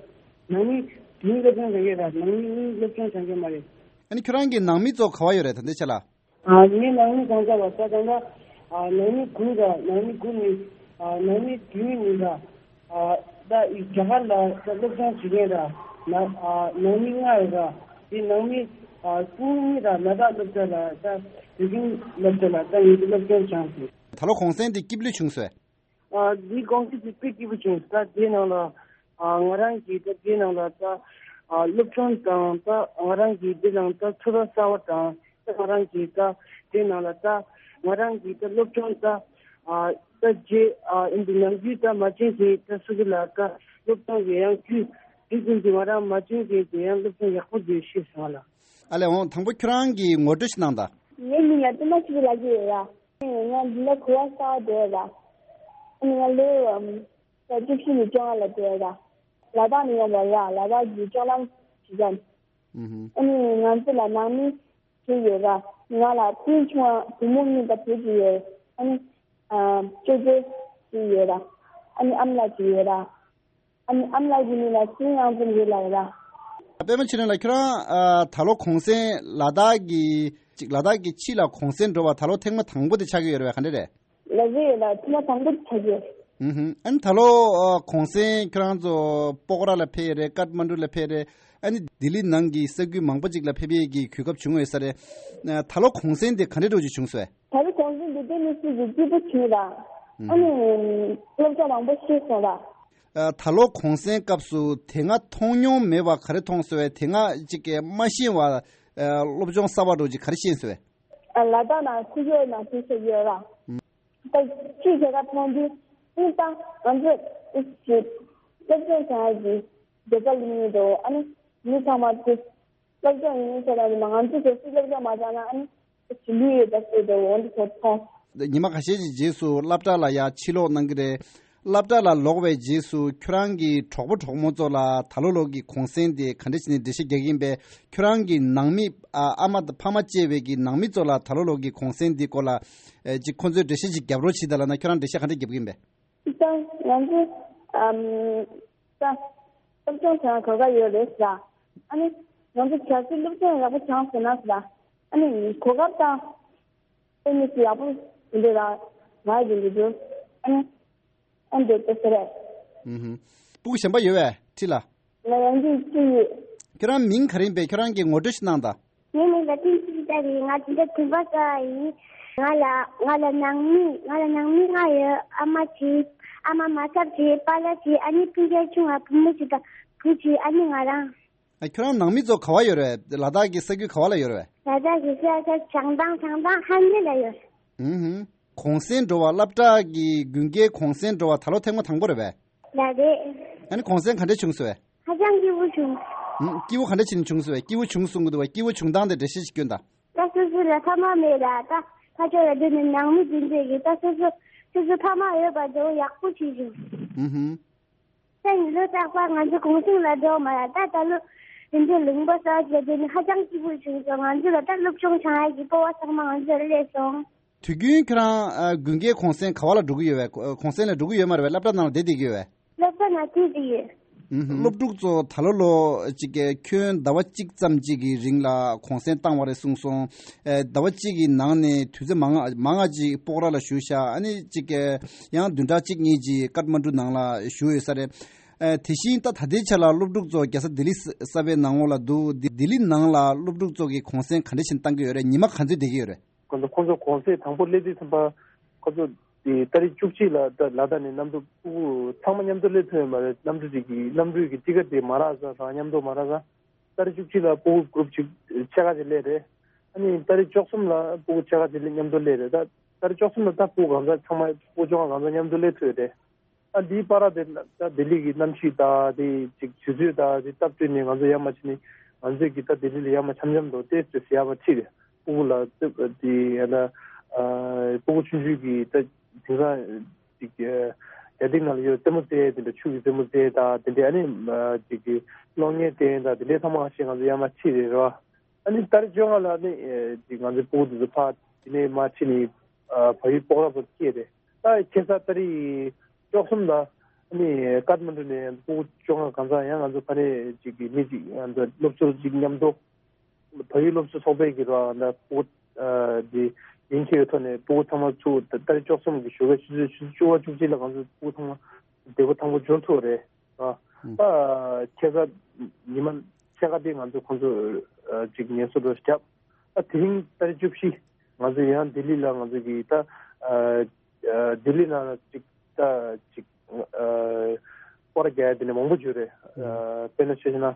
ནང་མི་བདུན་སློབ་སྦྱོང་སྦྱང་མཁན་ར། ནང་མི་གཉིས་སློབ་སྦྱོང་སྦྱང་མཁན་མ་རེད། ཨ་ནི་ཁྱོད་རང་གི་ནང་མི་ཚོ་ག་པ་ཡོད་རེད་ད་ལྟའི་ཆ་ལ། ཨ་ངའི་ནང་མི་གང་ཟག་ལ་ས་གང་ལ་ཨ་ནང་མི་དགུ་ར། ནང་མི་དགུ་ནི་ཨ་ནང་མི་བདུན་ནི་ར། ཨ་ད་ཨི་རྒྱ་གར་ལ་ད་སློབ་སྦྱོང་བྱེད་མཁན་ར། ན་ཨ་ནང་མི་ལྔ་ཡོད་ར། དེ་ནང་མི་ཨ་དགུ་ནི་ར་ལ་དྭགས་སློབ་གྲྭ་ལ་ད་བོད་ཁྱིམ་སློབ་གྲྭ་ལ་ད་ངེད་ཀྱི་སློབ་སྦྱོང་སྦྱངས་ཟིན། ད་ལོ་གུང་སེང་དེ་སྐྱིད་པོ་བྱུང་སོང་། ཨ་འདི་གུང་སེང་དེ་དཔེ་སྐྱིད་པོ་བྱུང་། ད་དེའི་ནང་ལ་ཨ་ང་རང་གིས་ད་དེའི་ནང་ལ་ད་ཨ་སློབ་སྦྱོང་དང་། ད་ང་རང་གིས་དེ་ནང་ད་ཚོར་བ་གསར་བ་དང་། ད་ང་རང་གིས་ད་དེའི་ནང་ལ་ད་ང་རང་གིས་ད་སློབ་སྦྱོང་ད་ཨ་ད་རྗེས་ཨ་ཨིན་དེ་ནམ་རྒྱུན་ད་མ་བྱན་གྱི་ད་སུ་གི་ལ་ད་སློབ་སྦྱོང་གི་ཡང་རྒྱུན་དེ་ཀུན་གྱི་ང་རང་མ་བྱན་གྱི་དེ་ཡང་སློབ་སྦྱོང་ཡག་པོ་དེ་ཤེས་སོང་ལ། ཨ་ལས། འོང་དང་པོ་ཁྱོད་རང་གིས་ངོ་སྤྲོད་ཞིག་གནང་དང་། ངའི་མིང་ལ་ཏུ་མ་ཆུ་ལ་གི་ཡོད་ལ། ང་འདི་ལ་གོ་བ་གསར་བ་འདོད་ལ། ཨ་ནི་ང་ལོ་ཨམ་ད་བཅུ་བཞི་ནས་བཅོ་ལྔ་ལ་འདོད་ལ། ལ་དྭགས་ནས་ཡོང་བ་ལ། ལ་དྭགས་ཀྱི་ལྕོག་ལམ་ཞིག་ཀྱང་། ཨུ་ཧུམ། ཨ་ནི་ང་ཚོ་ལ་ནང་མི་བཞི་ཡོད་ལ། ང་ལ་སྤུན་ཆུང་བ་བུ་མོ་གཉིས་དང་བུ་གཅིག་ཡོད། ཨ་ནི་ཨ་ཅོ་ཅོ་ཞིག་ཡོད་ལ། ཨ་ནི་ཨ་མ་ལགས་ཅིག་ཡོད་ལ། ཨ་ནི་ཨ་མ་ལགས་ཀྱི་མིང་ལ་ཚེ་རིང་དབང་འཛིན་རེད་ལབ་ཡོད་ལ། པད་མ་ཚེ་རིང་ལགས། ཁྱོད་རང་ཨ་ད་ལོ་གུང་སེང་ལ་དྭགས་ཀྱི་ཅིག་ལ་དྭགས་ཀྱི་ཕྱི་ལ་གུང་སེང་འགྲོ་བ་ད་ལོ་ཐེངས་མ་དང་པོ་དེ་ཆགས་ཀྱི་ཡོད་རེད་པས། ག་འདྲ་རེད། ལགས་རེད་ལགས། ཐེངས་མ་དང་པོ་དེ་ཆགས་ཀྱི་ཡོད། ཨུ་ཧུམ། ཨ་ནི་ད་ལོ་ཨ་གུང་སེང་ཁྱོད་རང་ཚོ་སྤོག་ར་ལ་ཕེབས་ཡོད་རེད། ཀཏ་མན་གྲུ་ལ་ཕེབས་རེད། ཨ་ནི་ལྡི་ལི་ནང་གི་ས་ཁུལ་མང་པོ་ཅིག་ལ་ཕེབས་ཡས་ཀྱི་གོ་སྐབས་བྱུང་ཡོད་ས་རེད། ཨ་ད་ལོ་གུང་སེང་དེ་ག་འདྲ་འདྲ་བོ་ཅིག་བྱུང་སོང་། ད་ལོ་གུང་སེང་འདི་དེ་ནི་སུ་ཡི་སྐྱིད་པོ་བྱུང་ལ། ཨ་ནི་སློབ་གྲྭ་མང་པོ་ཤེས་སོང་ལ། ཨ་ད་ལོ་གུང་སེང་སྐབས་སུ་དེ་སྔ་མཐོང་མྱོང་མེད་པ་ག་རེ་མཐོང་སོང་བས། དེ་སྔ་ཅིག་གི་མ་ཤེས་པ་ཨ་སློབ་སྦྱོང་གསར་པ་འདྲ་ཅིག་ག་རེ་ཤེས་སོང་བས། ཨ་ལ་དྭགས་ནང་ཁུ་ཡོད་ནང་ཁུ་ཤེས་ཡོད་ལ། ད་ཅིག་བྱེད་ཀ་མཐོང་དུས་ཨིན་ད་ང་ཚོ་ཨིན་ཅིག་སློབ་སྦྱོང་བྱ་ཡ་གི་དགེ་རྩ་ལེན་གྱི་འདུག་ཨ་ནི་མི་ཚང་མ་ཚོ་སློབ་སྦྱོང་ཡིན་ཟེར་ན་ང་ཚོ་གལ་སྲིད་སློབ་སྦྱོང་མ་སྦྱངས་ན་ཨ་ནི་ཞི་ལུས་ཡོད་པ་ཟེར་དུ་འོན་ཏེ་ཚོ་མཐོང་། ཉི་མ་ཁ་ཤས་ཀྱི་རྗེས་སུ་སློབ་གྲྭ་ལ་ཡང་ཕྱིར་ལོག་གནང་གི་རེད། སློབ་གྲྭ་ལ་ལོག་པའི་རྗེས་སུ་ཁྱོད་རང་གི་གྲོགས་པོ་གྲོགས་མོ་ཚོ་ལ་ད་ལོ་ལོ་གི་གུང་སེང་དེ་ག་འདྲ་བྱས་ནས་འགྲེལ་བཤད་རྒྱག་གི་ཡིན་པས། ཁྱོད་རང་གི་ནང་མི་ཨ་ཨ་མ་དང་ཕ་མ་བཅས་པའི་གི་ནང་མི་ཚོ་ལ་ད་ལོ་ལོ་གི་གུང་སེང་དེ་སྐོར་ལ་ཨེ་ཅིག་ཁོང་ཚོས་འགྲེལ་བཤད་ཅིག་རྒྱབ་རོགས་བྱེད་དང་ལབ་ན་ཁྱོད་རང་འགྲེལ་བཤད་ག་འདྲ་རྒྱབ་ཀྱི་ཡིན་པས། ད་ང་ཚོ་ཨམ་ད་སློབ་སྦྱོང་བྱ་གོ་སྐབས་ཡོད་རེད་ཟེར། ཨ་ནི་ང་ཚོ་གལ་སྲིད་སློབ་སྦྱོང་ཡག་པོ་བྱུང་ཟེར་ན་ཟེར། ཨ་ནི་གོ་སྐབས་དང་། ཨ་ནི་ཡག་པོ་འདི་ལ་ང་ཡི་འདི་འདུག་ཨ་ནི་ཨ་འདི་ལྟ་ཟེར་རེད། ཨུ་ཧུམ། སྤུ་གུ་གཞན་པ་ཡོད་པས་ཁྲི་ལ། ང་ཡང་འདི་ཅི་ཡོད། ཁྱོད་རང་མིང་ག་རེ་ཡིན་པས། ཁྱོད་རང་གི་ངོ་སྤྲོད་ཞིག་གནང་དང་། ངའི་མིང་ལ་བསྟན་འཛིན་ཚེ་རིང་། ང་འཛིན་གྲྭ་བདུན་པ་ཙམ་ཡིན། ང་ལ་ང་ལ་ནང་མི་ང་ལ་ནང་མི་ལྔ་ཡོད། ཨ་མ་གཅིག་ཨ་མ་མ་ཚབ་གཅིག་པཱ་ལགས་གཅིག་ཨ་ནི་སྤུན་ཀྱག་ཆུང་བ་བུ་མོ་གཅིག་དང་བུ་གཅིག་ཨ་ནི་ང་རང་། ཨ། ཁྱོད་རང་ནང་མི་ཚོ་ག་བ་ཡོད་རེད། ལ་དྭགས་ཀྱི་ས་ཁུལ་ག་བ་ལ་ཡོད་རེད། ལ་དྭགས་ཀྱི་ས་ཆ་བྱང་ཐང་། བྱང་ཐང་ཧན་ལེ་ལ་ཡོད། ཨུ་ཧུམ། གུང་སེང་འགྲོ་བ། སློབ་གྲྭ་གི་དགུན་ཁའི་གུང་སེང་འགྲོ་བ་ད་ལོ་ཐེངས་མ་དང་པོ་རེད་པས། ལགས་རེད། ཨ་ནི་གུང་སེང་ག་འདྲ་བྱུང་སོང་བས། ཧ་ཅང་སྐྱིད་པོ་བྱུང་། ཨུམ། སྐྱིད་པོ་ག་འདྲ་བྱས་ནས་བྱུང་སོང་བས། སྐྱིད་པོ་བྱུང་གསུང་གི་འདུག་བས། སྐྱིད་པོ་བྱུང་སྟངས་དེ་འགྲེལ་བཤད་ཅིག་སྐྱོན་དང་། ད་སོ་སོ་ལ་ཕ་མ་མེད་ལ། ད་ཕ་ཕྱོགས་ལ་སྡོད་ནས་ནང་མི་འཛིན་བྱེད་ཀྱི། ད་སོ་སོ་སོ་སོ་ཕ་མ་ཡོད་པ་དེ་ཡག་པོ་བྱས་བྱུང་། ཨུ་ཧུམ། ད་ཡིན་ལོ་རྟག་པར་ང་ཚོ་གུང་སེང་ལ་འགྲོ་མ་ར། ད་ད་ལོ་དེ་འདྲའི་ལུང་པ་གསར་བ་ཞིག་ལ་སྡོད་ནས་ཧ་ཅང་སྐྱིད་པོ་བྱུང་སོང་། ང་ཚོ་ལ་ད་སློབ་སྦྱོང་སྦྱང་ཡག་གི་སྤོབས་པ་ཚང་མ་ང་ཚོ་ལ་སླེབས་སོང་། དུས་རྒྱུན་ཁྱོད་རང་ཨ་དགུན་ཁའི་གུང་སེང་ག་བ་ལ་འགྲོ་གི་ཡོད་པས། གུང་སེང་ལ་འགྲོ་གི་ཡོད་མ་རེད་པས། སློབ་གྲྭ་ནང་ལ་བསྡད་བསྡད་ཀྱི་ཡོད་པས། སློབ་གྲྭ་ནང་བསྡད་བསྡད་ཀྱི་ཡོད། ཨུ་ཧུམ། སློབ་ཕྲུག་ཚོ་ད་ལོ་ལོ་ཅིག་གི་ཁྱོན་ཟླ་བ་གཅིག་ཙམ་ཅིག་གི་རིང་ལ་གུང་སེང་བཏང་བ་རེད་གསུངས་སོང་། ཨེ། ཟླ་བ་གཅིག་གི་ནང་ནས་དུས་ཚོད་མང་ང་མང་ང་ཅིག་སྤོག་ར་ལ་བཞུགས་ཤག་ཨ་ནི་ཅིག་གི་ཡང་བདུན་ཕྲག་གཅིག་གཉིས་ཅིག་ཀཏ་མན་ཌུ་ནང་ལ་བཞུགས་ཡོད་ས་རེད། ཨེ། དེ་བཞིན་ད་ད་ལྟའི་ཆ་ལ་སློབ་ཕྲུག་ཚོ་རྒྱལ་ས་ལྡི་ལི་གསར་པའི་ནང་ལོགས་ལ་འདུག་ལྡི་ལྡི་ལི་ནང་ལ་སློབ་ཕྲུག་ཚོ་གི་གུང་སེང་ག་འདྲ་བྱས་ནས་བཏང་གི་ཡོད་རེད། ཉི་མ་ག་ཚོད་བསྡད་ཀྱི་ཡོད་རེད། ཁོང་ཚོ་ཁོང་ཚོ་གུང་སེང་དང་པོ་སླེབས་དུས་ཙམ་པ། ཁོང་ཚོ་དེ་ཏ་རིག་བཅུ་གཅིག་ལ་ད་ལ་དྭགས་ནས་གནམ་གྲུ་ཕྲུ་གུ་ཚང་མ་མཉམ་དུ་སླེབས་ཐུབ་ཡོད་མ་རེད། གནམ་གྲུ་ཅིག་གི་གནམ་གྲུ་གི་ཊི་ཀེ་ཊི་དེ་མ་རག་ས་དང་མཉམ་དུ་མ་རག་ས། ཏ་རིག་བཅུ་གཅིག་ལ་ཕྲུ་གུ་གུ་རུབ་ཅིག་ཕྱེད་ཀ་ཅིག་སླེབས་རེད། ཨ་ནི་ཏ་རིག་བཅུ་གསུམ་ལ་ཕྲུ་གུ་ཕྱེད་ཀ་ཅིག་སླེབས་མཉམ་དུ་སླེབས་རེད། ད་ཏ་རིག་བཅུ་གསུམ་ལ་ད་ཕྲུ་གུ་གང་ཟག་ཚང་མ་ཕྲུ་གུ་བཅོ་ལྔ་གང་ཟག་མཉམ་དུ་སླེབས་ཐུབ་ཡོད་རེད། ཨ། འདིའི་བར་དེ་ད་ལྡི་ལི་གི་གནམ་གཤིས་དང་དེ་ཅིག་དུས་ཚོད་དང་དེ་སྟབས་བསྟུན་ནས་ང་ཚོ་ཡར་མར་ཕྱིན་ནས་ང་ཚོས་ཀྱི་ད་ལྡི་ལི་ལ་ཡར་མར་འཆམ་འཆམ་དུ་ཏོག་ཙམ་ཡར་མར་ཁྲིད་དེ་ཕྲུ་གུ་ལ་ཏོག་དེ་ཡང་ན་ཕྲུ་གུ་ཆུང་ཆུང་གི་ད་དེང་སང་ཅིག་རྒྱ་ཐིག་ནང་ལ་ཡོད་རྩེད་མོ་རྩེ་དེ་འདྲ། ཆུ་གི་རྩེད་མོ་རྩེ་དང་དེ་འདྲ། ཨ་ནི་ཅིག་གི་གློག་བརྙན་སྟོན་དང་དེ་འདྲའི་ཚང་མ་ཞིག་ང་ཚོ་ཡར་མར་ཁྲིད་རེད་རོ། ཨ་ནི་ཏ་རིག་བཅོ་ལྔ་ལ་ནི་ཅིག་ང་ཚོའི་ཕྲུ་གུ་དེ་ཚོ་ཕར་དེ་ནས་མར་ཕྱིན་ནས་བལ་ཡུལ་སྤོག་ར་བར་སྐྱེལ་རེད། ད་ཁ་སང་ཏ་རིག་བཅུ་གསུམ་ལ་ནི་ཀཏ་མན་ཌུ་ནས་ཕྲུ་གུ་བཅོ་ལྔ་གང་ཟག་ཡང་ང་ཚོ་ཕ་ནས་ཅིག་གི་མི་ཅིག་ང་ཚོ་སློབ་ཟུར་ཅིག་མཉམ་དུ་བལ་ཡུལ་སློབ་ཟུར་ཚོགས་པའི་གི་ར་ན་ཕྲུ་གུ་འདི་ཡིན་ཁྱེར་ཐོག་ནས་ཕྲུ་གུ་ཚང་མ་ཚུར་ཏ་རིག་བཅུ་གསུམ་གི་ཞོགས་ཀའི་ཆུ་ཚོད་ཆུ་ཚོད་བཅུ་པ་བཅུ་གཅིག་ལ་ང་ཚོ་ཕྲུ་གུ་ཚང་མ་བདེ་པོ་ཐང་པོ་འབྱོར་ཐུབ་རེད། ཨ། ད་ཁ་སང་ཉི་མ་ཕྱེད་ཀ་དེ་ང་ཚོ་ཁོང་ཚོ་ཅིག་ངལ་གསོ་འགྲོ་བརྒྱབ། ད་དེ་རིང་ཏ་རིག་བཅུ་བཞི་ང་ཚོ་ཡང་ལྡི་ལི་ལ་ང་ཚོ་གི་ད་ལྡི་ལི་ནང་ཅིག་ད་ཅིག་སྐོར་རྒྱག་ཡ་དེ་ནས་མང་པོ་ཡོད་རེད། དཔེར་ན་ཆ་བཞག་ན་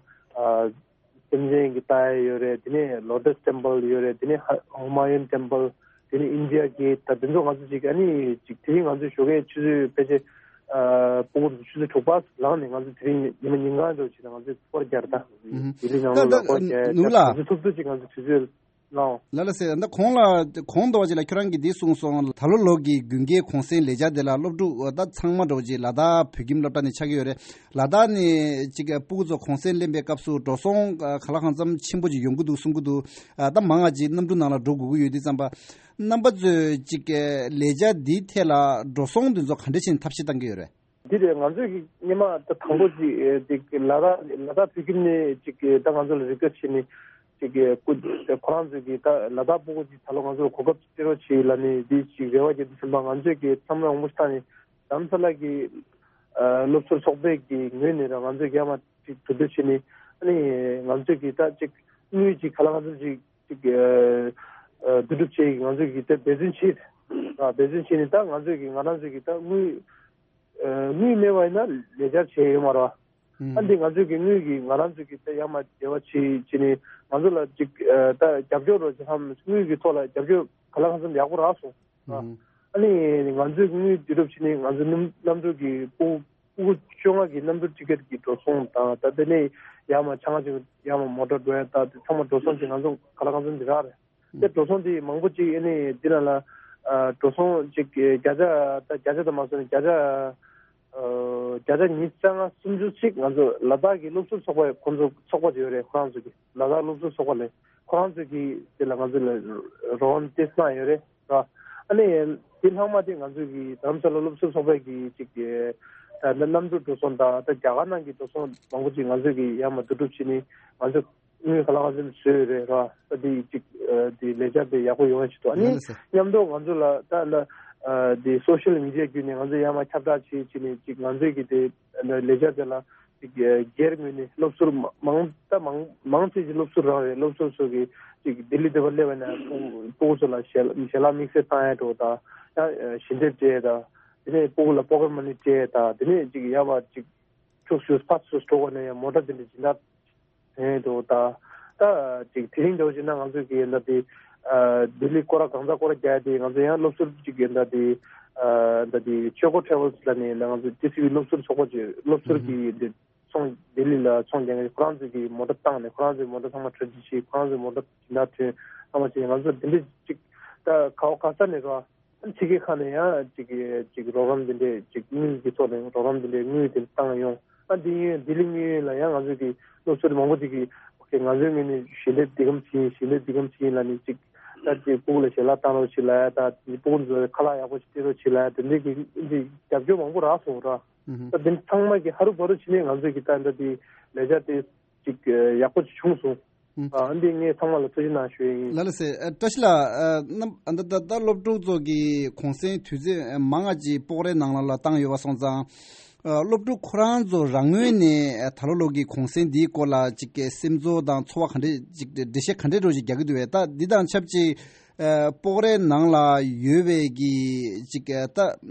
སེམས་ཅན་གྱི་ལྟ་ཡ་ཡོད་རེད། དེ་ནས་ལོ་ཊས་ཊེམ་པལ་ཡོད་རེད། དེ་ནས་ཧ་ཧུ་མ་ཡུན་ཊེམ་པལ། དེ་ནས་ཨིན་ཌི་ཡ་གེ་ཊི། ད་དེ་ཚོ་ང་ཚོ་ཅིག་ཨ་ནི་ཅིག་དེ་རིང་ང་ཚོའི་ཞོགས་ཀའི་ཆུ་ཚོད་ཕལ་ཆེར་ཨ་ཕྲུ་གུ་ཆུ་ཚོད་དྲུག་པ་ལངས་ནས་ང་ཚོ་དེ་རིང་ཉི་མ་ཉིན་གང་འགྲོ་བྱས་ནས་ང་ཚོས་སྐོར་རྒྱག་རེད། ད་ལྡི་ལི་ནང་ད་ལོགས་ལ་ད་སྐོར་རྒྱག་ནུ་ལགས། ང་ཚོ་ཐུབ་ཐུབ་ཅིག་ང་ཚོ་དུས་ཚོད་ལའོ། ལ་ལ་སེ། ད་གོང་ལ་གོང་དུ་བ་ཅིག་ལ་ཁྱོད་རང་གིས་འདི་གསུངས་སོང་། ད་ལོ་ལོ་གི་དགུན་ཁའི་གུང་སེང་ལས་འཆར་དེ་ལ་སློབ་ཕྲུག་ད་ཚང་མ་འགྲོ་ཅིག་ལ་དྭགས་བོད་ཁྱིམ་སློབ་གྲྭ་ནས་ཆགས་ཀྱི་ཡོད་རེད། ལ་དྭགས་ནས་ཅིག་ཕྲུ་གུ་ཚོ་གུང་སེང་ལེན་པའི་སྐབས་སུ་འགྲོ་སོང་ག་ལ་གང་འཚམ་ཆེན་པོ་ཅིག་ཡོང་གི་འདུག་གསུང་གི་འདུག་ད་མང་ང་ཅིག་གནམ་གྲུ་ནང་ལ་འགྲོ་དགོས་ཀྱི་ཡོད་དུས་ཙམ་པ། རྣམ་པ་ཚོས་ཅིག་ལས་འཆར་འདིའི་ཐད་ལ་འགྲོ་སོང་འདི་ཚོ་ག་འདྲ་བྱས་ནས་ཐབས་ཤེས་བཏང་གི་ཡོད་རེད། འདི་རེད། ང་ཚོས་ཀྱི་སྔོན་མ་ད་དང་པོ་ཅིག་ཨེ་ཅིག་ལ་དྭགས་ལ་དྭགས་བོད་ཁྱིམ་ནས་ཅིག་ད་ང་ཚོ་ལ་རི་ཀོ་ཊི་བྱས་ནས་ཅིག་སྐུ་ཁོ་རང་ཚོས་ཀྱི་ད་ལ་དྭགས་ཕྲུ་གུ་ཅིག་ད་ལོ་ང་ཚོ་ལ་གོ་སྐབས་ཅིག་སྤྲད་རོགས་བྱེད་ལབ་ནས་འདི་ཅིག་རེ་བ་བརྒྱབ་དུས་ཙམ་པ། ང་ཚོས་ཀྱི་ཚང་མས་དབང་པོ་ཞིག་བཏང་ནས་རྡ་རམ་ས་ལ་གི་ཨ་སློབ་ཟུར་ཚོགས་པའི་གི་ངོས་ནས་ར་ང་ཚོས་ཀྱི་ཡར་མར་ཅིག་གྲོས་བསྡུར་བྱས་ནས། ཨ་ནི་ང་ཚོས་ཀྱི་ད་ཅིག་དངུལ་ཅིག་ག་ལ་གང་འཚམ་ཅིག་ཅིག་ཨ་ཨ་བསྡུ་སྒྲུབ་བྱས་ཀྱི་ང་ཚོས་ཀྱི་ད་འབད་བརྩོན་བྱས། ཨ་འབད་བརྩོན་བྱས་ནས་ད་ང་ཚོས་ཀྱི་ང་རང་ཚོས་ཀྱི་ད་དངུལ་ཨ་དངུལ་མེད་པ་ཡིན་ན་ལས་འཆར་བྱས་ཡོད་མ་རེད་པ། ཨ་ཨ་འདི་ང་ཚོས་ཀྱི་དངུལ་གྱི་ང་རང་ཚོས་ཀྱི་ད་ཡར་མར་འབྲེལ་བ་བྱས་བྱས་ནས་ང་ཚོ་ལ་ཅིག་ཨ་ད་རྒྱབ་སྐྱོར་རོགས་བྱེད་བསམ། དངུལ་གྱི་ཐོག་ལ་རྒྱབ་སྐྱོར་ག་ལ་གང་འཚམ་ཡག་པོ་རག་སོང་། ཨ་ཨ་ནི་ང་ཚོས་དངུལ་བསྡུ་རུབ་བྱས་ནས་ང་ཚོ་གནམ་གནམ་གྲུ་གི་ཕྲུ་གུ་བཅོ་ལྔ་གི་གནམ་གྲུ་ཊི་ཀེ་ཊི་གི་འགྲོ་སོང་དང་། ད་དེ་ནས་ཡར་མར་ཆང་ཅིག་ཡར་མར་མོ་ཊ་འགྲོ་ཡ་ད་དེ་ཚང་མ་འགྲོ་སོང་ཅིག་ང་ཚོ་ག་ལ་གང་འཚམ་ཅིག་རག་རེད། དེ་འགྲོ་སོང་དེ་མང་པོ་ཅིག་ཨ་ནི་འདི་ནང་ལ་ཨ་འགྲོ་སོང་ཅིག་བརྒྱ་ཆ་ད་བརྒྱ་ཆ་ད་མ་སོང་ནས་བརྒྱ་ཆ་ཨ་བརྒྱ་ཆ་ཉི་ཤུ་རྩ་ལྔ་སུམ་ཅུ་ཅིག་ང་ཚོ་ལ་དྭགས་ཀྱི་སློབ་ཟུར་ཚོགས་པ་ཁོང་ཚོ་ཚོགས་པ་ཅིག་ཡོད་རེད། ཁོ་རང་ཚོ་གི་ལ་དྭགས་སློབ་ཟུར་ཚོགས་པ་ལས་ཁོ་རང་ཚོ་གི་དེ་ལ་ང་ཚོ་ལ་རོགས་རམ་ཏོག་ཙམ་གནང་ཡོད་རེད། ར། ཨ་ནི་དེ་ལྷག་མ་དེ་ང་ཚོས་ཀྱི་རྡ་རམ་ས་ལ་སློབ་ཟུར་ཚོགས་པའི་གི་ཅིག་གི་ད་གནམ་གྲུ་འགྲོ་སོང་དང་ད་རྒྱ་གར་ནང་གི་འགྲོ་སོང་མང་པོ་ཅིག་ང་ཚོས་ཀྱི་ཡར་མར་བསྡུ་སྒྲུབ་བྱས་ནས་ང་ཚོ་ དངུལ་ག་ལ་ག་ཚོད་བཟོས་རེད་ར། ད་དེ་ཅིག་དེ་ལས་འཆར་དེ་ཡག་པོ་ཡོང་ཡ་ཞིག་འདུག་ཨ་ནི་ལགས་སོ། མཉམ་དུ་ང་ཚོ་ལ་ད་ལ་དེ་སོ་ཤལ་མི་ཌི་ཡ་བརྒྱུད་ནས་ང་ཚོ་ཡར་མར་ཁྱབ་བསྒྲགས་བྱེད་བྱེད་ནས་ཅིག་ང་ཚོས་ཀྱི་དེ་ལས་འཆར་དེ་ལ་ཅིག་སྒེར་ངོས་ནས་སློབ་ཟུར་མ་མང་ད་མང་མང་ཆེ་ཅིག་སློབ་ཟུར་རང་རེད། སློབ་ཟུར་ཚོ་གི་ཅིག་ལྡི་ལི་དེ་བར་སླེབས་པ་ན་ཕྲུ་གུ་ཚོ་ལ་ཞལ་ཞལ་ལག་དམིགས་བསལ་བཏང་ཡ་འགྲོ་ད་ཡང་ཞལ་འདེབས་སྤྲད་ད་དེ་ནས་ཕྲུ་གུ་ལ་པོ་ཀེཊ་མ་ནི་སྤྲད་ད་དེ་ནས་ཅིག་ཡར་བ་ཅིག་ཕྱུགས་ཞུས་ཕར་ཚུར་འགྲོ་དགོས་ན་ཡང་མོ་ཊ་དེ་འདྲ་སྦྱིན་བདག་དེ་འདྲ་ད་ད་ཅིག་དེ་རིང་འདྲ་བོ་ཅིག་ན་ང་ཚོས་ཀྱི་ད་དེ་ལྡི་ལི་སྐོར་ར་གང་ཚ་སྐོར་ར་རྒྱག་དེ་ང་ཚོ་ཡང་སློབ་ཟུར་ཅིག་གི་ད་དེ་ད་དེ་ཆོས་སྐོར་ཊེ་རེ་ཝལ་ལ་ནས་ང་ཚོ་ཏི་སི་ཝི་སློབ་ཟུར་ཚོགས་པ་ཅིག་སློབ་ཟུར་གྱི་དེ་ཚོང་ལྡི་ལི་ལ་ཚོང་རྒྱག་མཁན་ཁོ་རང་ཚོས་ཀྱི་མོ་ཊ་བཏང་ནས་ཁོ་རང་ཚོའི་མོ་ཊ་ཚང་མ་ཁྲལ་ཅིག་བྱས་ཁོ་རང་ཚོའི་མོ་ཊ་སྦྱིན་བདག་ཐོན་ཚང་མ་བྱས་ང་ཚོ་དེ་འདྲ་ཅིག་ད་ག་བ་ག་ས་ནས་རོ། ཕྱི་རྒྱལ་ཁག་ནས་ཡང་ཅིག་ཅིག་རོགས་རམ་འདི་འདྲས་ཅིག་དངུལ་གྱི་ཐོག་ནས་རོགས་རམ་འདི་འདྲས་དངུལ་དེ་བཏང་ཡོང་། ཨ་འདི་ཡིན་ལྡི་ལི་དངུལ་ཡིན་ལ་ཡང་ང་ཚོས་ཀྱི་སློབ་ཟུར་མང་པོ་ཅིག་གིས་ཨོ་ཁེ་ང་ཚོའི་ངོས་ནས་ཞལ་འདེབས་འདི་གམ་ཅིག་ཡིན་ཞལ་འདེབས་འདི་གམ་ཅིག་ཡིན་ལ་ནི་ཅིག་ད་ཅིག་ཕྲུ་གུ་ལ་ཞལ་ལག་བཏང་རོགས་བྱེད་ལ་ཡ་ད་ཅིག་ཕྲུ་གུ་ཚོ་ཁ་ལག་ཡག་པོ་ཞིག་སྤྲད་རོགས་བྱེད་ལ་ཡ་དེ་འདྲས་ཀྱི་ཅིག་རྒྱབ་སྐྱོར་མང་པོ་རག་སོང་ར། ད་དེ་ཚང་མ་གི་ཧ་རུ་བ་རུ་བྱས་ནས་ང་ཚོས་ཀྱི་ད་འདྲ་དེ་ལས་འཆར་དེ་ཅིག་ཡག་པོ་ཅིག་བྱུང་སོང་། ཨ་འདི་ངས་ཚང་མ་ལ་ཐུགས་རྗེ་གནང་ཞུ་ཡ་ཡིན། ལགས་ལགས་སེ། ཨ་བཀྲ་ཤིས་ལགས། ཨ་རྣམ་ཨ་ད་ད་ད་སློབ་ཕྲུག་ཚོ་གི་གུང་སེང་དུས་ཚོད་མང་ང་ཅིག་སྤོག་རའི་ནང་ལ་ལ་བཏང་ཡོད་པ་སོང་ཙང་། ཨ་སློབ་ཕྲུག་ཁོ་རང་ཚོ་རང་ངོས་ནས་ཨ་ད་ལོ་ལོ་གི་གུང་སེང་འདིའི་སྐོར་ལ་ཅིག་གི་སེམས་ཚོར་དང་ཚོར་བ་ག་འདྲས་ཅིག་འགྲེལ་བཤད་ག་འདྲས་འདྲ་ཅིག་རྒྱག་གི་འདུག་བས། ད་འདི་དང་ཆབས་ཅིག་ཨ་སྤོག་རའི་ནང་ལ་ཡོད་པའི་གི་ཅིག་ཨ་ད་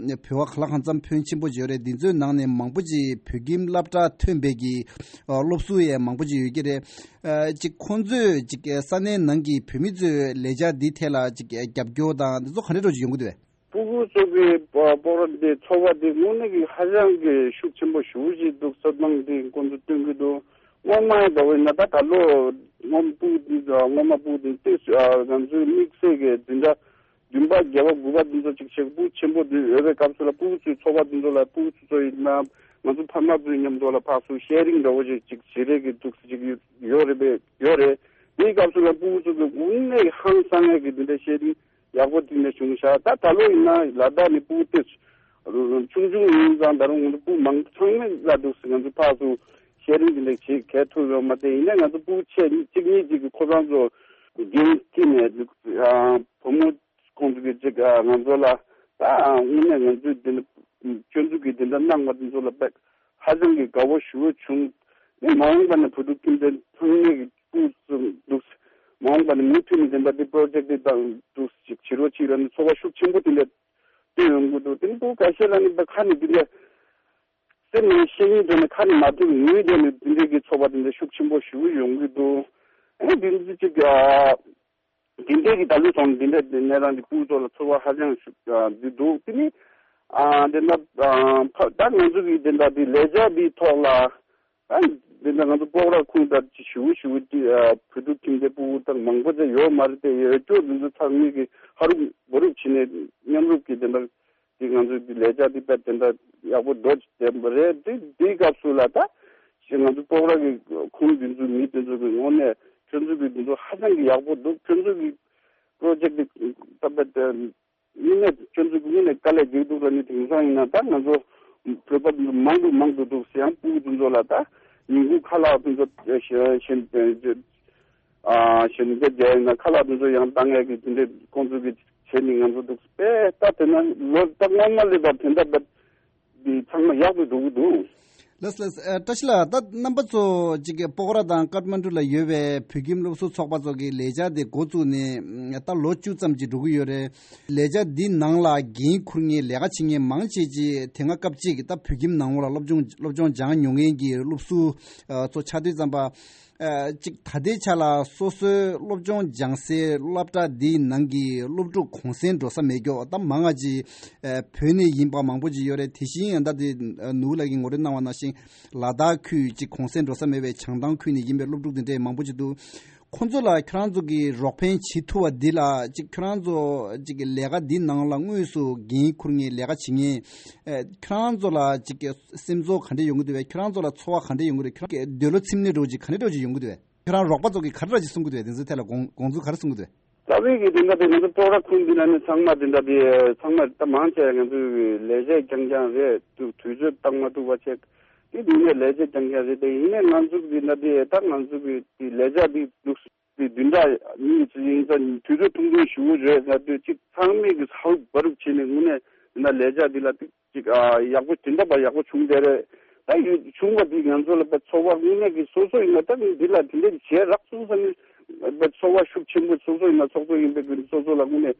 བོད་པ་ག་ལ་གང་འཚམ་ཕོན་ཆེན་པོ་ཡོད་རེད། འདི་ཚོའི་ནང་ནས་མང་པོ་ཅིག་བོད་ཁྱིམ་སློབ་གྲྭ་ཐོན་པའི་གི་ཨ་སློབ་ཟུར་ཡང་མང་པོ་ཅིག་ཡོད་ཀྱི་རེད། ཨ་ཅིག་ཁོང་ཚོས་ཅིག་ས་གནས་ནང་གི་བོད་མི་ཚོའི་ལས་འཆར་འདི་ཐད་ལ་ཅིག་རྒྱབ་སྐྱོར་དང་འདི་ཚོ་ག་འདྲ་འདྲ་ཅིག་ཡོང་གི་འདུག་བས། སྤུ་གུ་ཚོ་གི་སྤོག་ར་འདི་ཚོགས་པ་འདི་དངོས་གནས་ཀྱི་ཧ་ཅང་གི་ཤུགས་ཆེན་པོ་ཞེ་པོ་ཅིག་འདུག་བསམ་སྣང་འདི་ཁོང་ཚོ་སྟོན་གྱི་འདུག་སྔོན་མ་ཡིན་པ་ཡིན་ན་ད་ད་ལོ་སྔོན་སྤུ་གུ་འདི་སྔོན་མ་སྤུ་གུ་འདི་ཏོག་ཙམ་ང་ཚོའི་དམིགས་བསལ་གྱི་འཛིན་གྲྭ་བདུན་པ་བརྒྱད་པ་དགུ་པ་འདི་ཚོ་ཅིག་བྱེད་སྤུ་གུ་ཆེན་པོ་འདི་ཡོད་པའི་སྐབས་སུ་ལ་སྤུ་གུ་ཚོའི་ཚོགས་པ་འདི་ཚོ་ལ་སྤུ་གུ་ཚོ་ཚོ་ཡིན་ན་ང་ཚོ་ཕ་མ་ཚོའི་མཉམ་དུ་ལ་ཕར་ཚུར་ཤེར་རིང་འདྲ་བོ་ཅིག་ཅིག་བྱེད་རེས་ཀྱི་འདུག་ཅིག་ཡོད་རེད་པས་ཡོད་རེད། དེའི་སྐབས་སུ་ལ་སྤུ་གུ་ཚོ་གི་དངོས་གནས་ཧང་སང་ཡས་ཀྱི་འདི་འདྲ་ཤེར་རིང་ཡག་པོ་དེ་འདྲ་བྱུང་ཤག་ད་ད་ལོ་ཡིན་ན་ལ་དྭགས་ནས་སྤུ་གུ་ཏོག་ཙམ་ཆུང་ཆུང་ཡིན་ཙང་ད་རུང་ང་ཚོ་སྤུ་གུ་མང་པོ་ཚང་མས་ལ་འདུག་སེ་ང་ཚོ་ཕར་ཚུར་ཤེར་རིང་དེ་འདྲ་བྱེད་གལ་ཐུག་ཡོད་མ་རེད། ཡིན་ན་ང་ཚོ་སྤུ་གུ་ཆེ་གཅིག་གཉིས་ཅིག་གིས་ཁོ་རང་ཚོ་འགན་འཁྱེར་ནས་བུ་མོ་ཁོང་ཚོ་གིས་ཅིག་ང་ཚོ་ལ་ད་དངོས་གནས་ང་ཚོས་འདི་འདྲ་སྐྱོན་འཛུགས་ཀྱིས་འདི་འདྲ་གནང་བ་འདི་ཚོ་ལ་དཔེ་ཧ་ཅང་གི་དགའ་བོ་ཞེ་པོ་བྱུང་། ནས་མ་འོངས་པ་ནས་བོད་ཕྲུག་ཁྱིམ་སྡེ་ཚང་མས་ཀྱི་སྤུ་གུ་ཚོ་འདུག་མ་འོངས་པ་ནས་མུ་མཐུད་ནས་དེ་འདྲ་འདི་པྲོ་ཇེག་འདི་དང་འདུག་ཅིག་བྱེད་རོགས་ཅིག་ལ་ནི་ཚོར་བ་ཤུགས་ཆེན་པོ་དེ་འདྲ་སྟོན་ཡོང་གི་འདུག་དེ་ནི་སྤུ་གུ་ཁ་ཤས་ལ་ནི་ད་ཁ་ནས་དེ་འདྲ་སེམས་ནས་བཤད་སྙིང་འདོད་ནས་ཁ་ནས་མ་ཐོས་པའི་ངོས་འདྲ་ནས་དེ་འདྲ་གི་ཚོར་བ་དེ་འདྲ་ཤུགས་ཆེན་པོ་ཞེ་པོ་ཡོང་གི་འདུག་ཨེ་འདི་འདི་ཅིག་ཨ། དེ་འདྲའི་གི་ད་ལོའི་ཐོག་ནས་དེ་འདྲ་དེ་ནས་རང་གི་སྤུ་གུ་ཚོ་ལ་ཚོར་བ་ཧ་ཅང་ཞིག་འདི་འདུག་དེ་ནི་ཨ་དེ་འདྲ་ཨ་ཕ་ད་ང་ཚོ་གི་དེ་འདྲ་དེ་ལས་འཆར་འདིའི་ཐོག་ལ་ཨ་དེ་འདྲ་ང་ཚོ་སྤོག་ར་ཁུངས་དར་ཅིག་ཞུ་ཞུ་དེ་ཨ་བོད་ཕྲུག་ཁྱིམ་སྡེ་སྤུ་གུ་དང་མང་པོ་ཅིག་ཡོད་མ་རེད་དེ། ཡོད་སྐྱོ་འདི་ཚོ་ཚང་མས་གི་ཧ་རུབ་བ་རུབ་བྱས་ནས་མཉམ་རུབ་ཀྱི་དེ་འདྲ། དེ་ང་ཚོའི་འདི་ལས་འཆར་འདི་དཔེ་དེ་འདྲ་ཡག་པོ་འགྲོ་བསྡད་པ་རེད། དེ་དེའི་སྐབས་སུ་ལ་ད་ང་ཚོ་སྤོག་ར་གི་ཁུངས་འདི་ཚོའི་མི་དེ་ཚོ་གི་ངོས་ནས་ཁྱོད་ཚོ་གི་འདི་ཚོ་ཧ་ཅང་གི་ཡག་པོ་འདུག་ཁྱོད་ཚོ་གི་པྲོ་ཇེག་འདི་ད་དཔེ་དེ་དངོས་གནས་ཁྱོད་ཚོ་གི་དངོས་གནས་དཀའ་ལས་རྒྱག་འདུག་ལ་ནི་དེང་སང་ཡིན་ན་ད་ང་ཚོ་བོད་པ་འདི་ཚོ་མང་དུ་མང་དུ་འདུག་ཟེར་ཡང་སྤུ་གུ་འདི་ཚོ་ལ་ད་ཉིན་གུང་ཁ་ལག་འདི་ཚོ་ཞེ་ཞེ་ཨ་གཞོན་སྐྱེས་རྒྱ་ཡིན་ན་ཁ་ལག་དེ་ཚོ་ཡང་བཏང་ཡག་གི་དེ་འདྲའི་ཁོང་ཚོ་གི་བྱས་ནས་ང་ཚོ་འདུག་པས། ད་དེ་ན་ལོ་ད་སྔོན་མ་ལས་ད་དེ་འདྲ་འདི་ཚང་མ་ཡག་པོ་འགྲོ་གི་འདུག་ལགས་ལགས། ཨ་བཀྲ་ཤིས་ལགས། ད་རྣམ་པ་ཚོ་གཅིག་གི་སྤོག་ར་དང་ཀཏ་མན་ཌུ་ལ་ཡོད་པའི་བོད་ཁྱིམ་སློབ་ཟུར་ཚོགས་པ་ཚོ་གི་ལས་འཆར་དེ་འགོ་བཙུགས་ནས་ད་ལོ་བཅུ་ཙམ་ཅིག་འགྲོ་གི་ཡོད་རེད། ལས་འཆར་འདི་ནང་ལ་འགན་འཁུར་མཁན་ལས་ཀ་བྱེད་མཁན་མང་ཆེ་ཅིག་དེ་སྔ་སྐབས་གཅིག་ད་བོད་ཁྱིམ་ནང་ལོགས་ལ་སློབ་སྦྱོང་སློབ་སྦྱོང་སྦྱང་མྱོང་མཁན་གྱི་སློབ་ཟུར་ཚོ་ཆགས་དུས་ཙམ་པ། ཨ་གཅིག་ད་ལྟའི་ཆ་ལ་སོ་སོའི་སློབ་སྦྱོང་སྦྱང་སའི་སློབ་གྲྭ་འདིའི་ནང་གི་སློབ་ཕྲུག་གུང་སེང་འགྲོ་ས་མེད་ཀྱོག་ད་མང་ང་ཅིག་ཨ་བོད་ནས་ཡིན་པ་མང་པོ་ཅིག་ཡོད་རེད། དེ་བཞིན་ཡང་ད་དེ་ནུ་ལགས་ཀྱིས་ངོ་སྤྲོད་གནང་བ་ནང་བཞིན་ལ་དྭགས་ཁུལ་གཅིག་གུང་སེང་འགྲོ་ས་མེད་པའི་བྱང་ཐང་ཁུལ་ནས་ཡིན་པའི་སློབ་ཕྲུག་དེ་འདྲས་མང་པོ་ཅིག་འདུག་ཁོང་ཚོ་ལ་ཁྱེད་རང་ཚོ་གིས་རོགས་ཕན་བྱེད་ཐུབ་པ་འདི་ལ་གཅིག་ཁྱེད་རང་ཚོ་གཅིག་གི་ལས་ཀ་འདི་ནང་ལ་དངོས་སུ་འགན་འཁུར་མཁན་ལས་ཀ་བྱེད་མཁན་ཨ་ཁྱེད་རང་ཚོ་ལ་གཅིག་གི་སེམས་ཚོར་ག་འདྲ་ཡོང་གི་འདུག་བས། ཁྱེད་རང་ཚོ་ལ་ཚོར་བ་ག་འདྲ་ཡོང་གི་རེད། ཁྱེད་རང་གི་འདོད་བློ་ཚིམ་ནས་འགྲོ་གི་ག་འདྲ་འགྲོ་གི་ཡོང་གི་འདུག་བས། ཁྱེད་རང་རོགས་པ་ཚོ་གིས་ག་འདྲ་ཅིག་གསུང་གི་འདུག་བས། འདི་ཚོའི་ཐད་ལ་དགོངས་དགོངས་ཚུལ་ག་རེ་གསུང་གི་འདུག་བས། རྩ་བའི་གི་དེ་འདྲ་དེ་ང་ཚོ་སྤོག་ར་ཁུལ་འདི་ན་ནི་ཚང་མ་དེ་འདྲ་དེ་ཚང་མ་ད་མང་ཆེ་ང་ཚོའི་ལས་བྱེད་རྐྱང་རྐྱང་རེད། དུས་དུས་ཚོད་བཏང་མ་ཐུབ་པ་བྱས་ དེ་དུས་ནས་ལས་བྱེད་སྦྱང་མཁན་རེད་དེ། ཡིན་ནའི་ང་ཚོ་གི་ན་དེ་ད་ང་ཚོ་གི་དེ་ལས་བྱ་དེ་འདུག་དེ་བདུན་ཕྲག་གཉིས་ཙམ་ཡིན་ཙང་དུས་ཚོད་ཐུང་ཐུང་ཞུ་གི་རེད་ན་དེ་གཅིག་ཚང་མས་གི་ཧ་རུབ་བ་རུབ་བྱས་ནས་དངོས་གནས་ཡིན་ན་ལས་བྱ་དེ་ལ་ཏིག་ཅིག་ཨ་ཡག་པོ་དེ་འདྲ་པ་ཡག་པོ་བྱུང་བསྡད་རེད། ད་ཡོད་བྱུང་བ་དེ་ང་ཚོ་ལ་པ་ཚོགས་པ་དངོས་གནས་ཀྱི་སོ་སོ་ཡིན་ན་ད་ངས་འདི་ལ་དེ་འདྲ་བྱས་རག་སོང་བསམ་ནས་པ་ཚོགས་པ་ཤུགས་ཆེན་པོ་སོ་སོ་ཡིན་ན་ཚོགས་གཙོ་ཡིན་པའི་ཀྱི་སོ་སོ་ལ་དངོས་གནས་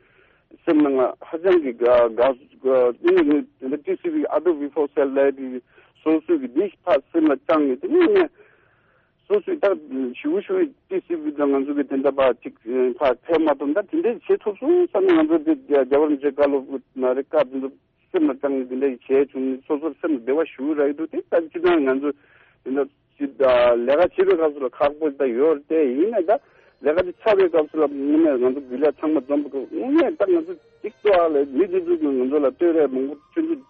སེམས་ནང་ལ་ཧ་ཅང་གི་དགའ་དགའ་དངོས་གནས་ངས་དེ་འདྲ་ཊི་སི་ཝི་ཨ་ཏོ་བི་ཧྥོ་སེལ་ལབ་དེ་སོ་སོ་གི་འདི་ཕར་སེམས་ལ་བཅངས་ནས་དེ་ནས་ངས་སོ་སོའི་ད་ཞུ་ཞུ་ཊི་སི་ཝི་དང་ང་ཚོ་གི་དེ་འདྲ་པ་ཅིག་ཕར་ཕེབས་མ་ཐུབ་ད་དེ་འདྲ་བྱེད་ཐུབ་སོང་བསམ་ནས་ང་ཚོ་དེ་རྒྱ་བར་འཇེ་ཀ་ལོ་ན་རེ་ཀ་དེ་ཚོ། སེམས་ལ་བཅངས་ནས་འདི་འདྲ་ཞིག་བྱས་བྱུང་ནས་སོ་སོར་སེམས་ལ་བདེ་བ་ཞུ་རག་གི་འདུག་དེ་ལྟར་སྤྱིར་བཏང་ང་ཚོ་འདི་འདྲ་ཅིག་ལས་ཀ་བྱེད་པའི་སྐབས་སུ་ལ་ཁག་པོ་ཞིག་ད་ཡོད་རེད་དེ། ཡིན་ནའི་ད་ལས་ཀ་དེ་ཚར་བའི་སྐབས་སུ་ལ་དངོས་གནས་ང་ཚོ་རྒྱུན་ལས་ཚང་མ་འཛོམས་པའི་སྐབས་དངོས་གནས་ད་ང་ཚོ་གཅིག་ཏུ་ཨ་ལས་མི་འདི་ཚོ་གིས་ང་ཚོ་ལ་བསྟོད་ར་མང་པོ་ཆུང་ཆུང་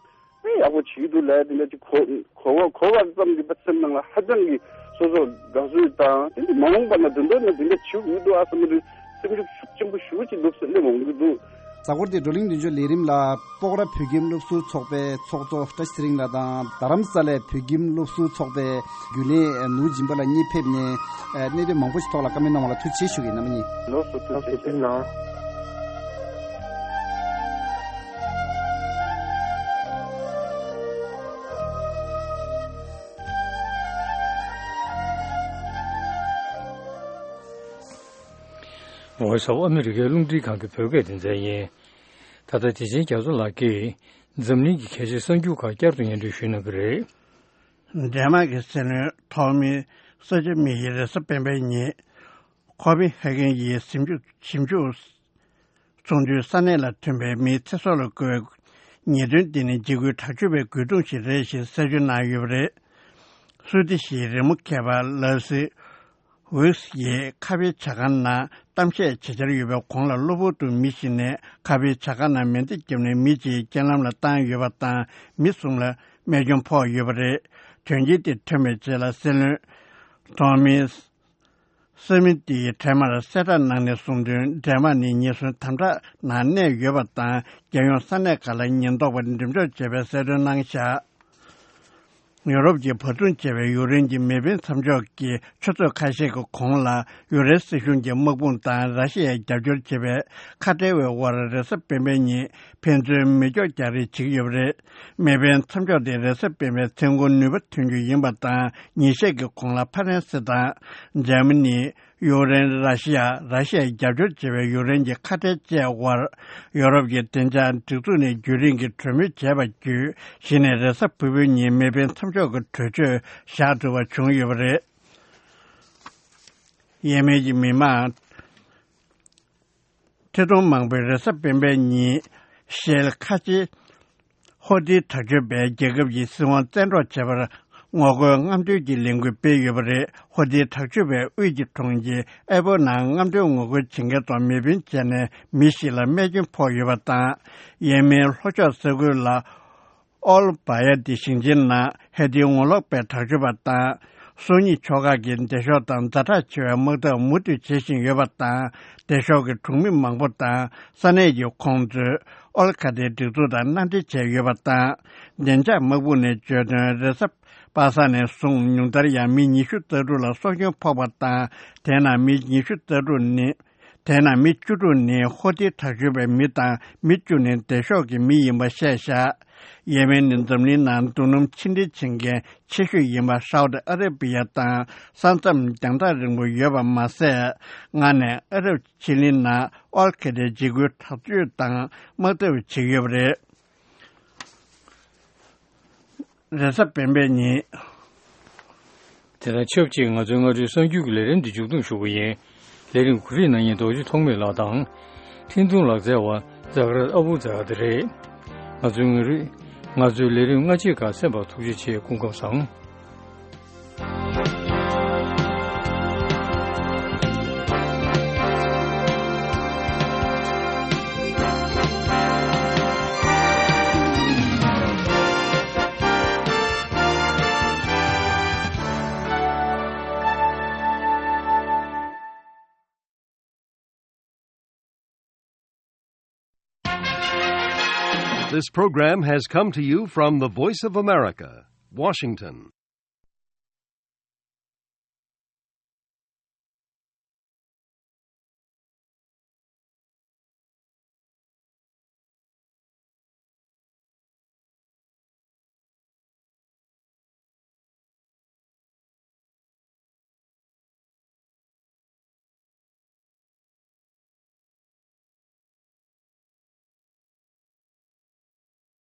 དཔེ་ཡག་པོ་བྱེད་ཀྱི་འདུག་ལས་དེ་འདྲ་ཅིག་གོ་གོ་གོ་བ་ཙམ་གྱིས་པ་སེམས་ནང་ལ་ཧ་ཅང་གི་སོ་སོར་དགའ་བསུ་དང་དེ་འདྲ་མ་འོངས་པ་ན་དོན་དག་ན་དེ་འདྲ་བྱེད་དགོས་འདུག་ཨ་བསམ་གྱི་འདུག་སེམས་ཤུགས་ཤུགས་ཆེན་པོ་ཞེ་པོ་ཅིག་འདུག་སེམས་ནས་འོང་གི་འདུག་གཟའ་འཁོར་འདིའི་བགྲོ་གླེང་མདུན་ལྗོངས་ལས་རིམ་ལ་སྤོག་ར་བོད་ཁྱིམ་སློབ་ཟུར་ཚོགས་པའི་ཚོགས་གཙོ་བཀྲ་ཤིས་ཚེ་རིང་ལགས་དང་རྡ་རམ་ས་ལའི་བོད་ཁྱིམ་སློབ་ཟུར་ཚོགས་པའི་རྒྱུན་ལས་ནོར་བུ་སྦྱིན་པ་ལགས་གཉིས་ཕེབས་ནས་གནད་དོན་མང་པོ་ཞིག་ཐོག་ལ་བཀའ་མོལ་གནང་བ་ལ་ཐུགས་རྗེ་ཆེ་ཞུ་གི་ཡིན། རྣམ་པ་གཉིས། ལགས་སོ། ཐུགས་རྗེ་ཆེ། ཐུགས་རྗེ་གནང་། Voice of America རླུང་འཕྲིན་ཁང་གི་བོད་སྐད་སྡེ་ཚན་ཡིན། ད་ལྟ་བདེ་ཆེན་རྒྱ་མཚོ་ལགས་ཀྱིས་འཛམ་གླིང་གི་གལ་ཆེའི་གསར་འགྱུར་ཁག་བསྐྱར་དུ་སྙན་སྒྲོན་ཞུ་གནང་གི་རེད། ཌེན་མཱག་གི་སྲིད་བློན་ཐོག་མའི་ས་ཆ་མི་ཡི་རེས་གཟའ་སྤེན་པའི་ཉིན་ཁོ་པེན་ཧེ་གྷན་གྱི་ཞིབ་འཇུག་ཞིབ་འཇུག་ཚོགས་འདུའི་ས་གནས་ལ་ཐོན་པའི་མིའི་ཚེ་སྲོག་ལ་བཀོལ་བའི་ཉེས་དོན་དེ་ནི་འཇིགས་སྐུལ་དྲག་སྤྱོད་པའི་རྒོལ་རྡུང་ཞིག་རེད་ཞེས་གསལ་བརྗོད་གནང་ཡོད་པ་རེད། སུའེ་ཏི་ཞིའི་རི་མོ་མཁས་པ་ལ་སི་ཝིགས་ཡིས་ཁ་ཕྱེའི་ཇ་ཁང་ནང་གཏམ་བཤད་བྱེད་འཆར་ཡོད་པའི་གོང་ལ་གློ་བུར་དུ་མི་ཞིག་ནས་ཁ་ཕྱེའི་ཇ་ཁང་ནང་མེ་མདས་བརྒྱབ་ནས་མི་གཅིག་རྐྱེན་ལམ་ལ་བཏང་ཡོད་པ་དང་མི་གསུམ་ལ་རྨས་སྐྱོན་ཕོག་ཡོད་པ་རེད། དོན་རྐྱེན་དེ་ཐོན་པའི་རྗེས་ལ་སྲིད་བློན་ཐོམ་མི་སི་མི་ཏིའི་འཕྲལ་མར་གསལ་བསྒྲགས་གནང་ནས་གསུངས་དོན། ཌེན་མཱག་ནི་ཉེན་ཟོན་དམ་དྲག་ནང་གནས་ཡོད་པ་དང་རྒྱལ་ཡོངས་ས་གནས་ཁག་ལ་ཉེན་རྟོག་པ་འགྲེམས་འཇོག་བྱས་པའི་གསལ་སྟོན་གནང་བཞག་ཡོ་རོབ་ཀྱིས་བར་འདུམ་བྱས་པའི་ཡུཀ་རེན་གྱི་མེ་འཕེན་མཚམས་འཇོག་གི་ཆུ་ཚོད་ཁ་ཤས་ཀྱི་གོང་ལ་ཡུཀ་རེན་སྲིད་གཞུང་གིས་དམག་དཔུང་དང་ར་ཤི་ཡར་རྒྱབ་སྐྱོར་བྱེད་པའི་ཁ་བྲལ་བའི་དབར་རེས་གཟའ་སྤེན་པའི་ཉིན་ཕན་ཚུན་མེ་སྒྱོགས་རྒྱག་རེས་བྱེད་ཀྱི་ཡོད་པ་རེད། མེ་འཕེན་མཚམས་འཇོག་དེ་རེས་གཟའ་སྤེན་པའི་མཚན་གུང་ནུས་པ་ཐོན་རྒྱུ་ཡིན་པ་དང་ཉིན་ཤས་ཀྱི་གོང་ལ་ཕ་རན་སི་དང་འཇར་མ་ནི། ཡུཀ་རེན། ར་ཤི་ཡ། ར་ཤི་ཡར་རྒྱབ་སྐྱོར་བྱེད་པའི་ཡུཀ་རེན་གྱི་ཁ་བྲལ་བཅས་དབར་ཡོ་རོབ་ཀྱི་བདེ་འཇགས་སྒྲིག་འཛུགས་ནས་རྒྱུན་རིང་གི་གྲོས་མོལ་བྱས་པ་བརྒྱུད་གཞི་ནས་རེས་གཟའ་ཕུར་བུའི་ཉིན་མེ་འཕེན་མཚམས་འཇོག་གི་གྲོས་ཆོད་བཞག་ཐུབ་པ་བྱུང་ཡོད་པ་རེད། ཡེ་མེན་གྱི་མི་མང་ཁྲི་སྟོང་མང་པོས་རེས་གཟའ་སྤེན་པའི་ཉིན་ཤེལ་ཁ་ཆེ་ཧོ་ཏི་དྲག་སྤྱོད་པས་རྒྱལ་ཁབ་ཀྱི་སྲིད་དབང་བཙན་འཕྲོག་བྱས་པར་ངོ་རྒོལ་རྔམ་སྟོན་གྱི་ལས་འགུལ་སྤེལ་ཡོད་པ་རེད། ཧོ་ཏི་དྲག་སྤྱོད་པས་དབུས་ཀྱི་གྲོང་ཁྱེར་ཨེ་པོ་ནང་རྔམ་སྟོན་ངོ་རྒོལ་བྱེད་མཁན་ཐོག་མེ་འཕེན་བྱས་ནས་མི་ཞིག་ལ་རྨས་སྐྱོན་ཕོག་ཡོད་པ་དང་། ཡེ་མེན་ལྷོ་ཕྱོགས་ས་ཁུལ་ལ་ཨོལ་བ་ཡ་ཏི་ཞིང་ཆེན་ནང་ཧེ་ཏིའི་ངོ་ལོག་པའི་དྲག་སྤྱོད་པ་དང་སོ་གཉིས་ཕྱོགས་ཁག་གིས་སྡེ་ཤོག་དང་ཛ་དྲག་ཆེ་བའི་དམག་འཐབ་མུ་མཐུད་བྱེད་བཞིན་ཡོད་པ་དང་། སྡེ་ཤོག་གི་གྲོང་མི་མང་པོ་དང་ས་གནས་ཀྱི་ཁོངས་གཏོགས་ཨོལ་ཁ་ཏའི་སྒྲིག་འཛུགས་དང་མནའ་འབྲེལ་བྱས་ཡོད་པ་དང་། བདེ་འཇགས་དམག་དཔུང་ནས་བརྗོད་དོན། རེས་གཟའ་པ་སངས་ནས་བཟུང་ཉུང་མཐར་ཡང་མི་ཉི་ཤུ་རྩ་དྲུག་ལ་སྲོག་སྐྱོན་ཕོག་པ་དང་། དེ་ནང་མི་ཉི་ཤུ་རྩ་དྲུག་ནི། དེ་ནང་མི་བཅུ་དྲུག་ནི་ཧོ་ཏི་དྲག་སྤྱོད་པའི་མི་དང་མི་བཅུ་ནི་སྡེ་ཤོག་གི་མི་ཡིན་པ་བཤད་བཞག་ཡེ་མེན་ནི་འཛམ་གླིང་ནང་རྡུལ་སྣུམ་ཕྱིར་འདྲེན་བྱེད་མཁན་ཆེ་ཤོས་ཡིན་པ་ཧྲའོ་ཏི་ཨ་ར་པི་ཡ་དང་ས་མཚམས་རྒྱང་ཐག་རིང་པོ་ཡོད་པ་མ་ཟད། སྔར་ནས་ཨ་རབ་ཆི་ལི་ནང་ཨོལ་ཁེ་ཏའི་འཇིགས་སྐུལ་དྲག་སྤྱོད་དང་དམག་འཐབ་བྱེད་ཀྱི་ཡོད་པ་རེད། རེས་གཟའ་སྤེན་པའི་ཉིན། དེ་དང་ཆབས་ཅིག་ང་ཚོའི་སྔ་དྲོའི་གསར་འགྱུར་གྱི་ལས་རིམ་འདི་མཇུག་བསྡོམས་ཞུ་གི་ཡིན། ལས་རིམ་གོ་སྒྲིག་གནང་མཁན་རྡོ་རྗེ་ཐོགས་མེད་ལགས་དང་། འཕྲིན་ཐུང་ལག་རྩལ་བ་ཛ་ག་ར་ཨ་བུ་ཛ་ག་དེ་རེད། ང་ཚོའི་ངོ་རིས། ང་ཚོའི་ལས་རིམ་སྔ་རྗེས་ཁག་གསན་པར་ཐུགས་རྗེ་ཆེ། སྐུ་ཁམས་བཟང་། This program has come to you from the Voice of America, Washington.